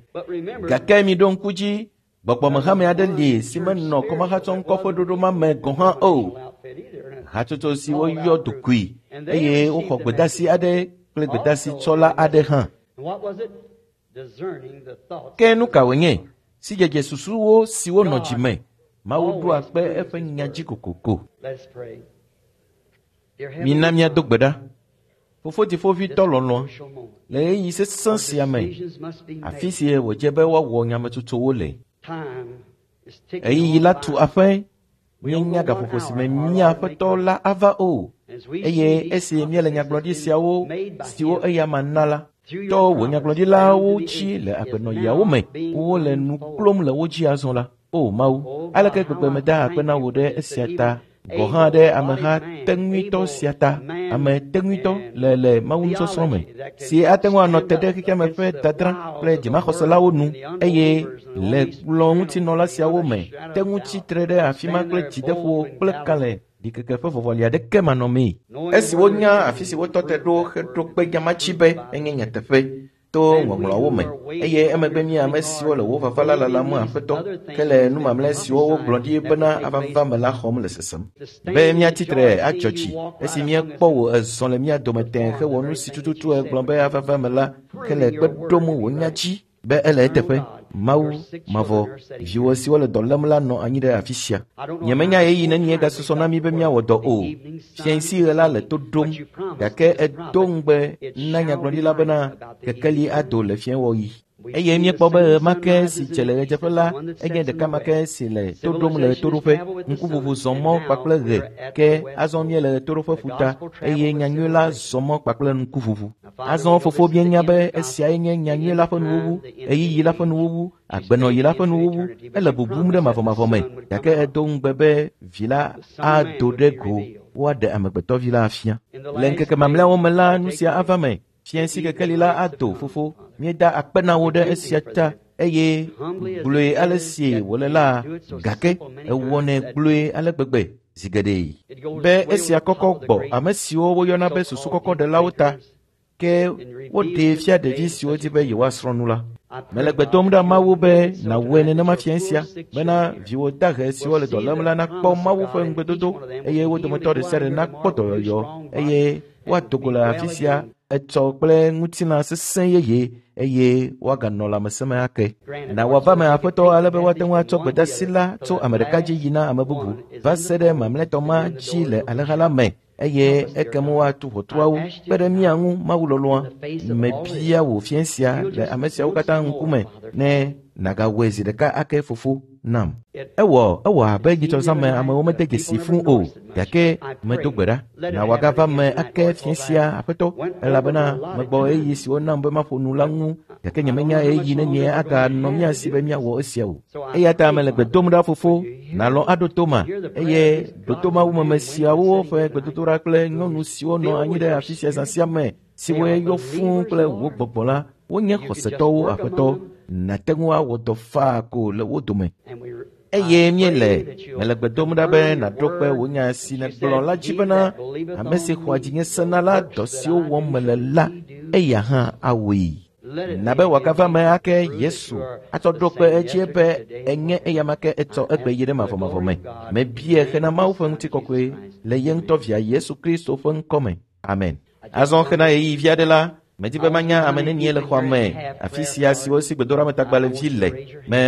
Speaker 1: Gake mi ɖo ŋku dzi, gbɔgbɔmehame aɖe li si menɔ kɔmahatsɔŋkɔ ƒe ɖoɖo ma me gɔ̃ hã o. Hatsotso si woyɔ dokui eye woxɔ gbedasi aɖe kple gbedasitsɔla aɖe hã. Ke nu ka wònye? Sidzedze susuwo siwo nɔ dzi me. Mawu ɖoa kpe eƒe nya dzi kokoko. Mina míado gbe ɖa. Fofo dziƒovitɔ lɔlɔ̃, le ɣeyiɣi sesẽ sia me, afi si wòdze be woawɔ nyametsotsowo le. Ɣeyiɣi la tu aƒe, míenya gaƒoƒo si me mía Aƒetɔ la ava o. Eye esi míele nyagblɔɖi siawo siwo eya ma na la, tɔ wò nyagblɔɖilawo dzi le agbenɔɣiawo me, wole nu klom le wo dzi azɔ la. O Mawu, aleke gbegbe meda akpe na wò ɖe esia ta, gɔ̃ hã ɖe ameha teŋuitɔ sia ta, ame teŋuitɔ le Mawu nusɔsrɔ̃ me, si ate ŋu anɔ te ɖe xexea me ƒe dadra kple dzimaxɔselawo nu, eye le kplɔ̃ ŋutinɔla siawo me te ŋu tsitre ɖe afi ma kple dzideƒo kple kalẽ ɖikeke ƒe vɔvɔli aɖeke manɔmee. Esi wonya afi si wotɔ te ɖo heɖo kpe nyamatsi be enye nyateƒe to ŋɔŋlɔawo me, eye emegbe mí ame siwo le wò vava la lalam Aƒetɔ, ke le nu mamlɛ siwo wogblɔ ɖi bena avava me la xɔm le sesem. Be míatsitre adzɔ dzi esi míekpɔ wò ezɔ le mía dome tẽe hewɔ nu si tututu egblɔ be avava me la, ke le kpe ɖom wò nya dzi be ele eteƒe. Mawu mavɔ, viwò siwo le dɔ lém la nɔ anyi ɖe afi sia. Nyemenya ɣeyiɣi nenie gasusɔ na mí be míawɔ dɔ o. Fiẽ si ɣe la le to ɖom, gake edo ŋugbe na nyagblɔɖila bena kekeli ado le fiẽwɔɣi. Eye míekpɔ be ɣe ma ke si dze le ɣedzeƒe la enye ɖeka ma ke si le to ɖom le ɣetoɖoƒe. Ŋkuʋuʋu zɔ mɔ kpakple ɣe ke azɔ míele ɣetoɖoƒe ƒuta eye nyanyui la zɔ mɔ kpakple ŋkuʋuʋu. Azɔ fofo míenya be esiae nye nyanyui la ƒe nuwuwu, ɣeyiɣi la ƒe nuwuwu, agbenɔɣi la ƒe nuwuwu. Ele bubum ɖe mavɔmavɔ me gake edo ŋugbe be vi la ado ɖe go woaɖe amegbetɔvi la afia. Le ŋkeke mamlɛawo me la nu sia ava me. Fiẽ si kekeli la ado fofo. Míeda akpe na wò ɖe esia ta eye gblɔe ale si wòle la gake ewɔnɛ gblɔe ale gbegbe zi geɖe be esia kɔkɔ gbɔ ame siwo woyɔna be susu kɔkɔɖelawo ta ke woɖee fia ɖevi siwo di be yewoasrɔ̃ nu la. Mele gbe dom ɖa Mawu be nàwɔe nenema fiẽ sia bena viwò dahe siwo le dɔ lém la nakpɔ Mawu ƒe ŋugbedodo eye wo dometɔ ɖe sia ɖe nakpɔ dɔyɔyɔ eye woado go le afi sia etsɔ kple ŋutilã sesẽ yeye eye woaganɔ lãmesẽ me ake. Na wòava me aƒetɔ ale be woate ŋu atsɔ gbedeasi la tso ame ɖeka dzi yina ame bubu va se ɖe mamlɛtɔ ma dzi le alẽha la me eye ekem woatu ʋɔtruawo kpe ɖe mía ŋu Mawu lɔlɔ̃a. Mebia wò fiẽ sia le ame siawo katã ŋkume ne nàgawɔe zi ɖeka ake fofo nam. Ewɔ abe nyitsɔzãme amewo mede dzesi fũu o gake medo gbe ɖa. Na wòagava me ake fiẽ sia aƒetɔ elabena megbɔ ɣeyiɣi si wonam be maƒo nu la ŋu gake nyemenya ɣeyiɣi nenie aganɔ mía si be míawɔ esia o. Eya ta mele gbe dom ɖa fofo nàlɔ̃ aɖo to ma eye ɖo to Mawumeme siawo ƒe gbedodoɖa kple nyɔnu siwo nɔ anyi ɖe afi sia zã sia me siwoe yɔ fũu kple wò gbɔgbɔ la wonye xɔsetɔwo aƒetɔ nàte ŋu awɔ dɔ faa ko le wo dome. Eye míele mele gbe dom ɖa be nàɖo kpe wò nya si nègblɔ la dzi bena ame si xɔa dzinye sena la dɔ siwo wɔm mele la eya hã awɔe. Na be wòagava me ake Yesu atsɔ ɖo kpe edzie be enye eyama ke etsɔ egbe yi ɖe mavɔmavɔ me. Mebia hena Mawu ƒe ŋutikɔkɔe le ye ŋutɔ via Yesu Kristo ƒe ŋkɔ me. Amen. Azɔ hena ɣeyiɣi vi aɖe la medi be manya ame nenie le xɔa me afi sia siwo si gbedoɖametagbalẽvi le.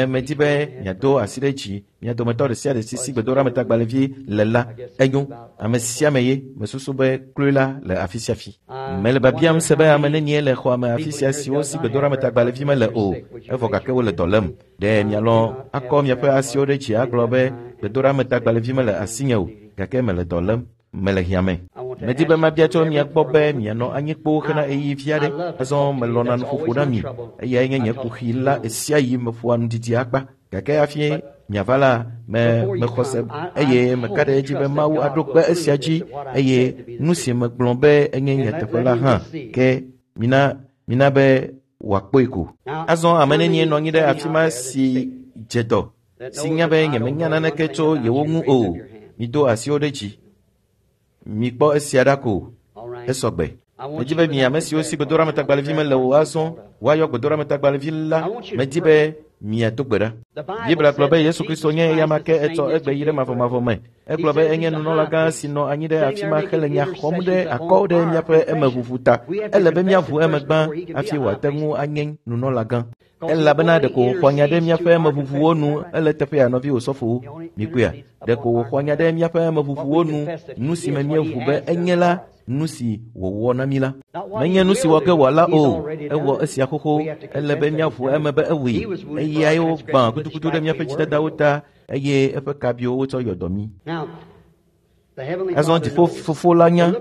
Speaker 1: Medi be miado asi ɖe dzi mia dometɔ ɖe sia ɖe si si gbedoɖametagbalẽvi le la enyo. Ame sia ame ye mesusu be kloe la le afi sia fi. Mele biabiam se be ame nenie le xɔa me afi sia siwo si gbedoɖametagbalẽvi mele o evɔ gake wole dɔ lém. Ɖe mialɔ̃ akɔ miaƒe asiwo ɖe dzi agblɔ be gbedoɖametagbalẽvi mele asinye o gake mele dɔ lém. Mele hiã me. Medi be mabia tso mia gbɔ be mianɔ anyi kpoo hena ɣeyiɣi vi aɖe. Azɔ melɔ̃na nuƒoƒo na mi. Eyae nye nye kuxi la ɣesiaɣi meƒoa nudidi akpa. Gake hafi miava la, mexɔ se eye meka ɖe edzi be Mawu aɖo kpe esia dzi eye nu si megblɔ be enye nyateƒe la hã ke mina be wòakpɔe ko. Azɔ ame nenie nɔ anyi ɖe afi ma si dze dɔ si nya be nyemenya naneke tso yewo ŋu o. Mido asiwo ɖe dzi. Mikpɔ esia ɖa ko esɔ gbe. Medi be mi ame siwo si gbedoɖametagbalẽvi mele o azɔ woayɔ gbedoɖametagbalẽvi la. Medi be miado gbe ɖa. Biblia gblɔ be Yesu Kristo nye eyama ke etsɔ egbe yi ɖe mavɔmavɔ me. Egblɔ be enye nunɔlagã si nɔ anyi ɖe afi ma hele nya xɔm ɖe akɔ ɖe míaƒe emeʋuʋu ta. Ele be míaʋu eme gbã hafi wòate ŋu anye nunɔlagã. Elabena ɖeko wòxɔ nya ɖe míaƒe emeʋuʋuwo nu ele teƒea nɔvi osɔfowo. Mikpɔea, ɖeko wòxɔ nya ɖe míaƒe emeʋuʋuwo nu nu si me míeʋu be enye la nu si wòwɔ na mí la. Menye nu si wɔ ke wòala o, ewɔ esia xoxo. Ele be míaʋu eme be ewɔe. Eyae wogbã gudugudu ɖe míaƒe dzidadawo ta eye eƒe kabiwo wotsɔ yɔ dɔ mí. Azɔ dziƒo fofo la nya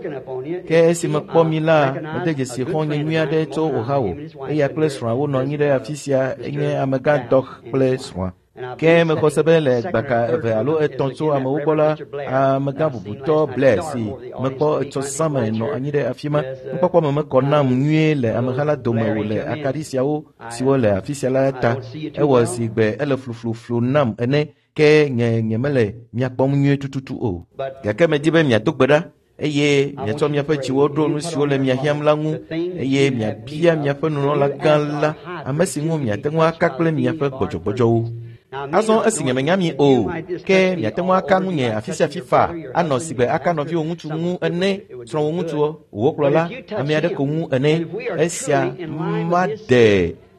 Speaker 1: ke esi mekpɔ mi la mede dzesi xɔ̃nye nyui aɖe tso Ohio. Eya kple srɔ̃a wonɔ anyi ɖe afi sia enye amegã Dɔk kple srɔ̃a. Ke mexɔ se be le gbaka eve alo etɔ̃ tso amewo gbɔ la, amegã bubutɔ Blair si mekpɔ etsɔ zãme nɔ anyi ɖe afi ma. Nukpɔkpɔ me mekɔ nam nyuie le ameha la dome o le akaɖi siawo siwo le afi sia la ta. Ewɔ zi gbe ele flufluflu nam ene ke nye mele mia kpɔm nyuie tututu o. Gake medi be miado gbe ɖa eye miatsɔ miaƒe dziwo ɖo nu siwo le mia hiãm la ŋu eye miabia miaƒe nunɔlagã la, ame si ŋu miate ŋu aka kple miaƒe gbɔdzɔgbɔdzɔwo. Azɔ esi nyemenya mi o, ke miate ŋu aka ŋunye afi sia afi faa anɔ si gbe aka nɔviwò ŋutsu ŋu ene, srɔ̃wò ŋutsuwo, wò kplɔla, ame aɖe ko ŋu ene.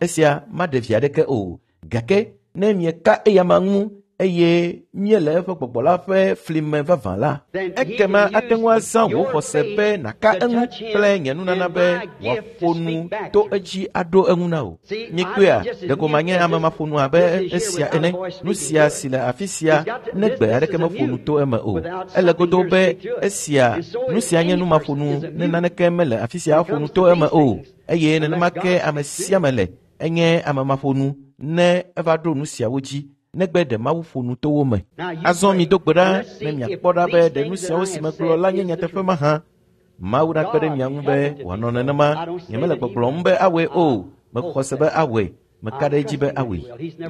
Speaker 1: Esia maɖe vi aɖeke o. Gake ne mieka eyama ŋu eye míele eƒe gbɔgbɔ la ƒe fli me vavã la, ekema ate ŋu azã wò xɔse be nàka eŋu kple nye nunana be wòaƒo nu to edzi aɖo eŋu na wò. Mikpɔea, ɖeko manye ame maƒonu abe esia ene. Nu sia si le afi sia ne gbe aɖeke meƒo nu to eme o. Ele godoo be esia, nu sia nye nu maƒonu ne naneke mele afi sia aƒo nu to eme o. Eye nenema ke ame sia ame le, enye ame maƒonu ne eva ɖo nu siawo dzi, negbe ɖe Mawu ƒo nu to wo me. Azɔ mido gbe ɖa ne miakpɔ ɖa be ɖe nu siawo si megblɔ la nye nyateƒe mahã. Mawu nakpe ɖe mia ŋu be wòanɔ nenema. Nyemele gbɔgblɔm be awɔe o. Mexɔ se be awɔe. Meka ɖe edzi be awɔe.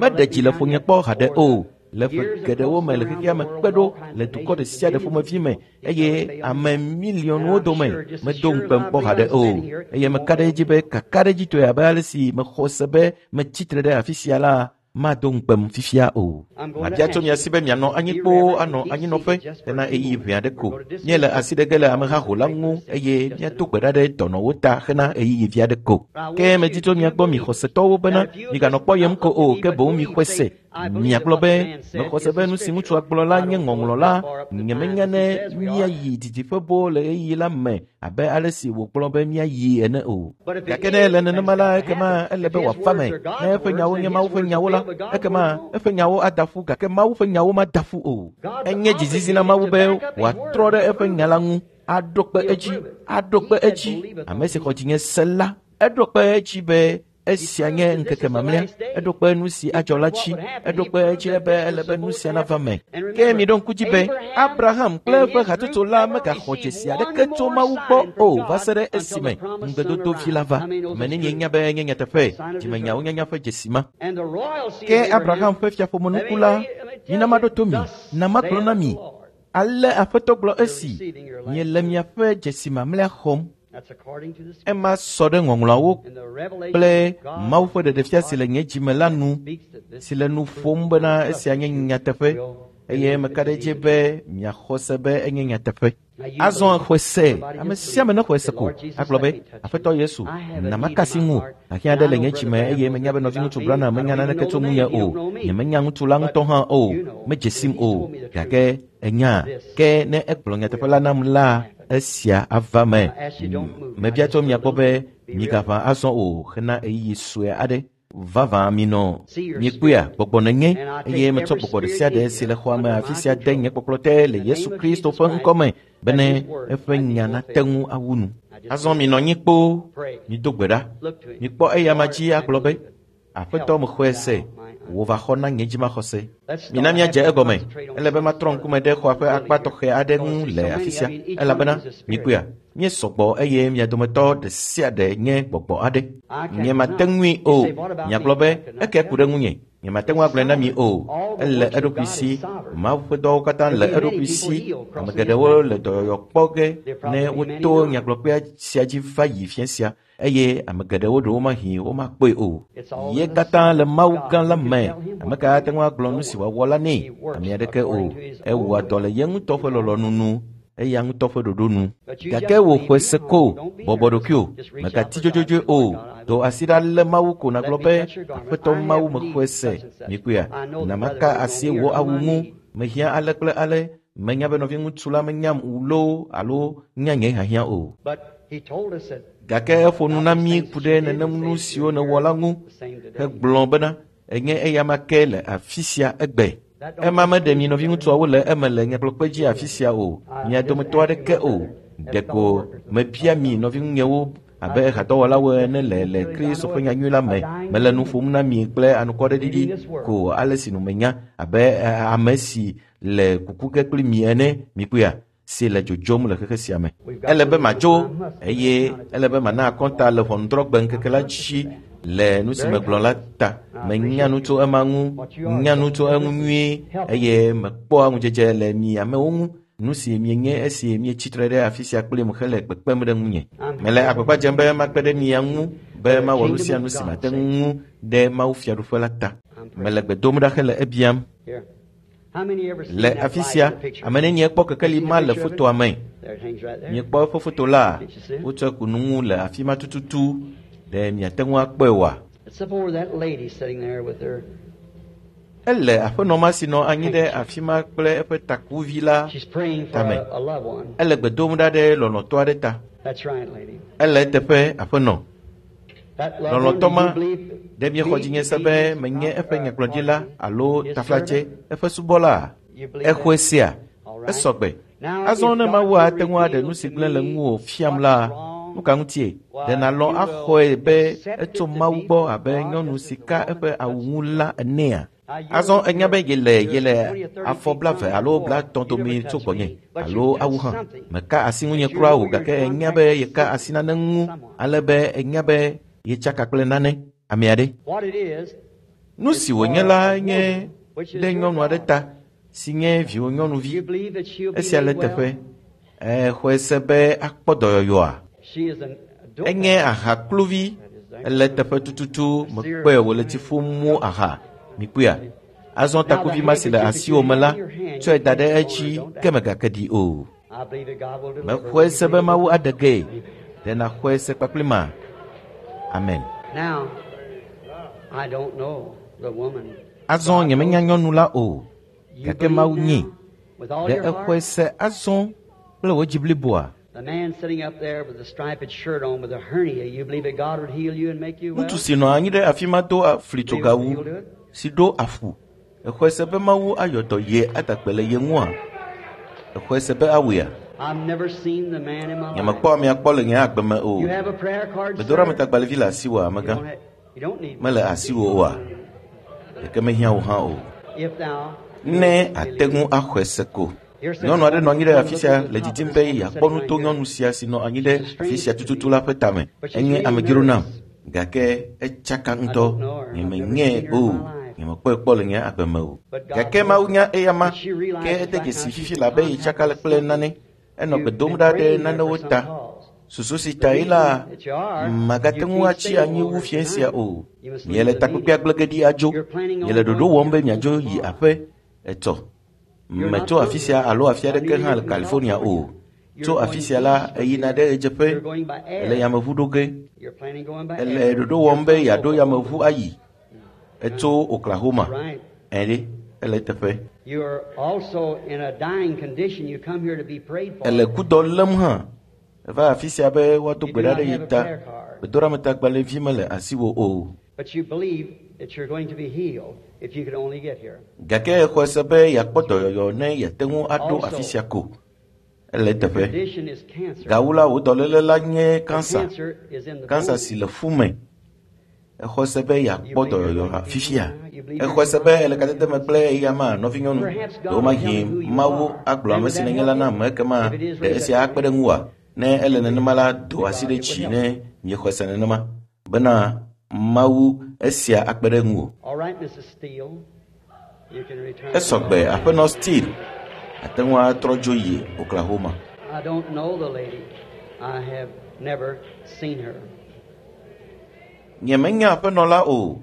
Speaker 1: Meɖe dzi le ƒonye kpɔ haɖe o. Le ƒe geɖewo me le xexea me kpe ɖo le dukɔ ɖe sia ɖe ƒomevi me eye ame miliɔnwo dome medo ŋukpem kpɔ haɖe o. Eye meka ɖe edzi be kakaɖedzitɔe abe ale si mexɔ se be metsi tre ɖe afi sia la, mado ŋukpem fifia o. Mabia tso mia si be mianɔ anyi kpoo anɔ anyinɔƒe hena ɣeyiɣi ʋɛ aɖe ko. Míele asi ɖe ge le amehaho la ŋu eye míado gbe ɖa ɖe dɔnɔwo ta hena ɣeyiɣi vi aɖe ko. Ke medi tso mia gbɔ mi xɔsetɔwo bena miganɔ kpɔyem ko o, ke boŋ mixɔe se. Miagblɔ be, mexɔ se be nu si ŋutsua gblɔ la nye ŋɔŋlɔ la, nyemenya ne míayi didiƒe boo le ɣeyiɣi la me abe ale si wògblɔ be míayi ene o. Gake ne ele nenema la, ekema ele be wòafa me. Ne eƒe nyawo nye Mawu ƒe nyawo la, ekema eƒe nyawo ada ƒu, gake Mawu ƒe nyawo mada ƒu o. Enye dzizizi na Mawu be wòatrɔ ɖe eƒe nya la ŋu, aɖo kpe edzi, aɖo kpe edzi. Ame si xɔ dzinye se la, eɖo kpe edzi be esia nye ŋkeke mamlɛa, eɖo kpe nu si adzɔ la dzi, eɖo kpe edzi be ele be nu sia nava me. Ke miɖo ŋku dzi be Abraham kple eƒe hatsotso la megaxɔ dzesi aɖeke tso Mawu gbɔ o va se ɖe esime ŋugbedodovi la va. Ame nenie nya be enye nyateƒe, dzimenyawo nyanya ƒe dzesi ma. Ke Abraham ƒe fiaƒomenuku la, mina maɖo to mi, na magblɔ na mi, ale Aƒetɔ gblɔ esi, miele miaƒe dzesi mamlɛa xɔm. Ema sɔ ɖe ŋɔŋlɔawo kple Mawu ƒe ɖeɖefia si le nye dzime la nu, si le nu ƒom bena esia nye nyateƒe, eye meka ɖe edzi be miaxɔ se be enye nyateƒe. Azɔ xɔe se, ame sia ame nexɔe se ko, agblɔ be, Aƒetɔ Yesu, na maka asi ŋu, ahiã ɖe le nye dzime eye menya be nɔviŋutsu Branham menya naneke tso ŋunye o, nyemenya ŋutsu la ŋutɔ hã o, medze sim o, gake enya, ke ne egblɔ nyateƒe la nam la, esia ava me. Mebia tso mia gbɔ be migaʋã azɔ o hena ɣeyiɣi sue aɖe. Vavã minɔ. Miekpɔea, gbɔgbɔ nenye, eye metsɔ gbɔgbɔ ɖe sia ɖe si le xɔa me afi sia de nye kpɔkplɔ te le Yesu Kristo ƒe ŋkɔ me bene eƒe nya nate ŋu awu nu. Azɔ minɔ anyi kpoo, mido gbe ɖa. Mikpɔ eyama dzi agblɔ be, Aƒetɔ mexɔe se, wò va xɔ na nye dzimaxɔse. Mina míadze egɔme. Ele be matrɔ ŋkume ɖe xɔa ƒe akpa tɔxɛ aɖe ŋu le afi sia, elabena mikpɔea, míesɔgbɔ eye mia dometɔ ɖe sia ɖe nye gbɔgbɔ aɖe. Nyemate ŋui o. Miagblɔ be, eke ku ɖe ŋunye. Nyemate ŋu agblɔe na mi o. Ele eɖokui si. Mawu ƒe dɔwo katã le eɖokui si. Ame geɖewo le dɔyɔyɔ kpɔ ge ne woto nyagblɔkpea sia dzi va yi fia sia. Eye ame geɖewo ɖewo mahi womakpɔe o. Ye katã le Mawu gã la me. Ame ka ate ŋu agblɔ nu si wòawɔ la nɛ? Ame aɖeke o. Ewɔa dɔ le ye ŋutɔ ƒe lɔlɔ̃nu nu, eya ŋutɔ ƒe ɖoɖo nu. Gake wò xɔe se ko, bɔbɔ ɖokuiwò, mègati dzodzodzoe o. Do asi ɖa lé Mawu ko nàgblɔ be, Aƒetɔ Mawu mexɔe se. Mikpɔea, na maka asi wò awu ŋu. Mehiã ale kple ale. Menya be nɔviŋutsu la menyam loo alo nya nye hiahiã o. Gake eƒo nu na mí ku ɖe nenem nu siwo nèwɔ la ŋu hegblɔ bena enye eyama ke le afi sia egbe. Ema meɖe mi nɔviŋutsuawo le eme le nyagblɔkpe dzi afi sia o, mia dometɔ aɖeke o. Ɖeko mebia mi nɔviŋunyewo abe hadɔwɔlawo ene le Kristo ƒe nyanyui la me. Mele nu ƒom na mi kple anukwareɖiɖi ko ale si nu menya abe ame si le kuku ge kpli mi ene, mikpɔea, si le dzodzom le xexe sia me. Ele be madzo eye ele be mana akɔnta le ʋɔnudrɔ̃gbe ŋkeke la dzi le nu si megblɔ la ta. Menya nu tso ema ŋu, nya nu tso eŋu nyuie eye mekpɔa ŋudzedze le mi amewo ŋu. Nu si mienye esi mietsi tre ɖe afi sia kplim hele kpekpem ɖe ŋunye. Mele agbagba dzem be makpe ɖe mia ŋu be mawɔ nu sia nu si mate ŋu ɖe Mawu fiaɖuƒe la ta. Mele gbe dom ɖa hele ebiam. Le afi sia, ame nenie kpɔ kekeli ma le fotoa me? Miekpɔ eƒe foto la? Wotsɔe ku nu ŋu le afi ma tututu. Ɖe miate ŋu akpɔe oa? Ele aƒenɔ ma si nɔ anyi ɖe afi ma kple eƒe takuvi la
Speaker 2: She's praying for
Speaker 1: tame.
Speaker 2: a loved one.
Speaker 1: Ele gbe dom ɖa ɖe lɔlɔ̃tɔ aɖe ta.
Speaker 2: That's right, lady.
Speaker 1: Ele eteƒe aƒenɔ.
Speaker 2: That loved one,
Speaker 1: Lɔlɔ̃tɔ
Speaker 2: do
Speaker 1: ma
Speaker 2: you believe
Speaker 1: ɖe miexɔ dzinye se be menye eƒe nyagblɔɖila alo
Speaker 2: His
Speaker 1: taflatse
Speaker 2: servant?
Speaker 1: eƒe subɔla.
Speaker 2: You believe
Speaker 1: Exɔe
Speaker 2: that?
Speaker 1: sea.
Speaker 2: All right.
Speaker 1: Esɔgbe.
Speaker 2: Now,
Speaker 1: Azɔ
Speaker 2: if
Speaker 1: ne
Speaker 2: God
Speaker 1: Mawu
Speaker 2: could
Speaker 1: ate ŋu aɖe
Speaker 2: reveal
Speaker 1: nu si
Speaker 2: to
Speaker 1: gblẽ le
Speaker 2: me
Speaker 1: ŋuwò fiam
Speaker 2: what's
Speaker 1: la,
Speaker 2: wrong,
Speaker 1: nu ka ŋutie?
Speaker 2: why,
Speaker 1: Ɖe nàlɔ̃
Speaker 2: you
Speaker 1: axɔe
Speaker 2: will
Speaker 1: be
Speaker 2: accept
Speaker 1: etso
Speaker 2: it to
Speaker 1: Mawu
Speaker 2: be
Speaker 1: gbɔ
Speaker 2: from
Speaker 1: abe
Speaker 2: God
Speaker 1: nyɔnu
Speaker 2: just
Speaker 1: si
Speaker 2: as the
Speaker 1: ka
Speaker 2: woman
Speaker 1: eƒe awu
Speaker 2: touched
Speaker 1: ŋu
Speaker 2: the
Speaker 1: la enea?
Speaker 2: Now, you're,
Speaker 1: Azɔ enya be
Speaker 2: you're,
Speaker 1: yele
Speaker 2: you're
Speaker 1: yele
Speaker 2: 20 or 30
Speaker 1: afɔ
Speaker 2: feet
Speaker 1: blave
Speaker 2: from me
Speaker 1: alo
Speaker 2: before.
Speaker 1: blatɔ̃
Speaker 2: You never
Speaker 1: domi tso
Speaker 2: touched
Speaker 1: gbɔnye
Speaker 2: me, but
Speaker 1: alo
Speaker 2: you
Speaker 1: awu
Speaker 2: touched
Speaker 1: hã.
Speaker 2: something
Speaker 1: Meka asi ŋunye
Speaker 2: that you
Speaker 1: kura
Speaker 2: know
Speaker 1: o
Speaker 2: you're in
Speaker 1: gake enya
Speaker 2: contact
Speaker 1: be
Speaker 2: with
Speaker 1: yeka asi
Speaker 2: something,
Speaker 1: nane ŋu
Speaker 2: someone.
Speaker 1: ale be enya be yetsaka kple nane ame aɖe.
Speaker 2: What it is,
Speaker 1: Nu
Speaker 2: is
Speaker 1: si wònye
Speaker 2: for
Speaker 1: la
Speaker 2: a
Speaker 1: nye
Speaker 2: woman, which is
Speaker 1: ɖe
Speaker 2: your
Speaker 1: nyɔnu aɖe
Speaker 2: daughter.
Speaker 1: ta si nye viwò
Speaker 2: You
Speaker 1: nyɔnuvi.
Speaker 2: believe that she'll be
Speaker 1: Esia le
Speaker 2: made well?
Speaker 1: teƒe. Exɔe se be akpɔ dɔyɔyɔa.
Speaker 2: She is an
Speaker 1: Enye
Speaker 2: dope.
Speaker 1: ahakluvi.
Speaker 2: That is the
Speaker 1: Ele teƒe tututu mekpɔe wòle tsi ƒom mu aha. Mikpɔea? Azɔ
Speaker 2: Now, the
Speaker 1: takuvi ma si le
Speaker 2: handkerchief that you
Speaker 1: asiwò me
Speaker 2: have
Speaker 1: la,
Speaker 2: in your hand,
Speaker 1: tsɔe
Speaker 2: you
Speaker 1: da
Speaker 2: place
Speaker 1: ɖe
Speaker 2: it on her.
Speaker 1: edzi
Speaker 2: Don't
Speaker 1: ke
Speaker 2: doubt.
Speaker 1: mègake ɖi o.
Speaker 2: I believe that God will deliver.
Speaker 1: Mexɔe
Speaker 2: Will you
Speaker 1: se be
Speaker 2: believe it
Speaker 1: Mawu
Speaker 2: with me?
Speaker 1: aɖe gee.
Speaker 2: Amen.
Speaker 1: Ɖe nàxɔe se kpakpli ma? Amen.
Speaker 2: Now, I don't know the woman.
Speaker 1: Azɔ
Speaker 2: God
Speaker 1: nyemenya
Speaker 2: knows.
Speaker 1: nyɔnu la o,
Speaker 2: You
Speaker 1: gake
Speaker 2: believe
Speaker 1: Mawu nyee.
Speaker 2: now with all
Speaker 1: Ɖe
Speaker 2: your
Speaker 1: exɔe
Speaker 2: heart?
Speaker 1: se azɔ kple wò dzi bliboa?
Speaker 2: The man sitting up there with the striped shirt on with a hernia, you believe that God would heal you and make you
Speaker 1: Ŋutsu
Speaker 2: well?
Speaker 1: si nɔ anyi ɖe afi ma do
Speaker 2: Believe that
Speaker 1: flitsogawu
Speaker 2: he'll do it?
Speaker 1: si ɖo afu. Exɔe se be Mawu ayɔ dɔ ye ada gbe le ye ŋua? Exɔe se be awɔea?
Speaker 2: I've never seen the man in my life.
Speaker 1: Nyemekpɔ amea kpɔ le nye agbe me o.
Speaker 2: You have a prayer card, sir?
Speaker 1: Gbedoɖametagbalẽvi le asiwò
Speaker 2: You
Speaker 1: amegã.
Speaker 2: don't, have, you don't need one.
Speaker 1: Mele asiwò oa? Ɖeke mehiã wò hã o.
Speaker 2: If thou
Speaker 1: Ne
Speaker 2: wilt
Speaker 1: ate
Speaker 2: believe.
Speaker 1: ŋu axɔe se ko.
Speaker 2: Here's
Speaker 1: Nyɔnu aɖe
Speaker 2: a
Speaker 1: nɔ anyi ɖe
Speaker 2: woman
Speaker 1: afi sia
Speaker 2: looking at the
Speaker 1: le
Speaker 2: top of
Speaker 1: didim
Speaker 2: this
Speaker 1: be
Speaker 2: woman
Speaker 1: yeakpɔ
Speaker 2: sitting
Speaker 1: nu
Speaker 2: right
Speaker 1: to
Speaker 2: here.
Speaker 1: nyɔnu sia si nɔ anyi
Speaker 2: She's
Speaker 1: ɖe
Speaker 2: a
Speaker 1: afi
Speaker 2: stranger
Speaker 1: sia
Speaker 2: to
Speaker 1: tututu
Speaker 2: me,
Speaker 1: la ƒe tame.
Speaker 2: but she's
Speaker 1: Enye
Speaker 2: real
Speaker 1: amedzro nam
Speaker 2: nervous.
Speaker 1: gake etsaka
Speaker 2: I
Speaker 1: ŋutɔ.
Speaker 2: don't know her. I've never
Speaker 1: Nyemenyae
Speaker 2: seen her in
Speaker 1: o.
Speaker 2: my life.
Speaker 1: Nyemekpɔe kpɔ le nye agbe me o.
Speaker 2: But God
Speaker 1: Gake
Speaker 2: knows
Speaker 1: Mawu
Speaker 2: her.
Speaker 1: nya eyama
Speaker 2: And she
Speaker 1: ke
Speaker 2: realizes
Speaker 1: ede
Speaker 2: right now
Speaker 1: dzesi
Speaker 2: she's
Speaker 1: fifi
Speaker 2: in
Speaker 1: la be
Speaker 2: contact
Speaker 1: yetsaka
Speaker 2: with
Speaker 1: kple
Speaker 2: something.
Speaker 1: nane. Enɔ gbe
Speaker 2: You've
Speaker 1: dom
Speaker 2: been
Speaker 1: ɖa ɖe
Speaker 2: praying there for
Speaker 1: nanewo
Speaker 2: some
Speaker 1: ta.
Speaker 2: cause.
Speaker 1: Susu si
Speaker 2: The
Speaker 1: ta ye la,
Speaker 2: reason that you are,
Speaker 1: magate
Speaker 2: you
Speaker 1: ŋu
Speaker 2: can't
Speaker 1: atsi
Speaker 2: stay
Speaker 1: anyi wu
Speaker 2: longer
Speaker 1: fiẽ sia
Speaker 2: tonight.
Speaker 1: o.
Speaker 2: You must leave
Speaker 1: Miele
Speaker 2: the
Speaker 1: takpekpea
Speaker 2: meeting.
Speaker 1: gblẽ ge ɖi adzo.
Speaker 2: You're planning
Speaker 1: Miele
Speaker 2: on
Speaker 1: ɖoɖo
Speaker 2: going
Speaker 1: wɔm be
Speaker 2: here
Speaker 1: miadzo yi
Speaker 2: tomorrow.
Speaker 1: aƒe etɔ.
Speaker 2: You're not
Speaker 1: Metso
Speaker 2: from
Speaker 1: afi sia
Speaker 2: here.
Speaker 1: alo afi
Speaker 2: I
Speaker 1: aɖeke
Speaker 2: knew
Speaker 1: hã
Speaker 2: you
Speaker 1: le
Speaker 2: from
Speaker 1: California o.
Speaker 2: California.
Speaker 1: Tso
Speaker 2: You're
Speaker 1: afi
Speaker 2: going
Speaker 1: sia la,
Speaker 2: east from
Speaker 1: eyina
Speaker 2: here.
Speaker 1: ɖe ɣedzeƒe.
Speaker 2: You're going by
Speaker 1: Ele
Speaker 2: air.
Speaker 1: yameʋu ɖo ge.
Speaker 2: You're planning going by
Speaker 1: Ele
Speaker 2: air.
Speaker 1: ɖoɖo
Speaker 2: You're
Speaker 1: wɔm be
Speaker 2: from
Speaker 1: yeaɖo
Speaker 2: Oklahoma.
Speaker 1: yameʋu ayi. Etso Oklahoma.
Speaker 2: Right.
Speaker 1: Ɛ ɖe, ele teƒe.
Speaker 2: You're also in a dying condition. You come here to be prayed for.
Speaker 1: Ele kudɔ lém hã. Eva afi sia be woado
Speaker 2: You
Speaker 1: gbe
Speaker 2: do
Speaker 1: ɖa
Speaker 2: not
Speaker 1: ɖe ye
Speaker 2: have a
Speaker 1: ta.
Speaker 2: prayer card,
Speaker 1: Gbedoɖametagbalẽvi mele asiwò o.
Speaker 2: but you believe that you're going to be healed if you could only get here.
Speaker 1: Gake exɔe se be yeakpɔ dɔyɔyɔ ne yeate ŋu aɖo afi
Speaker 2: Also,
Speaker 1: sia ko. Ele
Speaker 2: your
Speaker 1: teƒe.
Speaker 2: condition is cancer.
Speaker 1: Gawu la, wò dɔléle la nye
Speaker 2: The
Speaker 1: kansa.
Speaker 2: cancer is in the
Speaker 1: Kansa si
Speaker 2: bone.
Speaker 1: le fu me. Exɔe se be
Speaker 2: You
Speaker 1: yeakpɔ
Speaker 2: believe you're
Speaker 1: dɔyɔyɔ
Speaker 2: going to be healed
Speaker 1: fifia.
Speaker 2: now? You believe you're
Speaker 1: Exɔe
Speaker 2: in
Speaker 1: se be ele
Speaker 2: contact with
Speaker 1: kadede me
Speaker 2: him?
Speaker 1: kple eyama nɔvinyɔnu.
Speaker 2: Perhaps God will
Speaker 1: Ɖewomahi
Speaker 2: tell me who you
Speaker 1: Mawu
Speaker 2: are.
Speaker 1: agblɔ
Speaker 2: Then
Speaker 1: ame
Speaker 2: would
Speaker 1: si
Speaker 2: that
Speaker 1: nenye
Speaker 2: help
Speaker 1: la na
Speaker 2: you?
Speaker 1: ame ekema
Speaker 2: If it is,
Speaker 1: ɖe
Speaker 2: raise up
Speaker 1: esia
Speaker 2: your
Speaker 1: akpe ɖe
Speaker 2: hand.
Speaker 1: ŋuwòa? Ne ele
Speaker 2: If it
Speaker 1: nenema
Speaker 2: is,
Speaker 1: la, do
Speaker 2: to
Speaker 1: asi
Speaker 2: God,
Speaker 1: ɖe
Speaker 2: it would
Speaker 1: dzi
Speaker 2: help
Speaker 1: ne
Speaker 2: you.
Speaker 1: miexɔe se nenema bena Mawu esia akpe ɖe ŋuwò.
Speaker 2: All right, Mrs. Steele, you can return
Speaker 1: Esɔgbe
Speaker 2: home.
Speaker 1: aƒenɔ Steele ate ŋu atrɔ dzo yi Oklahoma.
Speaker 2: I don't know the lady. I have never seen her.
Speaker 1: Nyemenya aƒenɔ la o.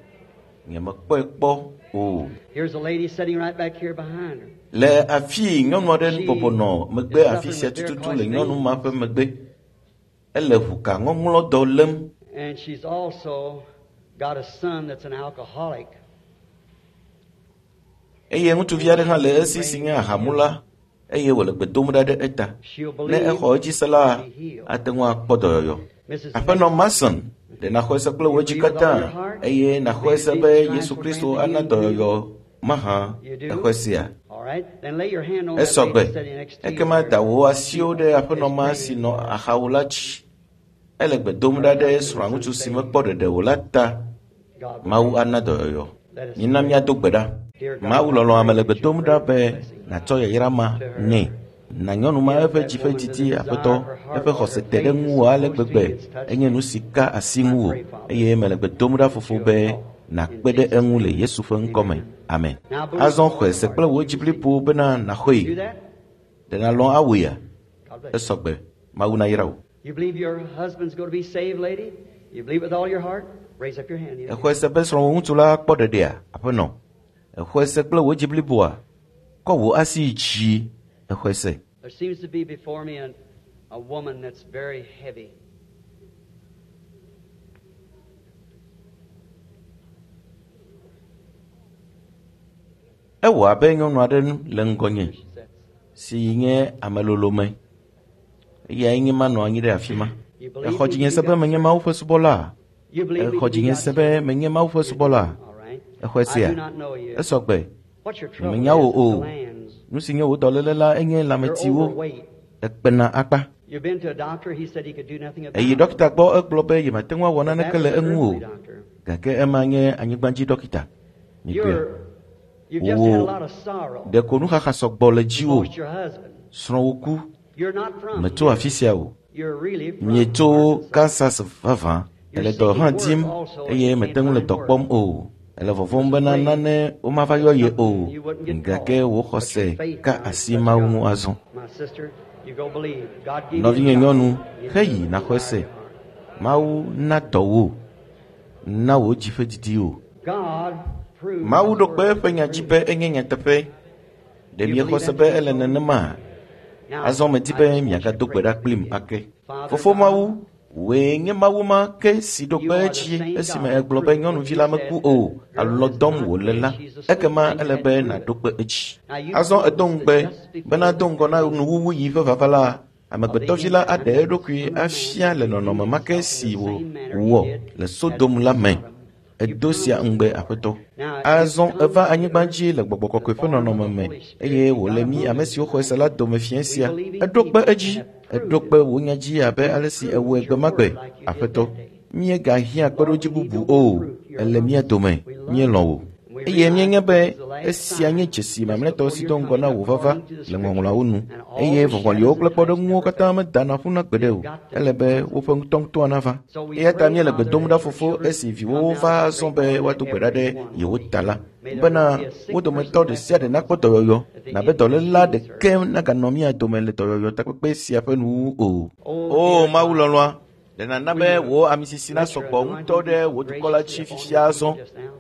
Speaker 1: Nyemekpɔe kpɔ o.
Speaker 2: Here's a lady sitting right back here behind her.
Speaker 1: Le afii nyɔnu aɖe
Speaker 2: She
Speaker 1: bɔbɔ nɔ megbe
Speaker 2: is
Speaker 1: afi
Speaker 2: suffering
Speaker 1: sia
Speaker 2: with
Speaker 1: tututu
Speaker 2: varicose
Speaker 1: le nyɔnu ma
Speaker 2: veins,
Speaker 1: ƒe megbe. Ele ʋukaŋɔŋlɔdɔ lém.
Speaker 2: and she's also got a son that's an alcoholic.
Speaker 1: Eye ŋutsuvi
Speaker 2: And
Speaker 1: aɖe hã
Speaker 2: she's
Speaker 1: le
Speaker 2: been
Speaker 1: esi si
Speaker 2: praying
Speaker 1: nye
Speaker 2: for him.
Speaker 1: ahamula eye wòle gbe dom ɖa ɖe eta.
Speaker 2: She'll
Speaker 1: Ne
Speaker 2: believe
Speaker 1: exɔ edzi se la,
Speaker 2: and be healed.
Speaker 1: ate ŋu akpɔ dɔyɔyɔ.
Speaker 2: Mrs.
Speaker 1: Aƒenɔ
Speaker 2: Mason,
Speaker 1: Mason, ɖe nàxɔe se kple
Speaker 2: you
Speaker 1: wò dzi
Speaker 2: believe with all
Speaker 1: katã
Speaker 2: your heart?
Speaker 1: eye nàxɔe
Speaker 2: Believe
Speaker 1: se
Speaker 2: that
Speaker 1: be
Speaker 2: Jesus Christ
Speaker 1: Yesu
Speaker 2: will
Speaker 1: Kristo
Speaker 2: grant the
Speaker 1: ana
Speaker 2: healing to you?
Speaker 1: dɔyɔyɔ mahã
Speaker 2: You do?
Speaker 1: exɔe sea?
Speaker 2: All right. Then lay your hand on that
Speaker 1: Esɔgbe.
Speaker 2: lady sitting next to you
Speaker 1: Ekema
Speaker 2: there.
Speaker 1: da wò
Speaker 2: She
Speaker 1: asiwo ɖe aƒenɔ
Speaker 2: is
Speaker 1: ma si
Speaker 2: praying
Speaker 1: nɔ
Speaker 2: for
Speaker 1: axawò la dzi. Ele gbe dom
Speaker 2: her
Speaker 1: ɖa ɖe
Speaker 2: husband
Speaker 1: srɔ̃aŋutsu
Speaker 2: that's
Speaker 1: si
Speaker 2: unsaved.
Speaker 1: mekpɔ ɖeɖe o la ta.
Speaker 2: God will
Speaker 1: Mawu
Speaker 2: grant
Speaker 1: ana
Speaker 2: it.
Speaker 1: dɔyɔyɔ.
Speaker 2: Let us
Speaker 1: Mina
Speaker 2: pray.
Speaker 1: míado gbe ɖa.
Speaker 2: Dear God,
Speaker 1: Mawu
Speaker 2: I
Speaker 1: lɔlɔ̃ ame
Speaker 2: pray
Speaker 1: le gbe
Speaker 2: that you
Speaker 1: dom ɖa
Speaker 2: grant
Speaker 1: be
Speaker 2: the blessing
Speaker 1: nàtsɔ yayra ma
Speaker 2: to her.
Speaker 1: nɛ. Na nyɔnu ma
Speaker 2: Give
Speaker 1: eƒe
Speaker 2: that
Speaker 1: dzi ƒe
Speaker 2: woman the
Speaker 1: didi
Speaker 2: desire
Speaker 1: aƒetɔ,
Speaker 2: of her heart,
Speaker 1: eƒe
Speaker 2: Lord, her
Speaker 1: xɔse te ɖe
Speaker 2: faith is
Speaker 1: ŋuwò ale
Speaker 2: so close to
Speaker 1: gbegbe
Speaker 2: you, it's touched
Speaker 1: enye
Speaker 2: you.
Speaker 1: nu si ka asi
Speaker 2: I
Speaker 1: ŋuwò
Speaker 2: pray, Father,
Speaker 1: eye mele gbe dom ɖa
Speaker 2: that
Speaker 1: fofo
Speaker 2: you'll
Speaker 1: be
Speaker 2: help in
Speaker 1: nàkpe ɖe
Speaker 2: Jesus'
Speaker 1: eŋu le
Speaker 2: name.
Speaker 1: Yesu ƒe ŋkɔ me.
Speaker 2: Amen.
Speaker 1: Amen.
Speaker 2: Now believe
Speaker 1: Azɔ
Speaker 2: with all
Speaker 1: xɔe
Speaker 2: your
Speaker 1: se
Speaker 2: heart
Speaker 1: kple
Speaker 2: that
Speaker 1: wò
Speaker 2: you
Speaker 1: dzi
Speaker 2: receive.
Speaker 1: blibo bena nàxɔe.
Speaker 2: Do that?
Speaker 1: Ɖe nàlɔ̃ awɔea?
Speaker 2: God bless you.
Speaker 1: Esɔgbe. Mawu nayra wò.
Speaker 2: You believe your husband's going to be saved, lady? You believe with all your heart? Raise up your hand. You
Speaker 1: Exɔe se be srɔ̃wò ŋutsu la kpɔ ɖeɖea, aƒenɔ. Exɔe se kple wò dzi bliboa. Kɔ wò asi yi dzi. Exɔe se.
Speaker 2: There seems to be before me a woman that's very heavy.
Speaker 1: Ewɔ abe nyɔnu aɖe le ŋgɔnye si nye ame lolome. Eyae nye ma nɔ anyi ɖe afi ma. Exɔ dzinye se be menye Mawu ƒe subɔla. Exɔ dzinye se be menye Mawu ƒe subɔla. Exɔe sea? Esɔ gbe. Nyemenya wò o. Nu si nye wò dɔléle la enye lãmetiwo. Ekpena akpa. Eyi ɖɔkita gbɔ egblɔ be yemate ŋu awɔ naneke le eŋu o. Gake ema nye anyigbadzi ɖɔkita. Mikpɔe. Wò ɖeko nuxaxa sɔgbɔ le dziwò. Srɔ̃wò ku. Metso afi sia o. Mietso Kansas vavã. Ele dɔ hã dim eye mete ŋu le dɔ kpɔm o. Ele vɔvɔ̃m bena nane womava yɔ ye o. Gake wò xɔse ka asi Mawu ŋu azɔ. Nɔvinye nyɔnu, heyi nàxɔe se. Mawu na dɔ wò, na wò dzi ƒe didi wò. Mawu ɖo kpe eƒe nya dzi be enye nyateƒe. Ɖe miexɔ se be ele nenema? Azɔ medi be miagado gbe ɖa kplim ake. Fofo Mawu, wòe nye Mawu ma ke si ɖo kpe edzi esime egblɔ be nyɔnuvi la meku o alo dɔm wòle la, ekema ele be nàɖo kpe edzi. Azɔ edo ŋugbe bena do ŋgɔ na nuwuwu yi ƒe vava la, amegbetɔvi la aɖe eɖokui afia le nɔnɔme ma ke si wòwɔ le Sodom la me. Edo sia ŋugbe Aƒetɔ. Azɔ eva anyigba dzi le gbɔgbɔ kɔkɔe ƒe nɔnɔme me eye wòle mí ame siwo xɔe se la dome fiẽ sia. Eɖo kpe edzi, eɖo kpe wò nya dzi abe ale si ewɔe gbe ma gbe. Aƒetɔ, míegahiã kpeɖodzi bubu o. Ele mía dome, míelɔ̃ wò. Eye míenya be esia nye dzesi mamlɛtɔ si do ŋgɔ na wò vava le ŋɔŋlɔawo nu. Eye vɔvɔliwo kple kpɔɖeŋuwo katã medana ƒu na gbeɖe o. Ele be woƒe ŋutɔŋutɔa nava. Eya ta míele gbe dom ɖa fofo esi viwòwo va azɔ be woado gbe ɖa ɖe yewo ta la, bena wo dometɔ ɖe sia ɖe nakpɔ dɔyɔyɔ, nabe dɔléla ɖeke naganɔ mía dome le dɔyɔyɔ takpekpe sia ƒe nuwuwu o. O Mawu lɔlɔ̃a, ɖe nàna be wò amisisi nasɔgbɔ ŋutɔ ɖe wò dukɔ la dzi fifia azɔ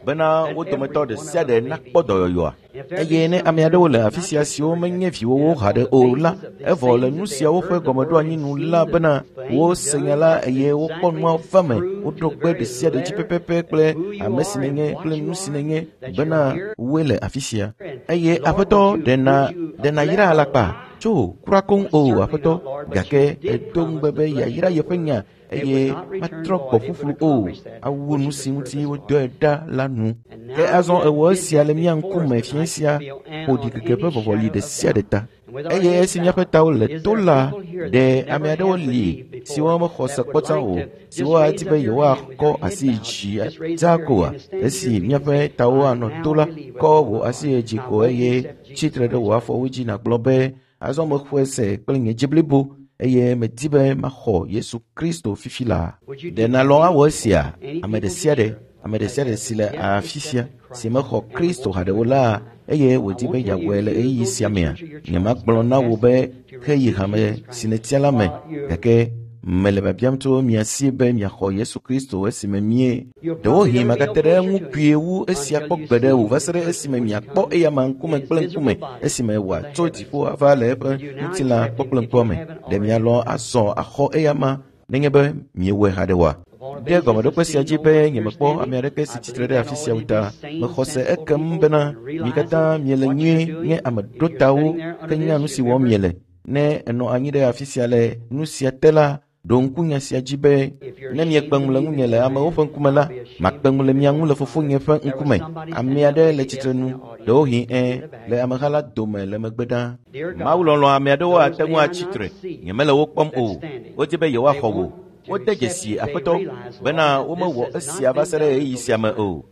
Speaker 1: bena wo dometɔ ɖe sia ɖe nakpɔ dɔyɔyɔa. Eye ne ame aɖewo le afi sia siwo menye viwòwo haɖe o la, evɔ le nu siawo ƒe gɔmeɖoanyi nu la bena wose nya la eye wokpɔ nua va me, woɖo kpe ɖe sia ɖe dzi pɛpɛpɛ kple ame si nènye kple nu si nènye bena woe le afi sia. Eye Aƒetɔ ɖe nàyra alakpa? Tso kura koŋ o Aƒetɔ, gake edo ŋugbe be yeayra yeƒe nya eye matrɔ gbɔ ƒuƒlu o, awu nu si ŋuti wodɔe ɖa la nu. Ke azɔ ewɔ esia le mía ŋkume fiẽ sia ƒo ɖikeke ƒe vɔvɔli ɖe sia ɖe ta. Eye esi míaƒe tawo le to la, ɖe ame aɖewo li siwo mexɔ se kpɔ tsã o, siwo adi be yewoakɔ asi dzi dzaa koa? Esi míaƒe tawo anɔ to la, kɔ wò asi dzi ko eye tsitre ɖe wò afɔwo dzi nàgblɔ be azɔ mexɔe se kple nye dzi blibo eye medi be maxɔ Yesu Kristo fifi laa. Ɖe nàlɔ̃ awɔ esia? Ame ɖe sia ɖe, ame ɖe sia ɖe si le afi sia si mexɔ Kristo haɖe o la, eye wòdi be yeawɔe le ɣeyiɣi sia mea, nyemagblɔ na wò be heyi hame si nètia la me, gake mele biabiam tso mia si be miaxɔ Yesu Kristo esime mie. Ɖewohĩ magate ɖe eŋu kpuie wu esia kpɔ gbeɖe o va se ɖe esime miakpɔ eyama ŋkume kple ŋkume esime wòatso dziƒo ava le eƒe ŋutilã kpɔkple ŋkua me. Ɖe mialɔ̃ azɔ axɔ eyama nenye be miewɔe haɖe oa? Ɖe gɔmeɖokpe sia dzi be nyemekpɔ ame aɖeke si tsitre ɖe afi sia o ta, mexɔ se ekem bena mi katã miele nyuie nye ame ɖotawo ke nya nu si wɔm miele. Ne ènɔ anyi ɖe afi sia le nu sia te la, ɖo ŋku nya sia dzi be ne miekpe ŋu le ŋunye le amewo ƒe ŋkume la, makpe ŋu le mia ŋu le fofonye ƒe ŋkume. Ame aɖe le tsitre nu, ɖewohĩ ẽ, le ameha la dome le megbe ɖaa. Mawu lɔlɔ̃ ame aɖewo ate ŋu atsi tre. Nyemele wo kpɔm o. Wodi be yewoaxɔ wò. Wode dzesi Aƒetɔ bena womewɔ esia va se ɖe ɣeyiɣi sia me o.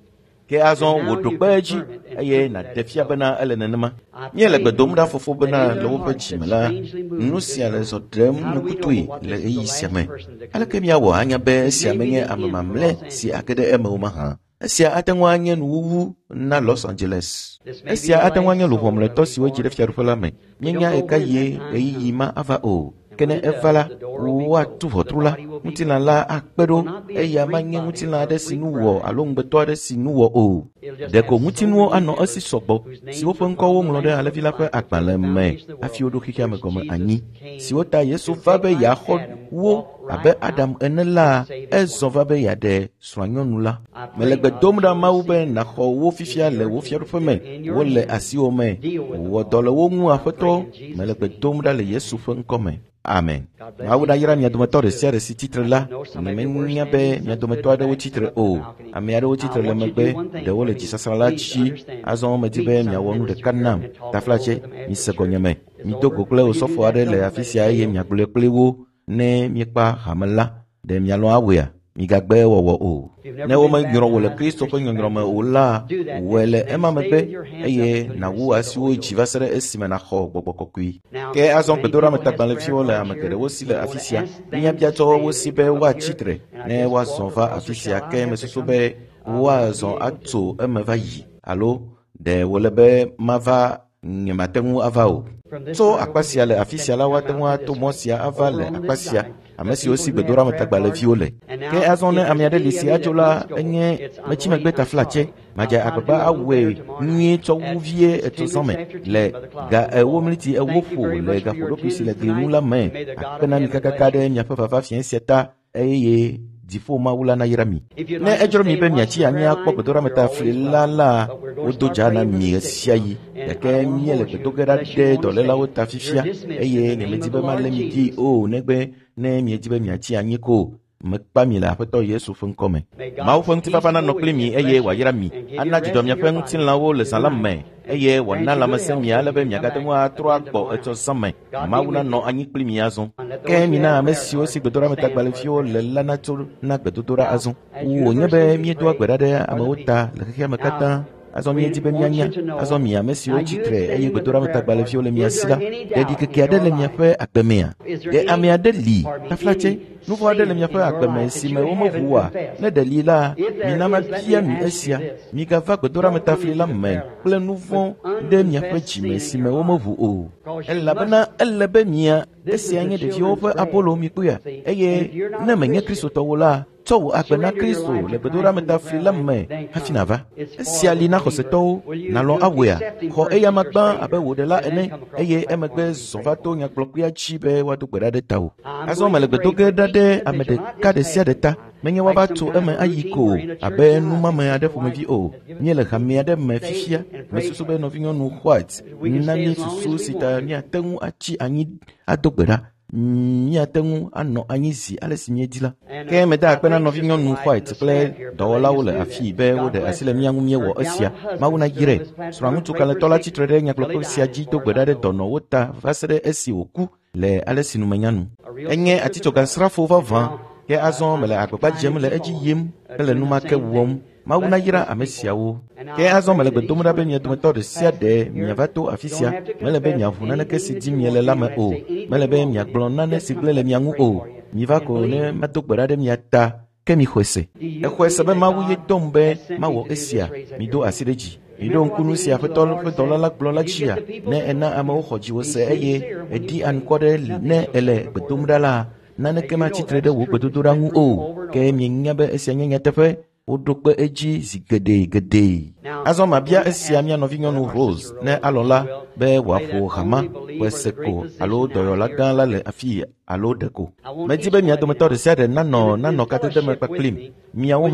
Speaker 1: Ke azɔ wò ɖo kpe edzi eye nàɖe fia bena ele nenema. Míele gbe dom ɖa fofo bena le woƒe dzime la, nu sia le zɔ ɖem nukutɔe le ɣeyiɣi sia me. Aleke míawɔ anya be esia menye ame mamlɛ si age ɖe eme o mahã? Esia ate ŋu anye nuwuwu na Los Angeles. Esia ate ŋu anye luʋɔ mlɔetɔ si wodzi ɖe fiaɖuƒe la me. Míenya ɣekaɣie ɣeyiɣi ma ava o. Ke ne eva la, woatu ʋɔtru la. Ŋutilã la akpe ɖo eya manye ŋutilã aɖe si nu wɔ alo ŋugbetɔ aɖe si nu wɔ o. Ɖeko ŋutinuwo anɔ esi sɔgbɔ siwo ƒe ŋkɔwo woŋlɔ ɖe Alẽvi la ƒe agbalẽ me hafi woɖo xexea me gɔme anyi, siwo ta Yesu va be yeaxɔ wo abe Adam ene la, ezɔ va be yeaɖe srɔ̃anyɔnu la. Mele gbe dom ɖa Mawu be nàxɔ wo fifia le wò fiaɖuƒe me, wole asiwò me. Wɔ dɔ le wo ŋu Aƒetɔ, mele gbe dom ɖa le Yesu ƒe ŋkɔ me. Amen. Mawu nayra mia dometɔ ɖe sia ɖe si tsitre la. Nyemenya be mia dometɔ aɖewo tsitre o. Ame aɖewo tsitre le megbe, ɖewo le dzisasrã la dzi. Azɔ medi be miawɔ nu ɖeka nam. Taflatse, mise gɔnyeme. Mido go kple osɔfo aɖe le afi sia eye miagblɔe kpli wo ne miekpa hame la. Ɖe mialɔ̃ awɔea? Migagbe wɔwɔ o. Ne womenyrɔ wò le Kristo ƒe nyɔnyrɔ me o la, wɔe le ema megbe eye nàwu asiwo dzi va se ɖe esime nàxɔ gbɔgbɔ kɔkɔe. Ke azɔ gbedoɖametagbalẽviwo le ame geɖewo si le afi sia. Míabia tso wo si be woatsi tre ne woazɔ va afi sia ke mesusu be woazɔ atso eme va yi alo ɖe wòle be mava nyemate ŋu ava o. Tso akpa sia le afi sia la woate ŋu ato mɔ sia ava le akpa sia ame siwo si gbedoɖametagbalẽviwo le. Ke azɔ ne ame aɖe li si adzo la enye metsi megbe taflatse madze agbagba awɔe nyuie tsɔ wu vie etso zã me le ga 4:40 ƒo le gaƒoɖokui si le gli ŋu la me akpe na mi kakaka ɖe miaƒe vava fiẽ sia ta eye dziƒo Mawu la nayra mi. Ne edzro mi be miatsi anyi akpɔ gbedoɖametafli la la, wodo dza na mi ɣe sia ɣi. Gake míele gbedo ge ɖa ɖe dɔlélawo ta fifia eye nyemedi be malé mi ɖi o negbe ne miedi be miatsi anyi ko. Mekpa mi le Aƒetɔ Yesu ƒe ŋkɔ me. Mawu ƒe ŋutifafa nanɔ kpli mi eye wòayra mi, ana dzidzɔ miaƒe ŋutilãwo le zã la me eye wòana lãmesẽ mi ale be miagate ŋu atrɔ agbɔ etsɔ zã me. Mawu nanɔ anyi kpli mi azɔ. Ke mina ame siwo si gbedoɖametagbalẽviwo le la natso na gbedodoɖa azɔ. Wònye be míedoa gbe ɖa ɖe amewo ta le xexea me katã. Azɔ míedi be míanya. Azɔ mi ame siwo tsi tre eye gbedoɖametagbalẽviwo le mia si la, ɖe ɖikeke aɖe le miaƒe agbe mea? Ɖe ame aɖe li taflatse nu vɔ̃ aɖe le miaƒe agbe me si me womeʋu oa? Ne ɖe li la, mina mabia mi esia. Migava gbedoɖametafli la me kple nu vɔ̃ ɖe miaƒe dzime si me womeʋu o. Elabena ele be mia esia nye ɖeviwo ƒe abolo mikpɔea eye ne menye Kristotɔwo la, tsɔ wò agbe na Kristo le gbedoɖametafli la me hafi nàva. Esia li na xɔsetɔwo, nàlɔ̃ awɔea? Xɔ eyama gbã abe wò ɖela ene eye emegbe zɔ va to nyagblɔkpea dzi be woado gbe ɖa ɖe tawò. Azɔ mele gbe do ge ɖa ɖe ame ɖeka ɖe sia ɖe ta. Menye woava tso eme ayi ko abe numame aɖe ƒomevi o. Míele hame aɖe me fifia. Mesusu be nɔvinyɔnu White na mí susu si ta míate ŋu atsi anyi ado gbe ɖa. Míate ŋu anɔ anyi zi ale si míedi la. Ke meda akpe na nɔvinyɔnu White kple dɔwɔlawo le afii be woɖe asi le mía ŋu míewɔ esia. Mawu nayrae. Srɔ̃ŋutsu kalẽtɔ la tsitre ɖe nyagblɔkpe sia dzi do gbe ɖa ɖe dɔnɔwo ta va se ɖe esi wòku le ale si numenya nu. Enye atitsogasrafo vavã ke azɔ mele agbagba dzem le edzi yim hele nu ma ke wɔm. Mawu nayra ame siawo. Ke azɔ mele gbe dom ɖa be mia dometɔ ɖe sia ɖe miava to afi sia. Mele be miaʋu naneke si dim miele la me o. Mele be miagblɔ nane si gblẽ le mia ŋu o. Miva ko ne mado gbe ɖa ɖe mia ta ke mixɔe se. Exɔe se be Mawu ye dɔm be mawɔ esia. Mido asi ɖe dzi. Miɖo ŋku nu si Aƒetɔ ƒe dɔla la gblɔ la dzia. Ne ena amewo xɔ dziwò se eye èɖi anukware ne èle gbe dom ɖa la, naneke matsi tre ɖe wò gbedodoɖa ŋu o. Ke mienya be esia nye nyateƒe. Woɖo kpe edzi zi geɖe geɖe. Azɔ mabia esia mía nɔvinyɔnu Rose ne alɔ̃ la be wòaƒo hama ƒe seko alo dɔyɔla gã la le afii alo ɖeko. Medi be mia dometɔ ɖe sia ɖe nanɔ kadede me kpakplim. Miawo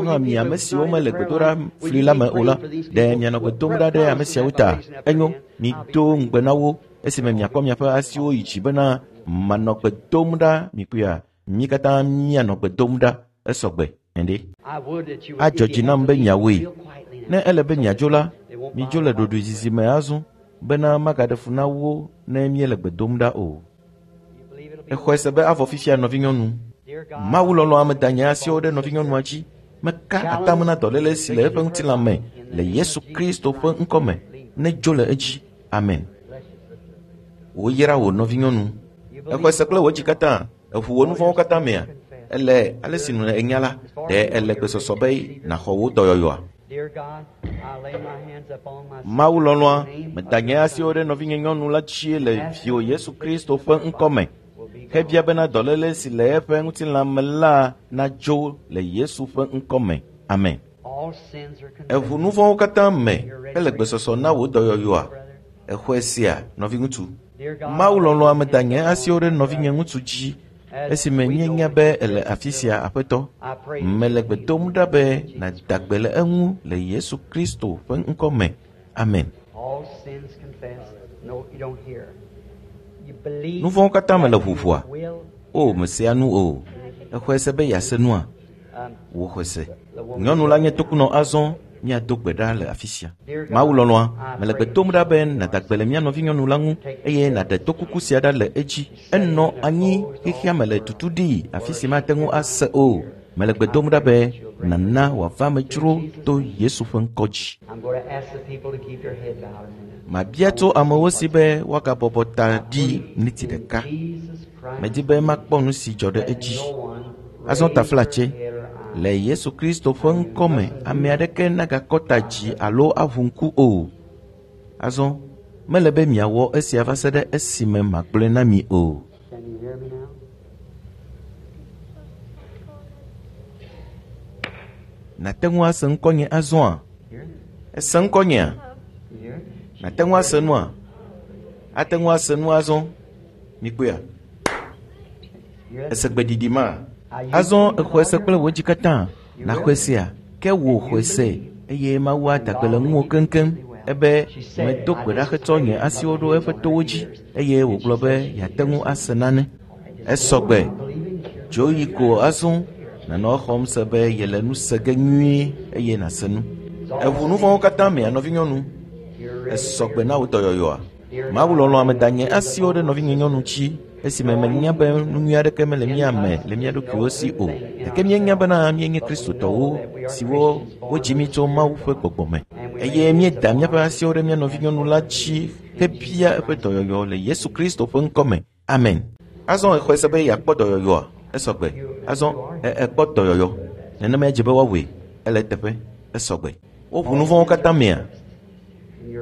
Speaker 1: hã mi ame siwo mele gbedoɖa fli la me o la, ɖe mianɔ gbe dom ɖa ɖe ame siawo ta. Enyo, mido ŋugbe na wo esime miakɔ miaƒe asiwo yi dzi bena manɔ gbe dom ɖa mikpɔea. Mí katã míanɔ gbe dom ɖa esɔgbe. Ende. Adzɔ dzi nam be miawoe. Ne ele be miadzo la, midzo le ɖoɖoezizi me azɔ bena magaɖe fu na wo ne míele gbe dom ɖa o. Exɔe se be avɔ fifia nɔvinyɔnu. Mawu lɔlɔ̃ ame da nye asiwo ɖe nɔvinyɔnua dzi. Meka atam na dɔléle si le eƒe ŋutilã me le Yesu Kristo ƒe ŋkɔ me. Nedzo le edzi. Amen. Woyra wò nɔvinyɔnu. Exɔe se kple wò dzi katã. Eʋu wò nu vɔ̃wo katã mea? Ele ale si nu enya la, ɖe ele gbesɔsɔ be nàxɔ wò dɔyɔyɔa? Mawu lɔlɔ̃a, meda nye asiwo ɖe nɔvinye nyɔnu la dzi le viwò Yesu Kristo ƒe ŋkɔ me. Hebia bena dɔléle si le eƒe ŋutilã me la nadzo le Yesu ƒe ŋkɔ me. Amen.
Speaker 2: All sins are
Speaker 1: Eʋu
Speaker 2: confessed.
Speaker 1: nu vɔ̃wo katã me hele gbesɔsɔ na wò dɔyɔyɔa. Exɔe sia, nɔviŋutsu. Mawu lɔlɔ̃a meda nye asiwo ɖe nɔvinye ŋutsu dzi esime míenya be ele afi sia aƒetɔ. Mele gbe dom ɖa be nàda gbe le eŋu le Yesu Kristo ƒe ŋkɔ me. Amen.
Speaker 2: All sins confessed. No, you don't hear. You believe
Speaker 1: Nu vɔ̃wo katã me le ʋuʋua.
Speaker 2: will.
Speaker 1: O, mesea nu o. Exɔe se be yease nua. Wò xɔe se. Nyɔnu la nye tokunɔ azɔ míado gbe ɖa le afi sia. Mawu lɔlɔ̃a, mele gbe dom ɖa be nàda gbe le mía nɔvinyɔnu la ŋu eye nàɖe tokuku sia ɖa le edzi. Enɔ anyi xexea me le tutu ɖii afi si mate ŋu ase o. Mele gbe dom ɖa be nàna wòava me dzro to Yesu ƒe ŋkɔ dzi.
Speaker 2: I'm going to ask the people to keep their head bowed a minute.
Speaker 1: Mabia tso amewo si be woagabɔbɔ ta ɖi miniti ɖeka.
Speaker 2: Jesus Christ.
Speaker 1: Medi be makpɔ nu si dzɔ ɖe edzi.
Speaker 2: No one
Speaker 1: Azɔ taflatse,
Speaker 2: raise their head or eye.
Speaker 1: le Yesu Kristo ƒe ŋkɔ me, ame aɖeke nagakɔ ta dzi alo aʋu ŋku o. Azɔ, mele be miawɔ esia va se ɖe esime magblɔe na mi o.
Speaker 2: Can you hear me now?
Speaker 1: Nàte ŋu ase ŋkɔnye azɔa?
Speaker 2: Hear?
Speaker 1: Ese ŋkɔnyea?
Speaker 2: You hear?
Speaker 1: Nàte ŋu ase nua? Ate ŋu ase nu azɔ? Mikpɔea?
Speaker 2: Hear?
Speaker 1: Ese gbeɖiɖi ma? Azɔ exɔe se kple wò dzi katã. Nàxɔe sea? Ke wò xɔe se eye Mawu ada gbe le ŋuwò keŋkeŋ. Ebe medo gbe ɖa hetsɔ nye asiwo ɖo eƒe towo dzi eye wògblɔ be yeate ŋu ase nane. Esɔgbe. Dzo yi ko azɔ nànɔ exɔm se be yele nu se ge nyuie eye nàse nu. Eʋu nu vɔ̃wo katã mea nɔvinyɔnu. Esɔgbe na wò dɔyɔyɔa. Mawu lɔlɔ̃a meda nye asiwo ɖe nɔvinye nyɔnu dzi esime menya be nu nyui aɖeke mele mía me le mía ɖokuiwo si o. Gake míenya bena míenye Kristotɔwo siwo wodzi mí tso Mawu ƒe gbɔgbɔ me eye míeda míaƒe asiwo ɖe mía nɔvinyɔnu la dzi hebia eƒe dɔyɔyɔ le Yesu Kristo ƒe ŋkɔ me. Amen. Azɔ exɔe se be yeakpɔ dɔyɔyɔa. Esɔgbe. Azɔ ekpɔ dɔyɔyɔ. Nenema dze be woawɔe. Ele eteƒe. Esɔgbe. Woʋu nu vɔ̃wo katã mea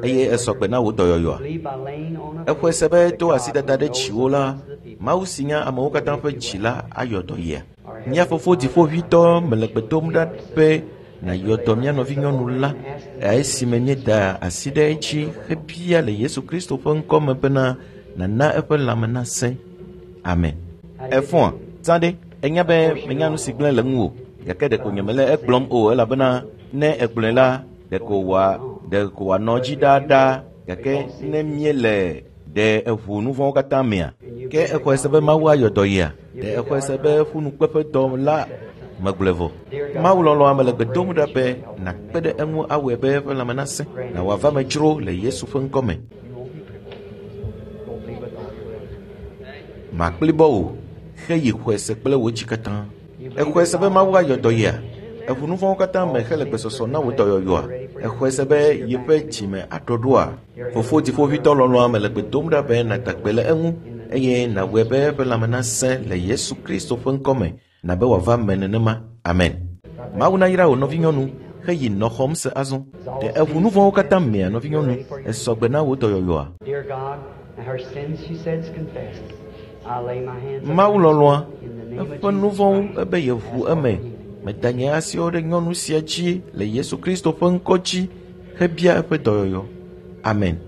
Speaker 1: eye esɔgbe na wò dɔyɔyɔa.
Speaker 2: Believe by laying on of
Speaker 1: Exɔe se be to asidada ɖe
Speaker 2: knows
Speaker 1: dziwò la,
Speaker 2: the hearts of the people.
Speaker 1: Mawu si nya amewo katã ƒe dzi la ayɔ dɔ yia. Mía fofo dziƒoʋĩtɔ mele gbe dom ɖa be nàyɔ dɔ mía nɔvinyɔnu la esime míeda asi ɖe edzi hebia le Yesu Kristo ƒe ŋkɔ me bena nàna eƒe lãme nasẽ. Amen. Efɔa, zã ɖe, enya be menya nu si gblẽ le ŋuwò gake ɖeko nyemele egblɔm o elabena ne egblɔe la ɖeko wòa ɖeko wòanɔ dzi ɖaaɖaa gake ne míele ɖe eʋu nu vɔ̃wo katã mea ke exɔe se be Mawu ayɔ dɔ yia ɖe exɔe se be ƒunukpeƒedɔ la megblɔe vɔ. Mawu lɔlɔ̃a mele gbe dom ɖa be nàkpe ɖe eŋu awɔe be eƒe lãme nasẽ na wòava me dzro le Yesu ƒe ŋkɔ me.
Speaker 2: You won't be crippled. Go believe with all your heart.
Speaker 1: Màkplibɔ o, heyi xɔe se kple wò dzi katã. Exɔe se be Mawu ayɔ dɔ yia? Eʋu nu vɔ̃wo katã me hele gbesɔsɔ na wò dɔyɔyɔa? Exɔe se be yeƒe dzime aɖɔ ɖoa? Fofo dziƒoʋĩtɔ lɔlɔ̃a mele gbe dom ɖa be nàda gbe le eŋu eye nàwɔe be eƒe lãme nasẽ le Yesu Kristo ƒe ŋkɔ me na be wòava me nenema. Amen. Mawu nayra wò nɔvinyɔnu heyi nɔ xɔm se azɔ. Ɖe eʋu nu vɔ̃wo katã mea nɔvinyɔnu esɔgbe na wò dɔyɔyɔa?
Speaker 2: Dear God, her sins she says confessed. I lay my hands upon
Speaker 1: Mawu
Speaker 2: her
Speaker 1: lɔlɔ̃a
Speaker 2: in the name of
Speaker 1: eƒe nu
Speaker 2: Jesus
Speaker 1: vɔ̃wo
Speaker 2: Christ.
Speaker 1: ebe yeʋu eme. Meda nye asiwo ɖe nyɔnu sia dzi le Yesu Kristo ƒe ŋkɔ dzi hebia eƒe dɔyɔyɔ. Amen.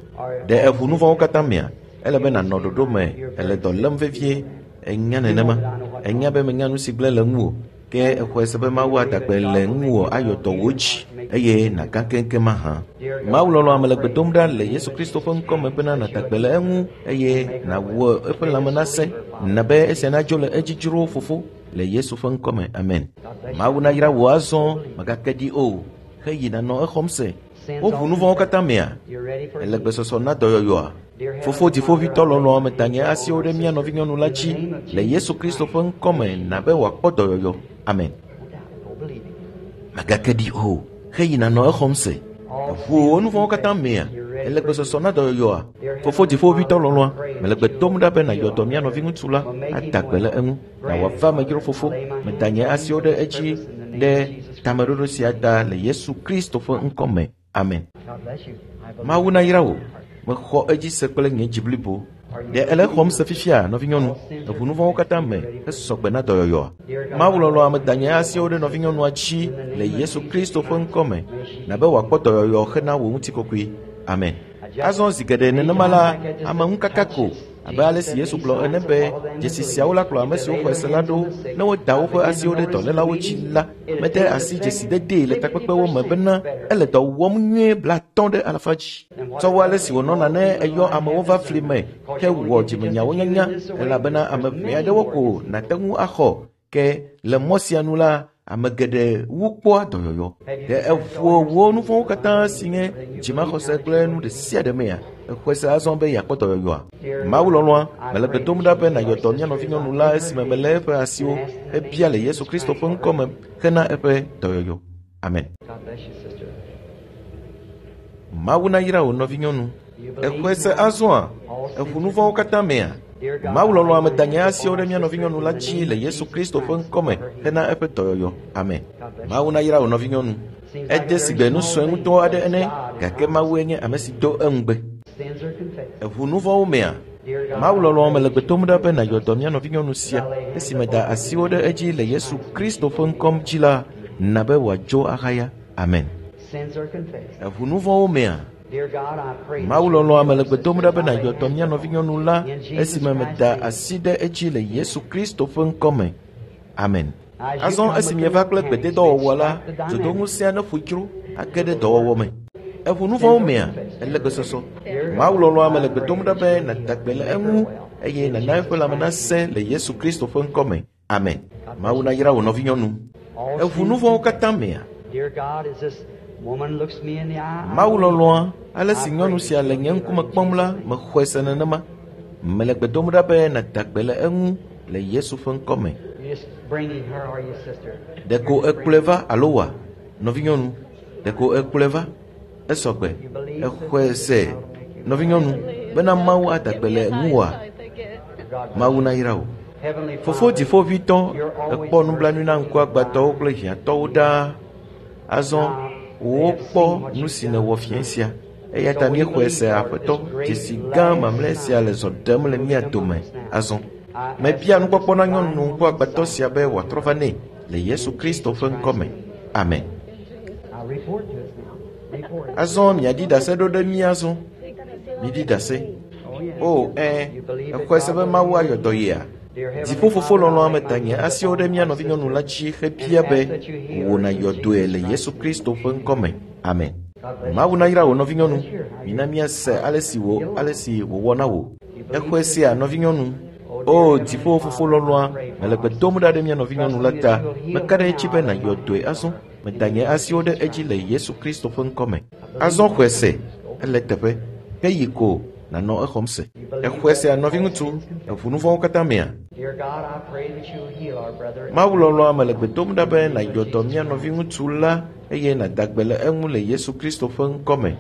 Speaker 1: Ɖe eʋu nu vɔ̃wo katã mea? Ele be nànɔ ɖoɖo me ele dɔ lém vevie. Enya nenema. Enya be menya nu si gblẽ le ŋuwò. Ke exɔe se be Mawu ada gbe le ŋuwò ayɔ dɔ wò dzi eye nàgã keŋkeŋ mahã. Mawu lɔlɔ̃a mele gbe dom ɖa le Yesu Kristo ƒe ŋkɔ me bena nàda gbe le eŋu eye nàwɔ eƒe lãme nasẽ na be esia nadzo le edzi dzro fofo le Yesu ƒe ŋkɔ me. Amen. Mawu nayra wò azɔ mègake ɖi o heyi nànɔ exɔm se. Woʋu nu vɔ̃wo katã mea?
Speaker 2: You're ready for
Speaker 1: Ele gbesɔsɔ na dɔyɔyɔa? Fofo dziƒoʋĩtɔ lɔlɔ̃a meda nye asiwo ɖe mía nɔvinyɔnu la dzi le Yesu Kristo ƒe ŋkɔ me na be wòakpɔ dɔyɔyɔ. Amen.
Speaker 2: No doubt. Go believe it.
Speaker 1: Mègake ɖi o heyi nànɔ exɔm se. Eʋu wò nu vɔ̃wo katã mea? Ele gbesɔsɔ na dɔyɔyɔa? Fofo dziƒoʋĩtɔ lɔlɔ̃a mele gbe dom ɖa be nàyɔ dɔ mía nɔviŋutsu la ada gbe le eŋu na wòava me dzro fofo. Meda nye asiwo ɖe edzi ɖe tameɖoɖo sia ta le Yesu Kristo ƒe ŋkɔ me. Amen.
Speaker 2: God bless you. I believe
Speaker 1: Mawu
Speaker 2: with
Speaker 1: nayra
Speaker 2: all
Speaker 1: wò.
Speaker 2: my heart.
Speaker 1: Mexɔ edzi se kple nye dzi blibo. Ɖe ele exɔm se fifia, nɔvinyɔnu? Eʋu nu vɔ̃wo katã me hesɔ gbe na dɔyɔyɔa? Mawu lɔlɔ̃ ame da nye asiwo ɖe nɔvinyɔnua dzi le Yesu Kristo ƒe ŋkɔ me, na be wòakpɔ dɔyɔyɔ hena wò ŋutikɔkɔe. Amen. Azɔ zi geɖe nenema la, ameŋukaka ko abe ale si Yesu gblɔ ene be dzesi siawo la kplɔ ame siwo xɔe se la ɖo ne woda woƒe asiwo ɖe dɔlélawo dzi la, mede asi dzesidedee le takpekpewo me bena ele dɔ wɔm nyuie 50% dzi. Tsɔ wu ale si wònɔna ne eyɔ amewo va fli me hewɔ dzimenyawo nyanya elabena ame ʋɛ aɖewo ko nàte ŋu axɔ ke le mɔ sia nu la, ame geɖe wu kpɔa dɔyɔyɔ. Ɖe eƒo wò nu vɔ̃wo katã si nye dzimaxɔse kple nu ɖe sia ɖe mea? Exɔe se azɔ be yeakpɔ dɔyɔyɔa? Mawu lɔlɔ̃a, mele gbe dom ɖa be nàyɔ dɔ mía nɔvinyɔnu la esime melé eƒe asiwo hebia le Yesu Kristo ƒe ŋkɔ me hena eƒe dɔyɔyɔ. Amen.
Speaker 2: God bless you, sister.
Speaker 1: Mawu nayra wò nɔvinyɔnu. Exɔe se azɔa? Eʋu nu vɔ̃wo katã mea? Mawu lɔlɔ̃ ame da nye asiwo ɖe mía nɔvinyɔnu la dzi le Yesu Kristo ƒe ŋkɔ me hena eƒe dɔyɔyɔ. Amen. Mawu nayra wò nɔvinyɔnu. Ede sigbe nu sue ŋutɔ aɖe ene, gake Mawue nye ame si do eŋugbe.
Speaker 2: Sins are confessed.
Speaker 1: Eʋu nu vɔ̃wo mea?
Speaker 2: Dear God,
Speaker 1: Mawu lɔlɔ̃ mele gbe dom ɖa be nàyɔ dɔ mía nɔvinyɔnu sia esime da asiwo ɖe edzi le Yesu Kristo ƒe ŋkɔ dzi la, na be wòadzo ahaya. Amen.
Speaker 2: Sins are confessed.
Speaker 1: Eʋu nu vɔ̃wo mea?
Speaker 2: Dear God, I pray that
Speaker 1: Mawu
Speaker 2: you
Speaker 1: lɔlɔ̃a
Speaker 2: will
Speaker 1: mele
Speaker 2: heal
Speaker 1: gbe dom ɖa be
Speaker 2: sister.
Speaker 1: nàyɔ dɔ mía nɔvinyɔnu la
Speaker 2: In Jesus
Speaker 1: esime
Speaker 2: Christ's
Speaker 1: meda
Speaker 2: name.
Speaker 1: asi ɖe edzi le Yesu Kristo ƒe ŋkɔ me. Amen.
Speaker 2: As you
Speaker 1: Azɔ
Speaker 2: come
Speaker 1: esi
Speaker 2: with
Speaker 1: mieva
Speaker 2: the
Speaker 1: kple
Speaker 2: mechanics,
Speaker 1: gbededɔwɔwɔ la,
Speaker 2: extract the dynamic.
Speaker 1: dzodoŋusẽa neƒo dzro age ɖe dɔwɔwɔ me. Eʋu nu vɔ̃wo mea? Ele gbesɔsɔ. Mawu lɔlɔ̃a mele gbe dom ɖa be nàda gbe le eŋu eye nàna eƒe lãme nasẽ le Yesu Kristo ƒe ŋkɔ me. Amen. Mawu nayra wò nɔvinyɔnu.
Speaker 2: All
Speaker 1: Eʋu
Speaker 2: sins
Speaker 1: nu vɔ̃wo katã mea?
Speaker 2: Dear God, as this woman looks me in the eye, I
Speaker 1: Mawu
Speaker 2: believe
Speaker 1: lɔlɔ̃a, ale si nyɔnu sia le nye ŋkume kpɔm la, mexɔe se nenema. Mele gbe dom ɖa be nàda gbe le eŋu le Yesu ƒe ŋkɔ me.
Speaker 2: You're just bringing her, are you, sister?
Speaker 1: Ɖeko ekplɔe va alo wa? Nɔvinyɔnu, ɖeko ekplɔe va? Esɔ gbe. Exɔe se. Nɔvinyɔnu, bena Mawu ada gbe le ŋuwòa?
Speaker 2: God bless
Speaker 1: Mawu nayra wò.
Speaker 2: Heavenly
Speaker 1: Fofo
Speaker 2: Father,
Speaker 1: dziƒoʋĩtɔ,
Speaker 2: you're always
Speaker 1: ekpɔ nublanui na ŋkuagbãtɔwo kple hiãtɔwo ɖaa. Azɔ wokpɔ nu si nèwɔ fiẽ sia. Eya ta míexɔe se Aƒetɔ, dzesi gã mamlɛ sia le zɔ ɖem le mía dome azɔ. Mebia nukpɔkpɔ na nyɔnu ŋkuagbãtɔ sia be wòatrɔ va nɛ le Yesu Kristo ƒe ŋkɔ me. Amen.
Speaker 2: Now report to us now. Report it.
Speaker 1: Azɔ miaɖi ɖase ɖo ɖe mí azɔ. Miɖi ɖase.
Speaker 2: Oh, yeah.
Speaker 1: O, ɛ,
Speaker 2: You believe that
Speaker 1: exɔe se
Speaker 2: God
Speaker 1: be
Speaker 2: will
Speaker 1: Mawu
Speaker 2: heal
Speaker 1: ayɔ
Speaker 2: you?
Speaker 1: dɔ yea?
Speaker 2: Dear Heavenly
Speaker 1: Dziƒofofo
Speaker 2: Father, I
Speaker 1: lɔlɔ̃a
Speaker 2: lay
Speaker 1: meda
Speaker 2: my
Speaker 1: nye
Speaker 2: hands
Speaker 1: asiwo ɖe
Speaker 2: upon
Speaker 1: mía
Speaker 2: our
Speaker 1: nɔvinyɔnu la dzi
Speaker 2: sister
Speaker 1: hebia
Speaker 2: and
Speaker 1: be
Speaker 2: ask that you heal
Speaker 1: wò
Speaker 2: her in
Speaker 1: nàyɔ dɔe
Speaker 2: Jesus
Speaker 1: le Yesu
Speaker 2: Christ's name.
Speaker 1: Kristo ƒe ŋkɔ me. Amen.
Speaker 2: God bless
Speaker 1: Mawu
Speaker 2: you.
Speaker 1: nayra wò nɔvinyɔnu.
Speaker 2: Let's hear how you
Speaker 1: Mina míase ale si wò ale si wòwɔ na wò.
Speaker 2: You believe
Speaker 1: Exɔe sea
Speaker 2: sister?
Speaker 1: nɔvinyɔnu.
Speaker 2: Oh,
Speaker 1: O
Speaker 2: dear Heavenly
Speaker 1: dziƒo fofo
Speaker 2: Father, I
Speaker 1: lɔlɔ̃a,
Speaker 2: pray for
Speaker 1: mele
Speaker 2: our
Speaker 1: gbe dom
Speaker 2: sister,
Speaker 1: ɖa ɖe mía nɔvinyɔnu la
Speaker 2: trusting
Speaker 1: ta.
Speaker 2: that you will heal
Speaker 1: Meka
Speaker 2: her
Speaker 1: ɖe edzi
Speaker 2: now.
Speaker 1: be
Speaker 2: I lay my
Speaker 1: nàyɔ dɔe
Speaker 2: hands
Speaker 1: azɔ.
Speaker 2: on her in
Speaker 1: Meda
Speaker 2: the
Speaker 1: nye
Speaker 2: name of
Speaker 1: asiwo ɖe
Speaker 2: Jesus
Speaker 1: edzi
Speaker 2: Christ.
Speaker 1: le Yesu Kristo ƒe ŋkɔ me.
Speaker 2: I believe
Speaker 1: Azɔ
Speaker 2: my
Speaker 1: xɔe se,
Speaker 2: sister. Go.
Speaker 1: ele teƒe. Ke yi ko nànɔ exɔm se.
Speaker 2: You believe
Speaker 1: Exɔe
Speaker 2: that
Speaker 1: sea
Speaker 2: all
Speaker 1: nɔviŋutsu,
Speaker 2: sins confessed.
Speaker 1: eʋu nu vɔ̃wo katã mea?
Speaker 2: Dear God, I pray that you will heal our brother
Speaker 1: Mawu
Speaker 2: and
Speaker 1: lɔlɔ̃a mele gbe dom ɖa be
Speaker 2: in the name
Speaker 1: nàyɔ
Speaker 2: of
Speaker 1: dɔ
Speaker 2: Jesus
Speaker 1: mía
Speaker 2: Christ.
Speaker 1: nɔviŋutsu la eye nàda gbe le eŋu le Yesu Kristo ƒe ŋkɔ me.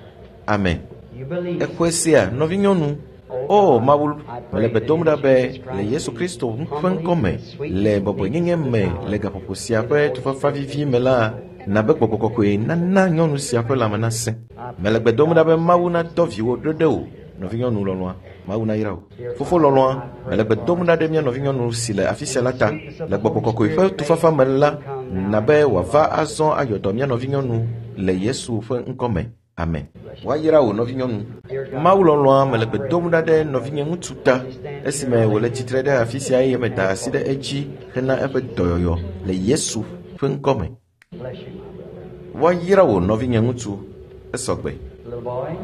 Speaker 1: Amen.
Speaker 2: You believe.
Speaker 1: Exɔe sea nɔvinyɔnu.
Speaker 2: Oh
Speaker 1: O
Speaker 2: God,
Speaker 1: Mawu,
Speaker 2: I
Speaker 1: mele
Speaker 2: pray
Speaker 1: gbe
Speaker 2: that
Speaker 1: dom
Speaker 2: in
Speaker 1: ɖa be
Speaker 2: Jesus
Speaker 1: le
Speaker 2: Christ's
Speaker 1: Yesu
Speaker 2: name,
Speaker 1: Kristo ƒe
Speaker 2: humbly
Speaker 1: ŋkɔ me,
Speaker 2: and sweetness
Speaker 1: le
Speaker 2: and meekness
Speaker 1: bɔbɔenyenye
Speaker 2: of the
Speaker 1: me,
Speaker 2: power
Speaker 1: le gaƒoƒo sia
Speaker 2: may the
Speaker 1: ƒe
Speaker 2: Holy
Speaker 1: tufafa
Speaker 2: Spirit
Speaker 1: vivi
Speaker 2: make
Speaker 1: me
Speaker 2: us
Speaker 1: la,
Speaker 2: whole.
Speaker 1: na be gbɔgbɔ kɔkɔe nana nyɔnu sia ƒe lãme nasẽ.
Speaker 2: I
Speaker 1: Mele
Speaker 2: pray
Speaker 1: gbe
Speaker 2: that
Speaker 1: dom
Speaker 2: God
Speaker 1: ɖa be
Speaker 2: will
Speaker 1: Mawu
Speaker 2: send
Speaker 1: nadɔ viwò ɖo ɖe wò, nɔvinyɔnu lɔlɔ̃a. Mawu nayra wò.
Speaker 2: Dear
Speaker 1: Fofo
Speaker 2: Father,
Speaker 1: lɔlɔ̃a,
Speaker 2: I
Speaker 1: mele
Speaker 2: pray
Speaker 1: gbe
Speaker 2: for
Speaker 1: dom
Speaker 2: our
Speaker 1: ɖa ɖe mía
Speaker 2: sister
Speaker 1: nɔvinyɔnu si le afi
Speaker 2: in
Speaker 1: sia
Speaker 2: the
Speaker 1: la ta,
Speaker 2: sweetness of
Speaker 1: le
Speaker 2: the
Speaker 1: gbɔgbɔ
Speaker 2: Holy
Speaker 1: kɔkɔe ƒe
Speaker 2: Spirit, may
Speaker 1: tufafa me la,
Speaker 2: she come
Speaker 1: na
Speaker 2: now
Speaker 1: be
Speaker 2: and heal
Speaker 1: wòava
Speaker 2: our
Speaker 1: azɔ
Speaker 2: sister.
Speaker 1: ayɔ dɔ mía nɔvinyɔnu le Yesu ƒe ŋkɔ me. Amen.
Speaker 2: Bless you.
Speaker 1: Woayra wò nɔvinyɔnu.
Speaker 2: Dear God,
Speaker 1: Mawu lɔlɔ̃a mele
Speaker 2: I
Speaker 1: gbe
Speaker 2: pray
Speaker 1: dom
Speaker 2: for
Speaker 1: ɖa ɖe
Speaker 2: my brother
Speaker 1: nɔvinye ŋutsu ta
Speaker 2: as he stands here
Speaker 1: esime
Speaker 2: and I lay
Speaker 1: wòle
Speaker 2: hands
Speaker 1: tsitre ɖe
Speaker 2: upon
Speaker 1: afi
Speaker 2: him
Speaker 1: sia eye
Speaker 2: and
Speaker 1: meda
Speaker 2: ask
Speaker 1: asi
Speaker 2: for
Speaker 1: ɖe
Speaker 2: healing
Speaker 1: edzi
Speaker 2: in
Speaker 1: hena eƒe
Speaker 2: Jesus'
Speaker 1: dɔyɔyɔ
Speaker 2: name.
Speaker 1: le Yesu ƒe ŋkɔ me.
Speaker 2: Bless you, my brother.
Speaker 1: Woayra wò nɔvinye ŋutsu. Esɔ gbe.
Speaker 2: Little boy,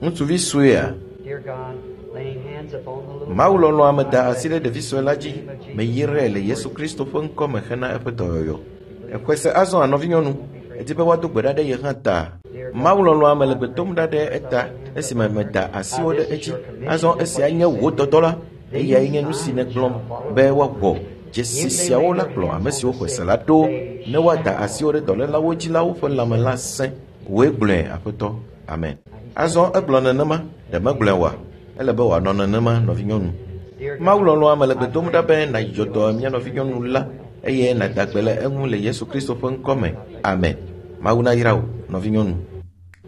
Speaker 1: Ŋutsuvi suea.
Speaker 2: dear God, laying hands upon the little
Speaker 1: Mawu
Speaker 2: boy,
Speaker 1: lɔlɔ̃a
Speaker 2: I
Speaker 1: meda
Speaker 2: bless
Speaker 1: asi ɖe
Speaker 2: him
Speaker 1: ɖevi sue
Speaker 2: in
Speaker 1: la
Speaker 2: the
Speaker 1: dzi.
Speaker 2: name of Jesus
Speaker 1: Meyrae
Speaker 2: Christ
Speaker 1: le
Speaker 2: for
Speaker 1: Yesu
Speaker 2: his
Speaker 1: Kristo
Speaker 2: healing.
Speaker 1: ƒe ŋkɔ me hena eƒe dɔyɔyɔ.
Speaker 2: You believe
Speaker 1: Exɔe se azɔ nɔvinyɔnu.
Speaker 2: Don't be afraid.
Speaker 1: Edi be woado gbe ɖa ɖe ye hã ta.
Speaker 2: Dear
Speaker 1: Mawu
Speaker 2: God,
Speaker 1: lɔlɔ̃a mele
Speaker 2: I
Speaker 1: gbe
Speaker 2: pray
Speaker 1: dom
Speaker 2: for
Speaker 1: ɖa
Speaker 2: the
Speaker 1: ɖe
Speaker 2: first I
Speaker 1: eta
Speaker 2: lay hands
Speaker 1: esime
Speaker 2: upon her.
Speaker 1: meda
Speaker 2: Now,
Speaker 1: asiwo ɖe
Speaker 2: this is
Speaker 1: edzi.
Speaker 2: your commission,
Speaker 1: Azɔ
Speaker 2: just
Speaker 1: esia
Speaker 2: what you
Speaker 1: nye wò
Speaker 2: said.
Speaker 1: dɔdɔ la. Eyae
Speaker 2: These
Speaker 1: nye nu si
Speaker 2: signs
Speaker 1: nègblɔ
Speaker 2: shall follow
Speaker 1: be
Speaker 2: them.
Speaker 1: woawɔ. Dzesi
Speaker 2: If they
Speaker 1: siawo
Speaker 2: lay
Speaker 1: la
Speaker 2: their
Speaker 1: kplɔ
Speaker 2: hands
Speaker 1: ame
Speaker 2: on
Speaker 1: siwo
Speaker 2: the
Speaker 1: xɔe se
Speaker 2: sick,
Speaker 1: la ɖo
Speaker 2: they
Speaker 1: ne woada
Speaker 2: shall
Speaker 1: asiwo ɖe dɔlélawo dzi la woƒe lãme la sẽ. Wòe gblɔe, Aƒetɔ. Amen.
Speaker 2: Now, he said
Speaker 1: Azɔ
Speaker 2: it.
Speaker 1: egblɔ nenema, ɖe megblɔe oa? Ele be wòanɔ nenema, nɔvinyɔnu.
Speaker 2: Dear
Speaker 1: Mawu
Speaker 2: God,
Speaker 1: lɔlɔ̃a mele gbe
Speaker 2: I
Speaker 1: dom
Speaker 2: pray
Speaker 1: ɖa be
Speaker 2: that you
Speaker 1: nàyɔ
Speaker 2: heal
Speaker 1: dɔ
Speaker 2: our
Speaker 1: mía
Speaker 2: sister and
Speaker 1: nɔvinyɔnu
Speaker 2: make her
Speaker 1: la
Speaker 2: well.
Speaker 1: eye
Speaker 2: In
Speaker 1: nàda
Speaker 2: Jesus
Speaker 1: gbe le
Speaker 2: Christ's
Speaker 1: eŋu le
Speaker 2: name.
Speaker 1: Yesu Kristo ƒe ŋkɔ me.
Speaker 2: God bless you,
Speaker 1: Amen.
Speaker 2: sister.
Speaker 1: Mawu nayra wò, nɔvinyɔnu.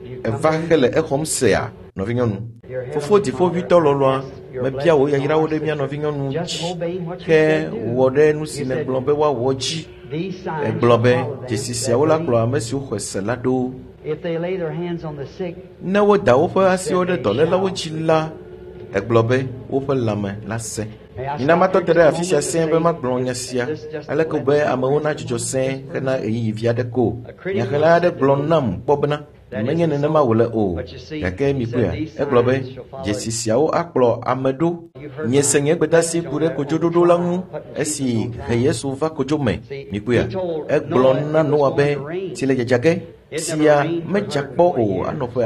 Speaker 2: Do you come
Speaker 1: Eva
Speaker 2: believing?
Speaker 1: hele exɔm sea, nɔvinyɔnu.
Speaker 2: Dear
Speaker 1: Fofo dziƒoʋĩtɔ lɔlɔ̃a, mebia wò yayrawo ɖe mía nɔvinyɔnu dzi ke wɔ ɖe nu si nègblɔ be woawɔ dzi. Egblɔ be dzesi siawo la kplɔ ame siwo xɔe se la ɖo. Ne woda woƒe asiwo ɖe dɔlélawo dzi la, egblɔ be woƒe lãme la sẽ. Mina matɔ te ɖe afi sia sẽe be magblɔ nya sia aleke be amewo nadzudzɔ sẽe hena ɣeyiɣi vi aɖe ko. Nyaxlẽla aɖe gblɔ nam kpɔ bena menye nenema wòle o, gake mikpɔea, egblɔ be dzesi siawo akplɔ ame ɖo. Miese nye gbedeasi ku ɖe kodzoɖoɖo la ŋu esi he Yesu va kodzo me. Mikpɔea, egblɔ na Noa be tsi le dzadza ge. Tsia medza kpɔ o anɔ ƒe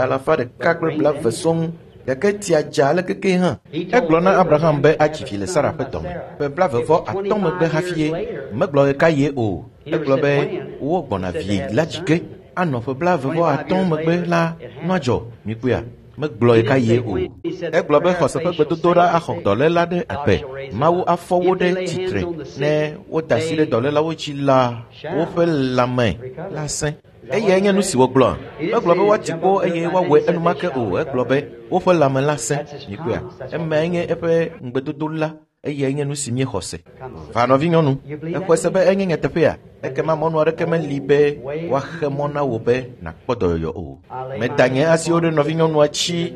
Speaker 1: 120 sɔŋ. Gake tsia dza ale keke hã. Egblɔ na Abraham be adzi vi le Sara ƒe dɔme. Ƒe 35 megbe hafi ye megblɔ ɣekaɣie o. Egblɔ be wogbɔna vi la dzi ge anɔ ƒe 35 megbe la nua dzɔ. Mikpɔea, megblɔ ɣekaɣie o. Egblɔ be xɔse ƒe gbedodoɖa axɔ dɔléla ɖe agbe. Mawu afɔ wo ɖe tsitre ne woda asi ɖe dɔlélawo dzi la woƒe lãme la sẽ. Eyae nye nu si wògblɔ. Megblɔ be woati kpo eye woawɔe enumake o. Egblɔ be woƒe lãme la sẽ. Mikpɔea, emae nye eƒe ŋugbedodo la. Eyae nye nu si míexɔ se. Va nɔvinyɔnu, exɔe se be enye nyateƒea? Ekema mɔnu aɖeke meli be woaxe mɔ na wò be nàkpɔ dɔyɔyɔ o. Meda nye asiwo ɖe nɔvinyɔnua dzi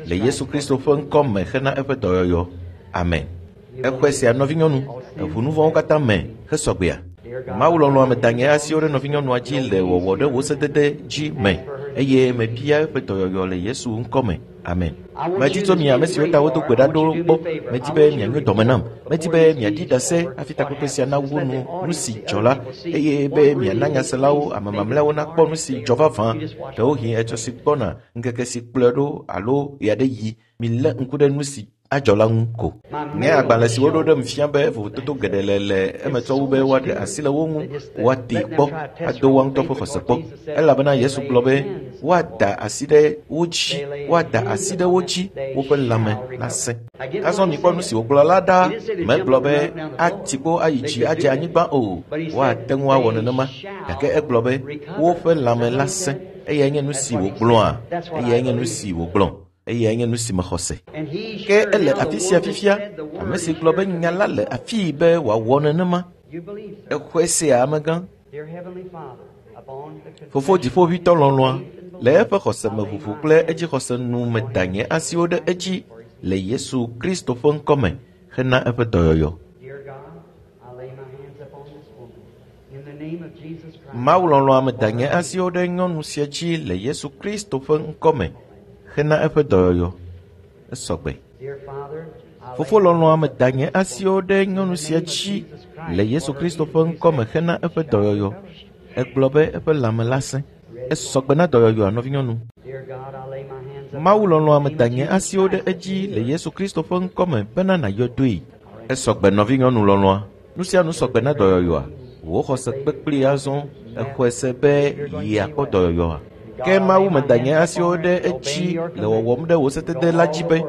Speaker 1: le Yesu Kristo ƒe ŋkɔ me hena eƒe dɔyɔyɔ. Amen. Exɔe sea nɔvinyɔnu, eʋu nu vɔ̃wo katã me hesɔgbea. Mawu lɔlɔ̃a meda nye asiwo ɖe nɔvinyɔnua dzi le wɔwɔ ɖe wò sedede dzi me eye mebia eƒe dɔyɔyɔ le Yesu ŋkɔ me. Amen. Medi tso mi ame siwo ta wodo gbe ɖa ɖo gbɔ. Medi be mianyo dɔme nam. Medi be miaɖi ɖase hafi takpekpe sia nawu nu nu si dzɔ la eye be miana nyaselawo ame mamlɛawo nakpɔ nu si dzɔ vavã. Ɖewohĩ etsɔ si gbɔna ŋkeke si kplɔe ɖo alo ɣeaɖeɣi milé ŋku ɖe nu si adzɔ la ŋu ko. Nye agbalẽ si woɖo ɖem fia be vovototo geɖe le emetɔwo be woaɖe asi le wo ŋu, woatee kpɔ, ado woa ŋutɔ ƒe xɔse kpɔ. Elabena Yesu gblɔ be woada asi ɖe wo dzi, woada asi ɖe wo dzi, woƒe lãme la sẽ. Azɔ mikpɔ nu si wògblɔ la ɖa. Megblɔ be ati kpo ayi dzi adze anyigba o. Woate ŋu awɔ nenema. Gake egblɔ be woƒe lãme la sẽ. Eyae nye nu si wògblɔa. Eyae nye nu si wògblɔ. Eyae nye nu si mexɔ se. Ke ele afi sia fifia, ame si gblɔ be nya la le afii be wòawɔ nenema. Exɔe sea amegã. Fofo dziƒoʋĩtɔ lɔlɔ̃a, le eƒe xɔsemeʋuʋu kple edzixɔse nu meda nye asiwo ɖe edzi le Yesu Kristo ƒe ŋkɔ me hena eƒe dɔyɔyɔ. Mawu lɔlɔ̃a meda nye asiwo ɖe nyɔnu sia dzi le Yesu Kristo ƒe ŋkɔ me hena eƒe dɔyɔyɔ. Esɔgbe. Fofo lɔlɔ̃a meda nye asiwo ɖe nyɔnu sia dzi le Yesu Kristo ƒe ŋkɔ me hena eƒe dɔyɔyɔ. Egblɔ be eƒe lãme la sẽ. Esɔgbe na dɔyɔyɔa nɔvinyɔnu. Mawu lɔlɔ̃a meda nye asiwo ɖe edzi le Yesu Kristo ƒe ŋkɔ me bena nàyɔ doe. Esɔgbe nɔvinyɔnu lɔlɔ̃a. Nu sia nu sɔgbe na dɔyɔyɔa. Wò xɔse kpekpli azɔ exɔe se be yeakpɔ dɔyɔyɔa. Ke Mawu meda nye asiwo ɖe edzi le wɔwɔm ɖe wò sedede la dzi be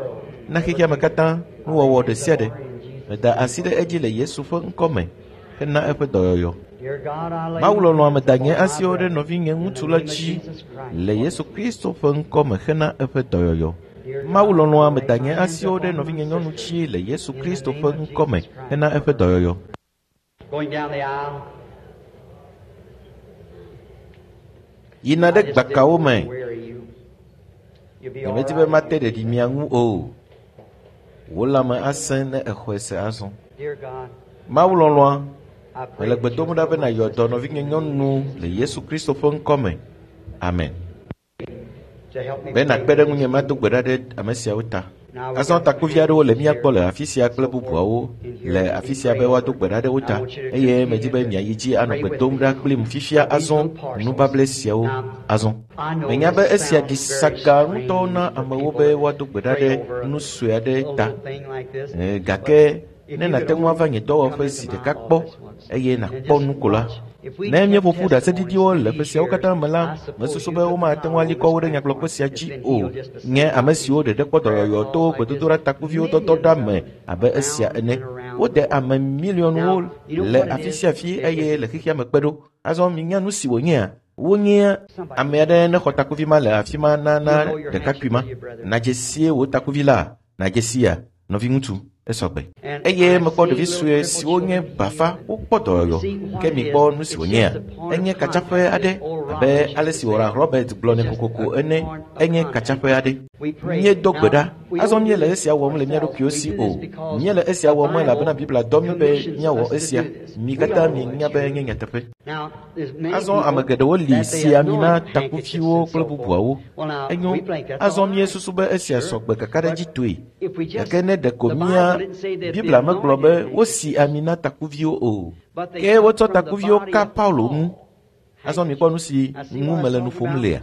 Speaker 1: na xexea me katã nuwɔwɔ ɖe sia ɖe. Meda asi ɖe edzi le Yesu ƒe ŋkɔ me hena eƒe dɔyɔyɔ. Mawu lɔlɔ̃a meda nye asiwo ɖe nɔvinye ŋutsu la dzi le Yesu Kristo ƒe ŋkɔ me hena eƒe dɔyɔyɔ. Mawu lɔlɔ̃a meda nye asiwo ɖe nɔvinye nyɔnu dzi le Yesu Kristo ƒe ŋkɔ me hena eƒe dɔyɔyɔ. Yina ɖe gbakawo me. Nyemedi be mate ɖeɖi mia ŋu o. Wò lãme asẽ ne exɔe se azɔ. Mawu lɔlɔ̃a, mele gbe dom ɖa be nàyɔ dɔ nɔvinye nyɔnu le Yesu Kristo ƒe ŋkɔ me. Amen. Be nàkpe ɖe ŋunye mado gbe ɖa ɖe ame siawo ta. Azɔ takuvi aɖewo le mía gbɔ le afi sia kple bubuawo le afi sia be woado gbe ɖa ɖe wo ta eye medi be miayi dzi anɔ gbe dom ɖa kplim fifia azɔ nubable siawo azɔ. Menya be esia ɖi saga ŋutɔ na amewo be woado gbe ɖa ɖe nu sue aɖe ta. Gake ne nàte ŋu ava nye dɔwɔƒe zi ɖeka kpɔ eye nàkpɔ nu ko la, ne míeƒo ƒu ɖaseɖiɖiwo le ƒe siawo katã me la, mesusu be womate ŋu ali kɔ wo ɖe nyagblɔkpe sia dzi o. Nye ame siwo ɖeɖe kpɔ dɔyɔyɔ to gbedodoɖa takuviwo dɔdɔ ɖa me abe esia ene. Wode ame miliɔnwo le afi sia afi eye le xexea me kpe ɖo. Azɔ minya nu si wònyea? Wonye ame aɖe ne xɔ takuvi ma le afi ma na ɖekakpui ma. Nadze sie wò takuvi la, nadze sia, nɔviŋutsu, esɔgbe. Eye mekpɔ ɖevi sue siwo nye bafa wokpɔ dɔyɔyɔ. Ke mikpɔ nu si wònyea? Enye katsaƒe aɖe abe ale si Oral Robert gblɔ nɛ kokoko ene. Enye katsaƒe aɖe. Míedo gbe ɖa. Azɔ míele esia wɔm le mía ɖokuiwo si o. Míele esia wɔm elabena Biblia dɔ mí be míawɔ esia. Mi katã mienya be enye nyateƒe. Azɔ ame geɖewo li si ami na takuviwo kple bubuawo. Enyo, azɔ míesusu be esia sɔgbe kakaɖedzitɔe. Gake ne ɖeko mía Biblia megblɔ be wosi ami na takuviwo o. Ke wotsɔ takuviwo ka Paulo ŋu. Azɔ mikpɔ nu si ŋu mele nu ƒom lea.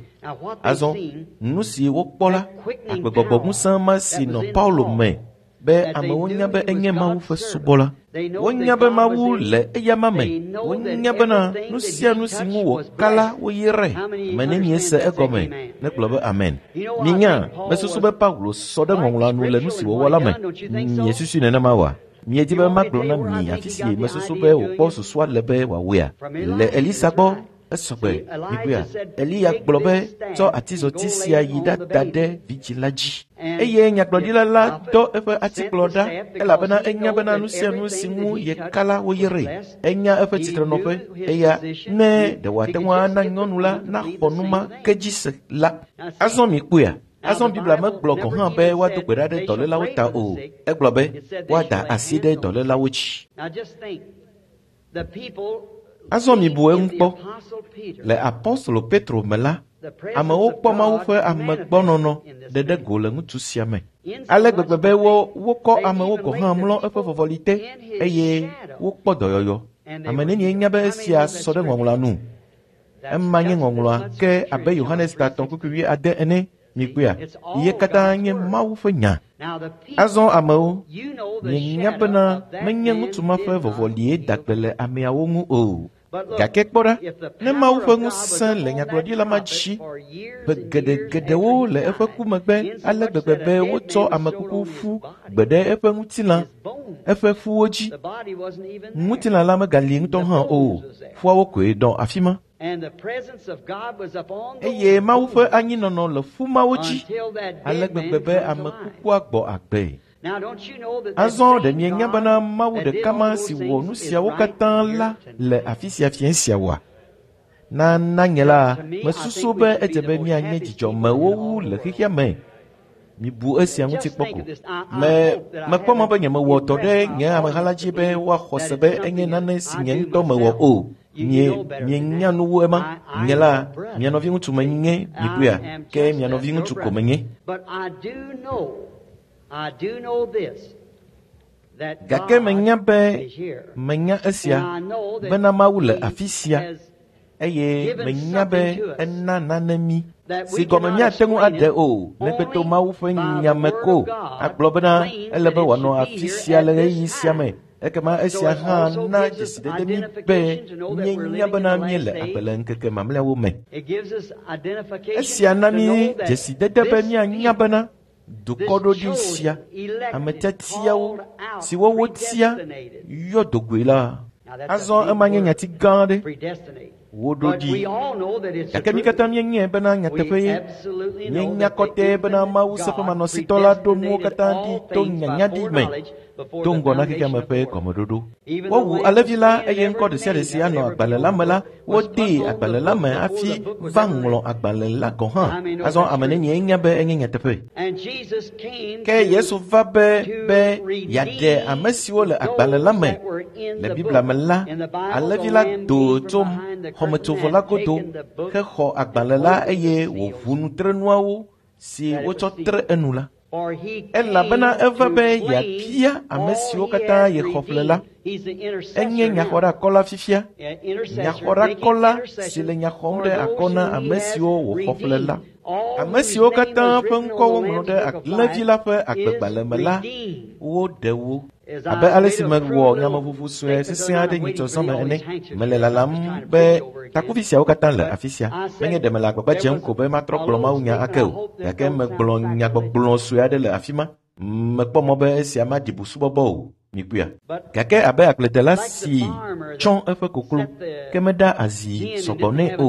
Speaker 1: Azɔ nu si wokpɔ la, agbegbɔgbɔ ŋusẽ ma si nɔ Paulo me be amewo nya be enye Mawu ƒe subɔla. Wonya be Mawu le eyama me. Wonya bena nu sia nu si ŋu wòka la woyrae. Ame nenie se egɔme negblɔ be amen. Minya, mesusu be Paulo sɔ ɖe ŋɔŋlɔa nu le nu si wòwɔ la me. Miesusui nenema oa? Miedi be magblɔ na mi afi si mesusu be wòkpɔ susua le be wòawɔea? Le Elisa gbɔ, esɔgbe, mikpɔea? Eliya gblɔ be tsɔ atizɔti sia yi ɖada ɖe vidzĩ la dzi. Eye nyagblɔɖila la dɔ eƒe atikplɔ ɖa elabena enya bena nu sia nu si ŋu yeka la woyrae. Enya eƒe tsitrenɔƒe eya ne ɖe wòate ŋu ana nyɔnu la naxɔ nu ma ke dzi se la. Azɔ mikpɔea? Azɔ Biblia megblɔ gɔ̃ hã be woado gbe ɖa ɖe dɔlélawo ta o. Egblɔ be woada asi ɖe dɔlélawo dzi. Azɔ mibu eŋu kpɔ. Le apostolo Petro me la, amewo kpɔ Mawu ƒe amegbɔnɔnɔ ɖeɖe go le ŋutsu sia me. Ale gbegbe be wokɔ amewo gɔ̃ hã mlɔ eƒe vɔvɔli te eye wokpɔ dɔyɔyɔ. Ame nenie nya be esia sɔ ɖe ŋɔŋlɔa nu? Ema nye ŋɔŋlɔa ke abe Yohanes ta 3:8 ene. Mikpɔea? Ye katã nye Mawu ƒe nya. Azɔ amewo, mienya bena menye ŋutsu ma ƒe vɔvɔlie da gbe le ameawo ŋu o. Gake kpɔ ɖa, ne Mawu ƒe ŋusẽ le nyagblɔɖila ma dzi, ƒe geɖegeɖewo le eƒe ku megbe ale gbegbe be wotsɔ amekuku ƒu gbe ɖe eƒe ŋutilã, eƒe ƒuwo dzi. Ŋutilã la megali ŋutɔ hã o, ƒuawo koe nɔ afi ma. Eye Mawu ƒe anyinɔnɔ le ƒu mawo dzi ale gbegbe be ame kukua gbɔ agbe. Azɔ ɖe mienya bena Mawu ɖeka ma si wɔ nu siawo katã la le afi sia fiẽ sia oa? Na nye la, mesusu be edze be míanye dzidzɔmewo wu le xexea me. Mibu esia ŋuti kpɔ ko. Mekpɔ mɔ be nyemewɔ dɔ ɖe nye ameha la dzi be woaxɔ se be enye nane si nye ŋutɔ mewɔ o. Mienya nu wu ema. Nye la, mia nɔviŋutsu menye, mikpɔea? Ke mia nɔviŋutsu ko menye. Gake menya be menya esia bena Mawu le afi sia eye menya be ena nane mí si gɔme míate ŋu aɖe o negbe to Mawu ƒe nya me ko. Agblɔ bena ele be wòanɔ afi sia le ɣeyiɣi sia me. Ekema esia hã na dzesidede mí be míenya bena míele agbe le ŋkeke mamlɛawo me. Esia na mí dzesidede be míanya bena dukɔ ɖoɖi sia, ame tiatiawo siwo wotia yɔ dogoe la. Azɔ ema nye nyati gã aɖe. Woɖo ɖi. Gake mí katã míenyae bena nyateƒe ye. Míenya kɔtɛe bena Mawu seƒemanɔsitɔ la ɖo nuwo katã ɖi to nyanyaɖi me do ŋgɔ na xexeame ƒe gɔmeɖoɖo. Wowu alẽvi la eye ŋkɔ ɖe sia ɖe si anɔ agbalẽ la me la, wodee agbalẽ la me hafi va ŋlɔ agbalẽ la gɔ̃ hã. Azɔ ame nenie nya be enye nyateƒe. Ke Yesu va be yeaɖe ame siwo le agbalẽ la me le Biblia me la, alẽvi la do tso xɔmetsovɔ la godo hexɔ agbalẽ la eye wòʋu nutrenuawo si wotsɔ tre enu la. Elabena eva be yeabia ame siwo katã yexɔ ƒle la. Enye nyaxɔɖeakɔla fifia. Nyaxɔɖeakɔla si le nya xɔm ɖe akɔ na ame siwo wòxɔ ƒle la. Ame siwo katã ƒe ŋkɔ woŋlɔ ɖe alẽvi la ƒe agbegbalẽ me la, woɖe wo. Abe ale si mewɔ nyameʋuʋu sue sesẽ aɖe nyitsɔ zã me ene, mele lalam be takuvi siawo katã le afi sia. Menye ɖe mele agbagba dzem ko be matrɔ gblɔ mawunya ake o, gake megblɔ nyagbɔgblɔ sue aɖe le afi ma. Mekpɔ mɔ be esia maɖi busubɔbɔ o. Mikpɔea? Gake abe agbledela si tsɔ eƒe koklo, ke meɖa azi sɔgbɔ nɛ o,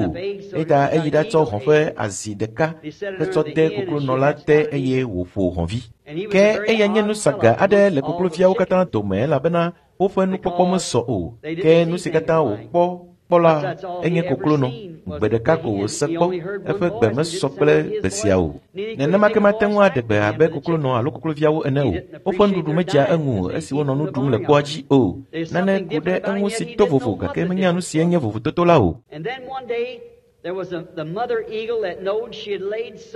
Speaker 1: eya eyi ɖatsɔ hɔ̃ ƒe azi ɖeka hetsɔ de koklonɔ la te eye wòƒo hɔ̃vi. Ke eya nye nusaga aɖe le kokloviawo katã dome elabena woƒe nukpɔkpɔ mesɔ o. Ke nu si katã wòkpɔ kpɔ la enye koklonɔ. Gbe ɖeka ko wòse kpɔ, eƒe gbe mesɔ kple gbe sia o. Nenema ke mate ŋu aɖe gbe abe koklonɔ alo kokloviawo ene o. Woƒe nuɖuɖu medzea eŋu o esi wonɔ nu ɖum le kpɔa dzi o. Nane ku ɖe eŋu si to vovo gake menya nu si enye vovototo la o.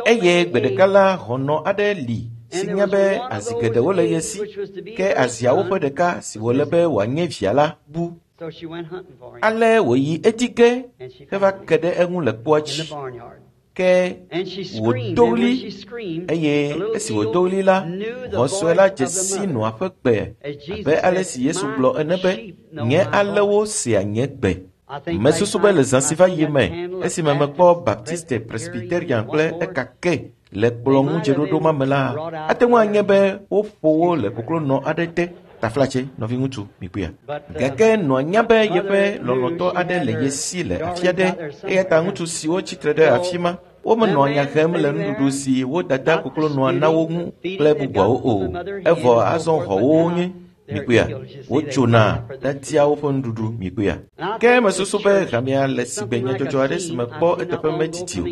Speaker 1: Eye gbe ɖeka la hɔnɔ aɖe li si nye be azi geɖewo le ye si, ke aziawo ƒe ɖeka si wòle be wòanye via la bu. Ale wòyi edzi ge heva ke ɖe eŋu le kpoa dzi. Ke wòdo ɣli eye esi wòdo ɣli la, hɔ̃ sue la dze si nɔa ƒe gbe abe ale si Yesu gblɔ ene be, nye alẽwo sea nye gbe. Mesusu be le zã si va yi me, esime mekpɔ Baptiste, Presbyterian kple ekake le kplɔ ŋu dzeɖoɖo ma me la, ate ŋu anye be woƒo wo le koklonɔ aɖe te. Taflatse, nɔviŋutsu, mikpɔea. Gake nɔa nya be yeƒe lɔlɔ̃tɔ aɖe le ye si le afi aɖe, eya ta ŋutsu siwo tsitre ɖe afi ma, womenɔa nya hem le nuɖuɖu si wo dada koklonɔa na wo ŋu kple bubuawo o. Evɔ azɔ hɔ̃wo nye mikpɔea, wotsona ɖadia woƒe nuɖuɖu mikpɔea. Ke mesusu be hamea le sigbe nyadzɔdzɔ aɖe si mekpɔ eteƒe medidi o,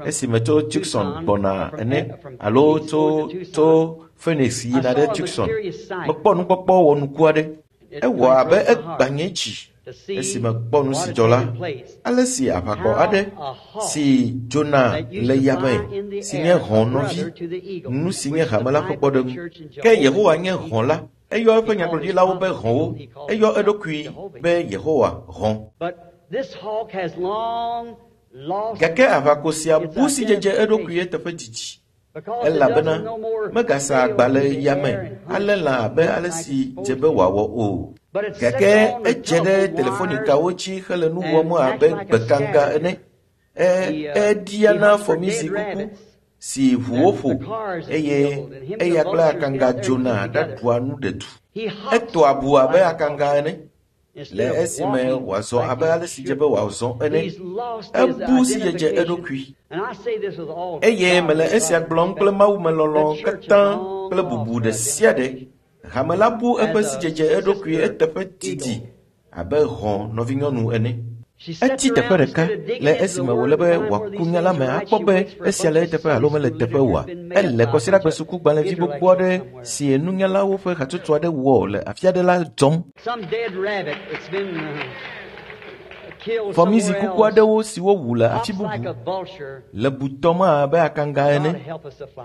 Speaker 1: esime tso Tucson gbɔna ene alo tso tso Phoenix yina ɖe Tucson. Mekpɔ nukpɔkpɔ wɔnuku aɖe. Ewɔ abe egbã nye dzi esi mekpɔ nu si dzɔ la. Ale si aʋakɔ aɖe si dzona le yame si nye hɔ̃ nɔvi, nu si nye hame la ƒe kpɔɖeŋu. Ke Yehowa nye hɔ̃ la. Eyɔ eƒe nyagblɔɖilawo be hɔ̃wo. Eyɔ eɖokui be Yehowa hɔ̃. Gake aʋako sia bu sidzedze eɖokui eteƒe didi elabena megasa agba le yame alé lã abe ale si dze be wòawɔ o. Gake edze ɖe telefonikawo dzi hele nu wɔm abe gbekanga ene. Eɖia na fɔmizi kuku si ʋu woƒo eye eya kple akanga dzona ɖaɖua nu ɖedu. Etoa bu abe akanga ene le esime wòazɔ abe ale si dze be wòazɔ ene. Ebu sidzedze eɖokui. Eye mele esia gblɔm kple mawumelɔlɔ̃ katã kple bubu ɖe sia ɖe. Hame la bu eƒe sidzedze eɖokui eteƒe didi abe hɔ̃ nɔvinyɔnu ene. Etsi teƒe ɖeka le esime wòle be wòaku nya la me akpɔ be esia le eteƒe alo mele teƒe oa. Ele kɔsiɖagbe sukugbalẽvi gbogbo aɖe si nunyalawo ƒe hatsotso aɖe wɔ le afi aɖe la dzɔm. Fɔmizi kuku aɖewo siwo wu le afi bubu le butɔm abe akanga ene.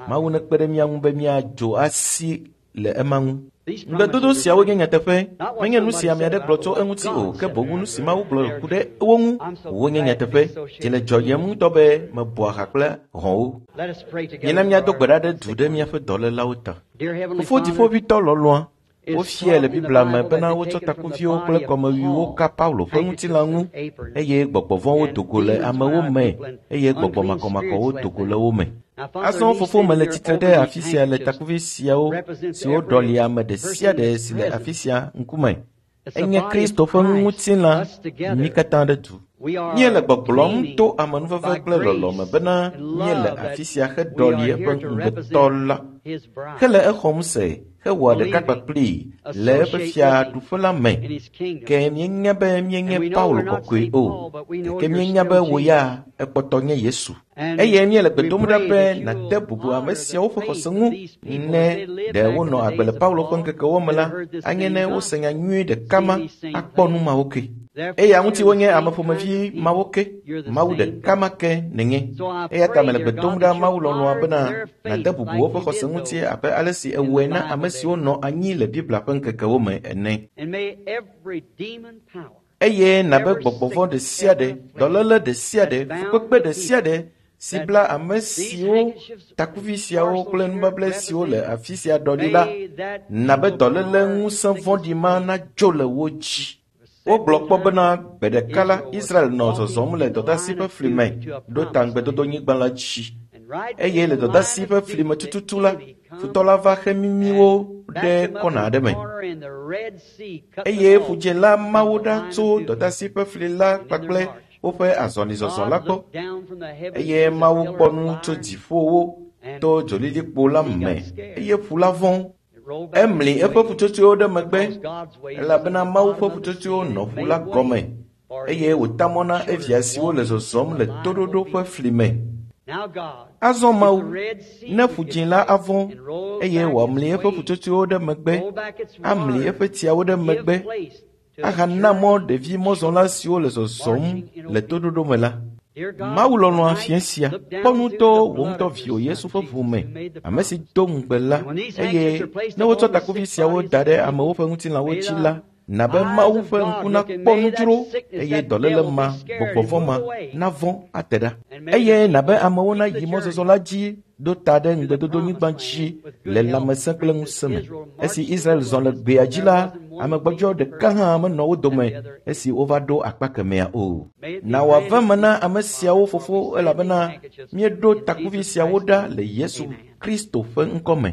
Speaker 1: Mawu nekpe ɖe mía ŋu be míadzo asi le ema ŋu. Ŋugbedodo siawo nye nyateƒe, menye nu si ame aɖe gblɔ tso eŋuti o, ke boŋ nu si Mawu gblɔ ku ɖe wo ŋu wonye nyateƒe. Dzi le dzɔyem ŋutɔ be mebɔa ha kple hɔ̃wo. Mina míado gbe ɖa ɖe du ɖe míaƒe dɔlélawo ta. Fofo dziƒoʋĩtɔ lɔlɔ̃a, wofiae le Biblia me bena wotsɔ takuviwo kple kɔmewiwo ka Paulo ƒe ŋutilã ŋu eye gbɔgbɔ vɔ̃wo do go le amewo me eye gbɔgbɔ makɔmakɔwo do go le wo me. Azɔ fofo mele tsitre ɖe afi sia le takuvi siawo siwo ɖɔli ame ɖe sia ɖe si le afi sia ŋkume. Enye Kristo ƒe ŋutilã mí katã ɖe du. Míele gbɔgblɔm to amenuveve kple lɔlɔ̃ me bena míele afi sia heɖɔli eƒe ŋugbetɔ la, hele exɔm se hewɔa ɖeka kpakplii le eƒe fiaɖuƒe la me. Ke míenya be míenye Paulo kɔkɔe o, gake míenya be wò ya ekpɔtɔ nye Yesu. Eye míele gbe dom ɖa be nàde bubu ame siawo ƒe xɔse ŋu. Ne ɖe wonɔ agbe le Paulo ƒe ŋkekewo me la, anye ne wose nya nyui ɖeka ma akpɔ nu mawo ke. Eya ŋuti wonye ame ƒomevi mawo ke, Mawu ɖeka ma ke nènye. Eya ta mele gbe dom ɖa Mawu lɔlɔ̃a bena nàde bubu woƒe xɔse ŋuti abe ale si ewɔe na ame siwo nɔ anyi le Biblia ƒe ŋkekewo me ene. Eye nabe gbɔgbɔ vɔ̃ ɖe sia ɖe, dɔléle ɖe sia ɖe, fukpekpe ɖe sia ɖe si bla ame siwo takuvi siawo kple nubabla siwo le afi sia ɖɔli la, nabe dɔléle ŋusẽ vɔ̃ɖi ma nadzo le wo dzi. Wogblɔ kpɔ bena gbe ɖeka la, Israel nɔ zɔzɔm le dɔdasi ƒe fli me ɖo ta ŋugbedodonyigba la dzi. Eye le dɔdasi ƒe fli me tututu la, futɔ la va xe mimi wo ɖe kɔna aɖe me. Eye ƒudze la ma wo ɖa tso dɔdasi ƒe fli la kpakple woƒe azɔlizɔzɔ la gbɔ. Eye Mawu kpɔ nu tso dziƒowo to dzolilikpo la me eye ƒu la vɔ̃. Emli eƒe ƒutsotsoewo ɖe megbe elabena Mawu ƒe ƒutsotsoewo nɔ ƒu la gɔme eye wòta mɔ na evia siwo le zɔzɔm le toɖoɖo ƒe fli me. Azɔ Mawu, ne ƒu dzĩ la avɔ̃ eye wòamli eƒe ƒutsotsoewo ɖe megbe, amli eƒe tsiawo ɖe megbe, ahana mɔ ɖevi mɔzɔla siwo le zɔzɔm le toɖoɖo me la. Mawu lɔlɔ̃a fia sia, kpɔ nu to wò ŋutɔ viwò Yesu ƒe ʋu me, ame si do ŋugbe la, eye ne wotsɔ takuvi siawo da ɖe amewo ƒe ŋutilãwo dzi la, na be Mawu ƒe ŋku nakpɔ nu dzro eye dɔléle ma, gbɔgbɔ vɔ̃ ma navɔ̃ ate ɖa. Eye na be amewo nayi mɔzɔzɔ la dzi ɖo ta ɖe ŋugbedodonyigba dzi le lãmesẽ kple ŋusẽ me. Esi Israel zɔ le gbea dzi la, ame gbɔdzɔ ɖeka hã menɔ wo dome esi wova ɖo akpa kemɛa o. Na wòave me na ame siawo fofo elabena míeɖo takuvi siawo ɖa le Yesu Kristo ƒe ŋkɔ me.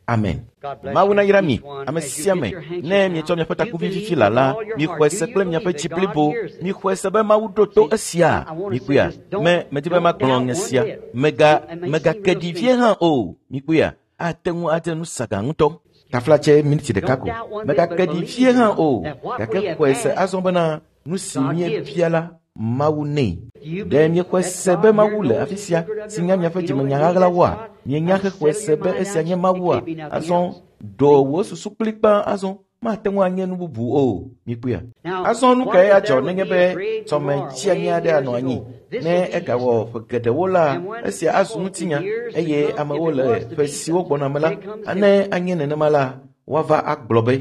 Speaker 1: Amen. Mawu nayra mi, ame sia ame, ne mietsɔ miaƒe takuvi fifi la la, mixɔe se kple miaƒe dzi blibo, mixɔe se be Mawu ɖo to esia. Mikpɔea, me medi be magblɔ nye sia, mega megake ɖi vie hã o. Mikpɔea, ate ŋu ade nu saga ŋutɔ. Taflatse miniti ɖeka ko. Megake ɖi vie hã o, gake xɔe se azɔ bena nu si míebia la, Mawu nɛ. Ɖe miexɔe se be Mawu le afi sia si nya miaƒe dzimenya ɣaɣlawoa? Mienya hexɔe se be esia nye Mawua? Azɔ ɖo wò susu kplikpaa azɔ mate ŋu anye nu bubu o. Mikpɔea? Azɔ nu kae adzɔ nenye be tɔme tsianyi aɖe anɔ anyi? Ne egawɔ ƒe geɖewo la, esia azu ŋutinya eye amewo le ƒe siwo gbɔna me la, ne anye nenema la, woava agblɔ be,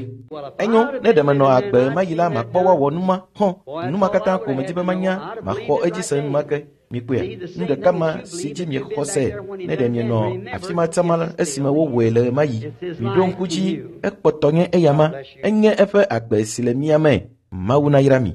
Speaker 1: enyo, ne ɖe menɔ agbe mayi la, makpɔ woawɔ numa hɔn. Numa katã ko medi be manya, maxɔ edzi se enumake. Mikpɔea, nu ɖeka ma si dzi miexɔ se ne ɖe mienɔ afi ma tsama esime wowɔe le ɣemaɣi. Miɖo ŋku dzi, ekpɔtɔ nye eyama, enye eƒe agbe si le mía me. Mawu nayra mi.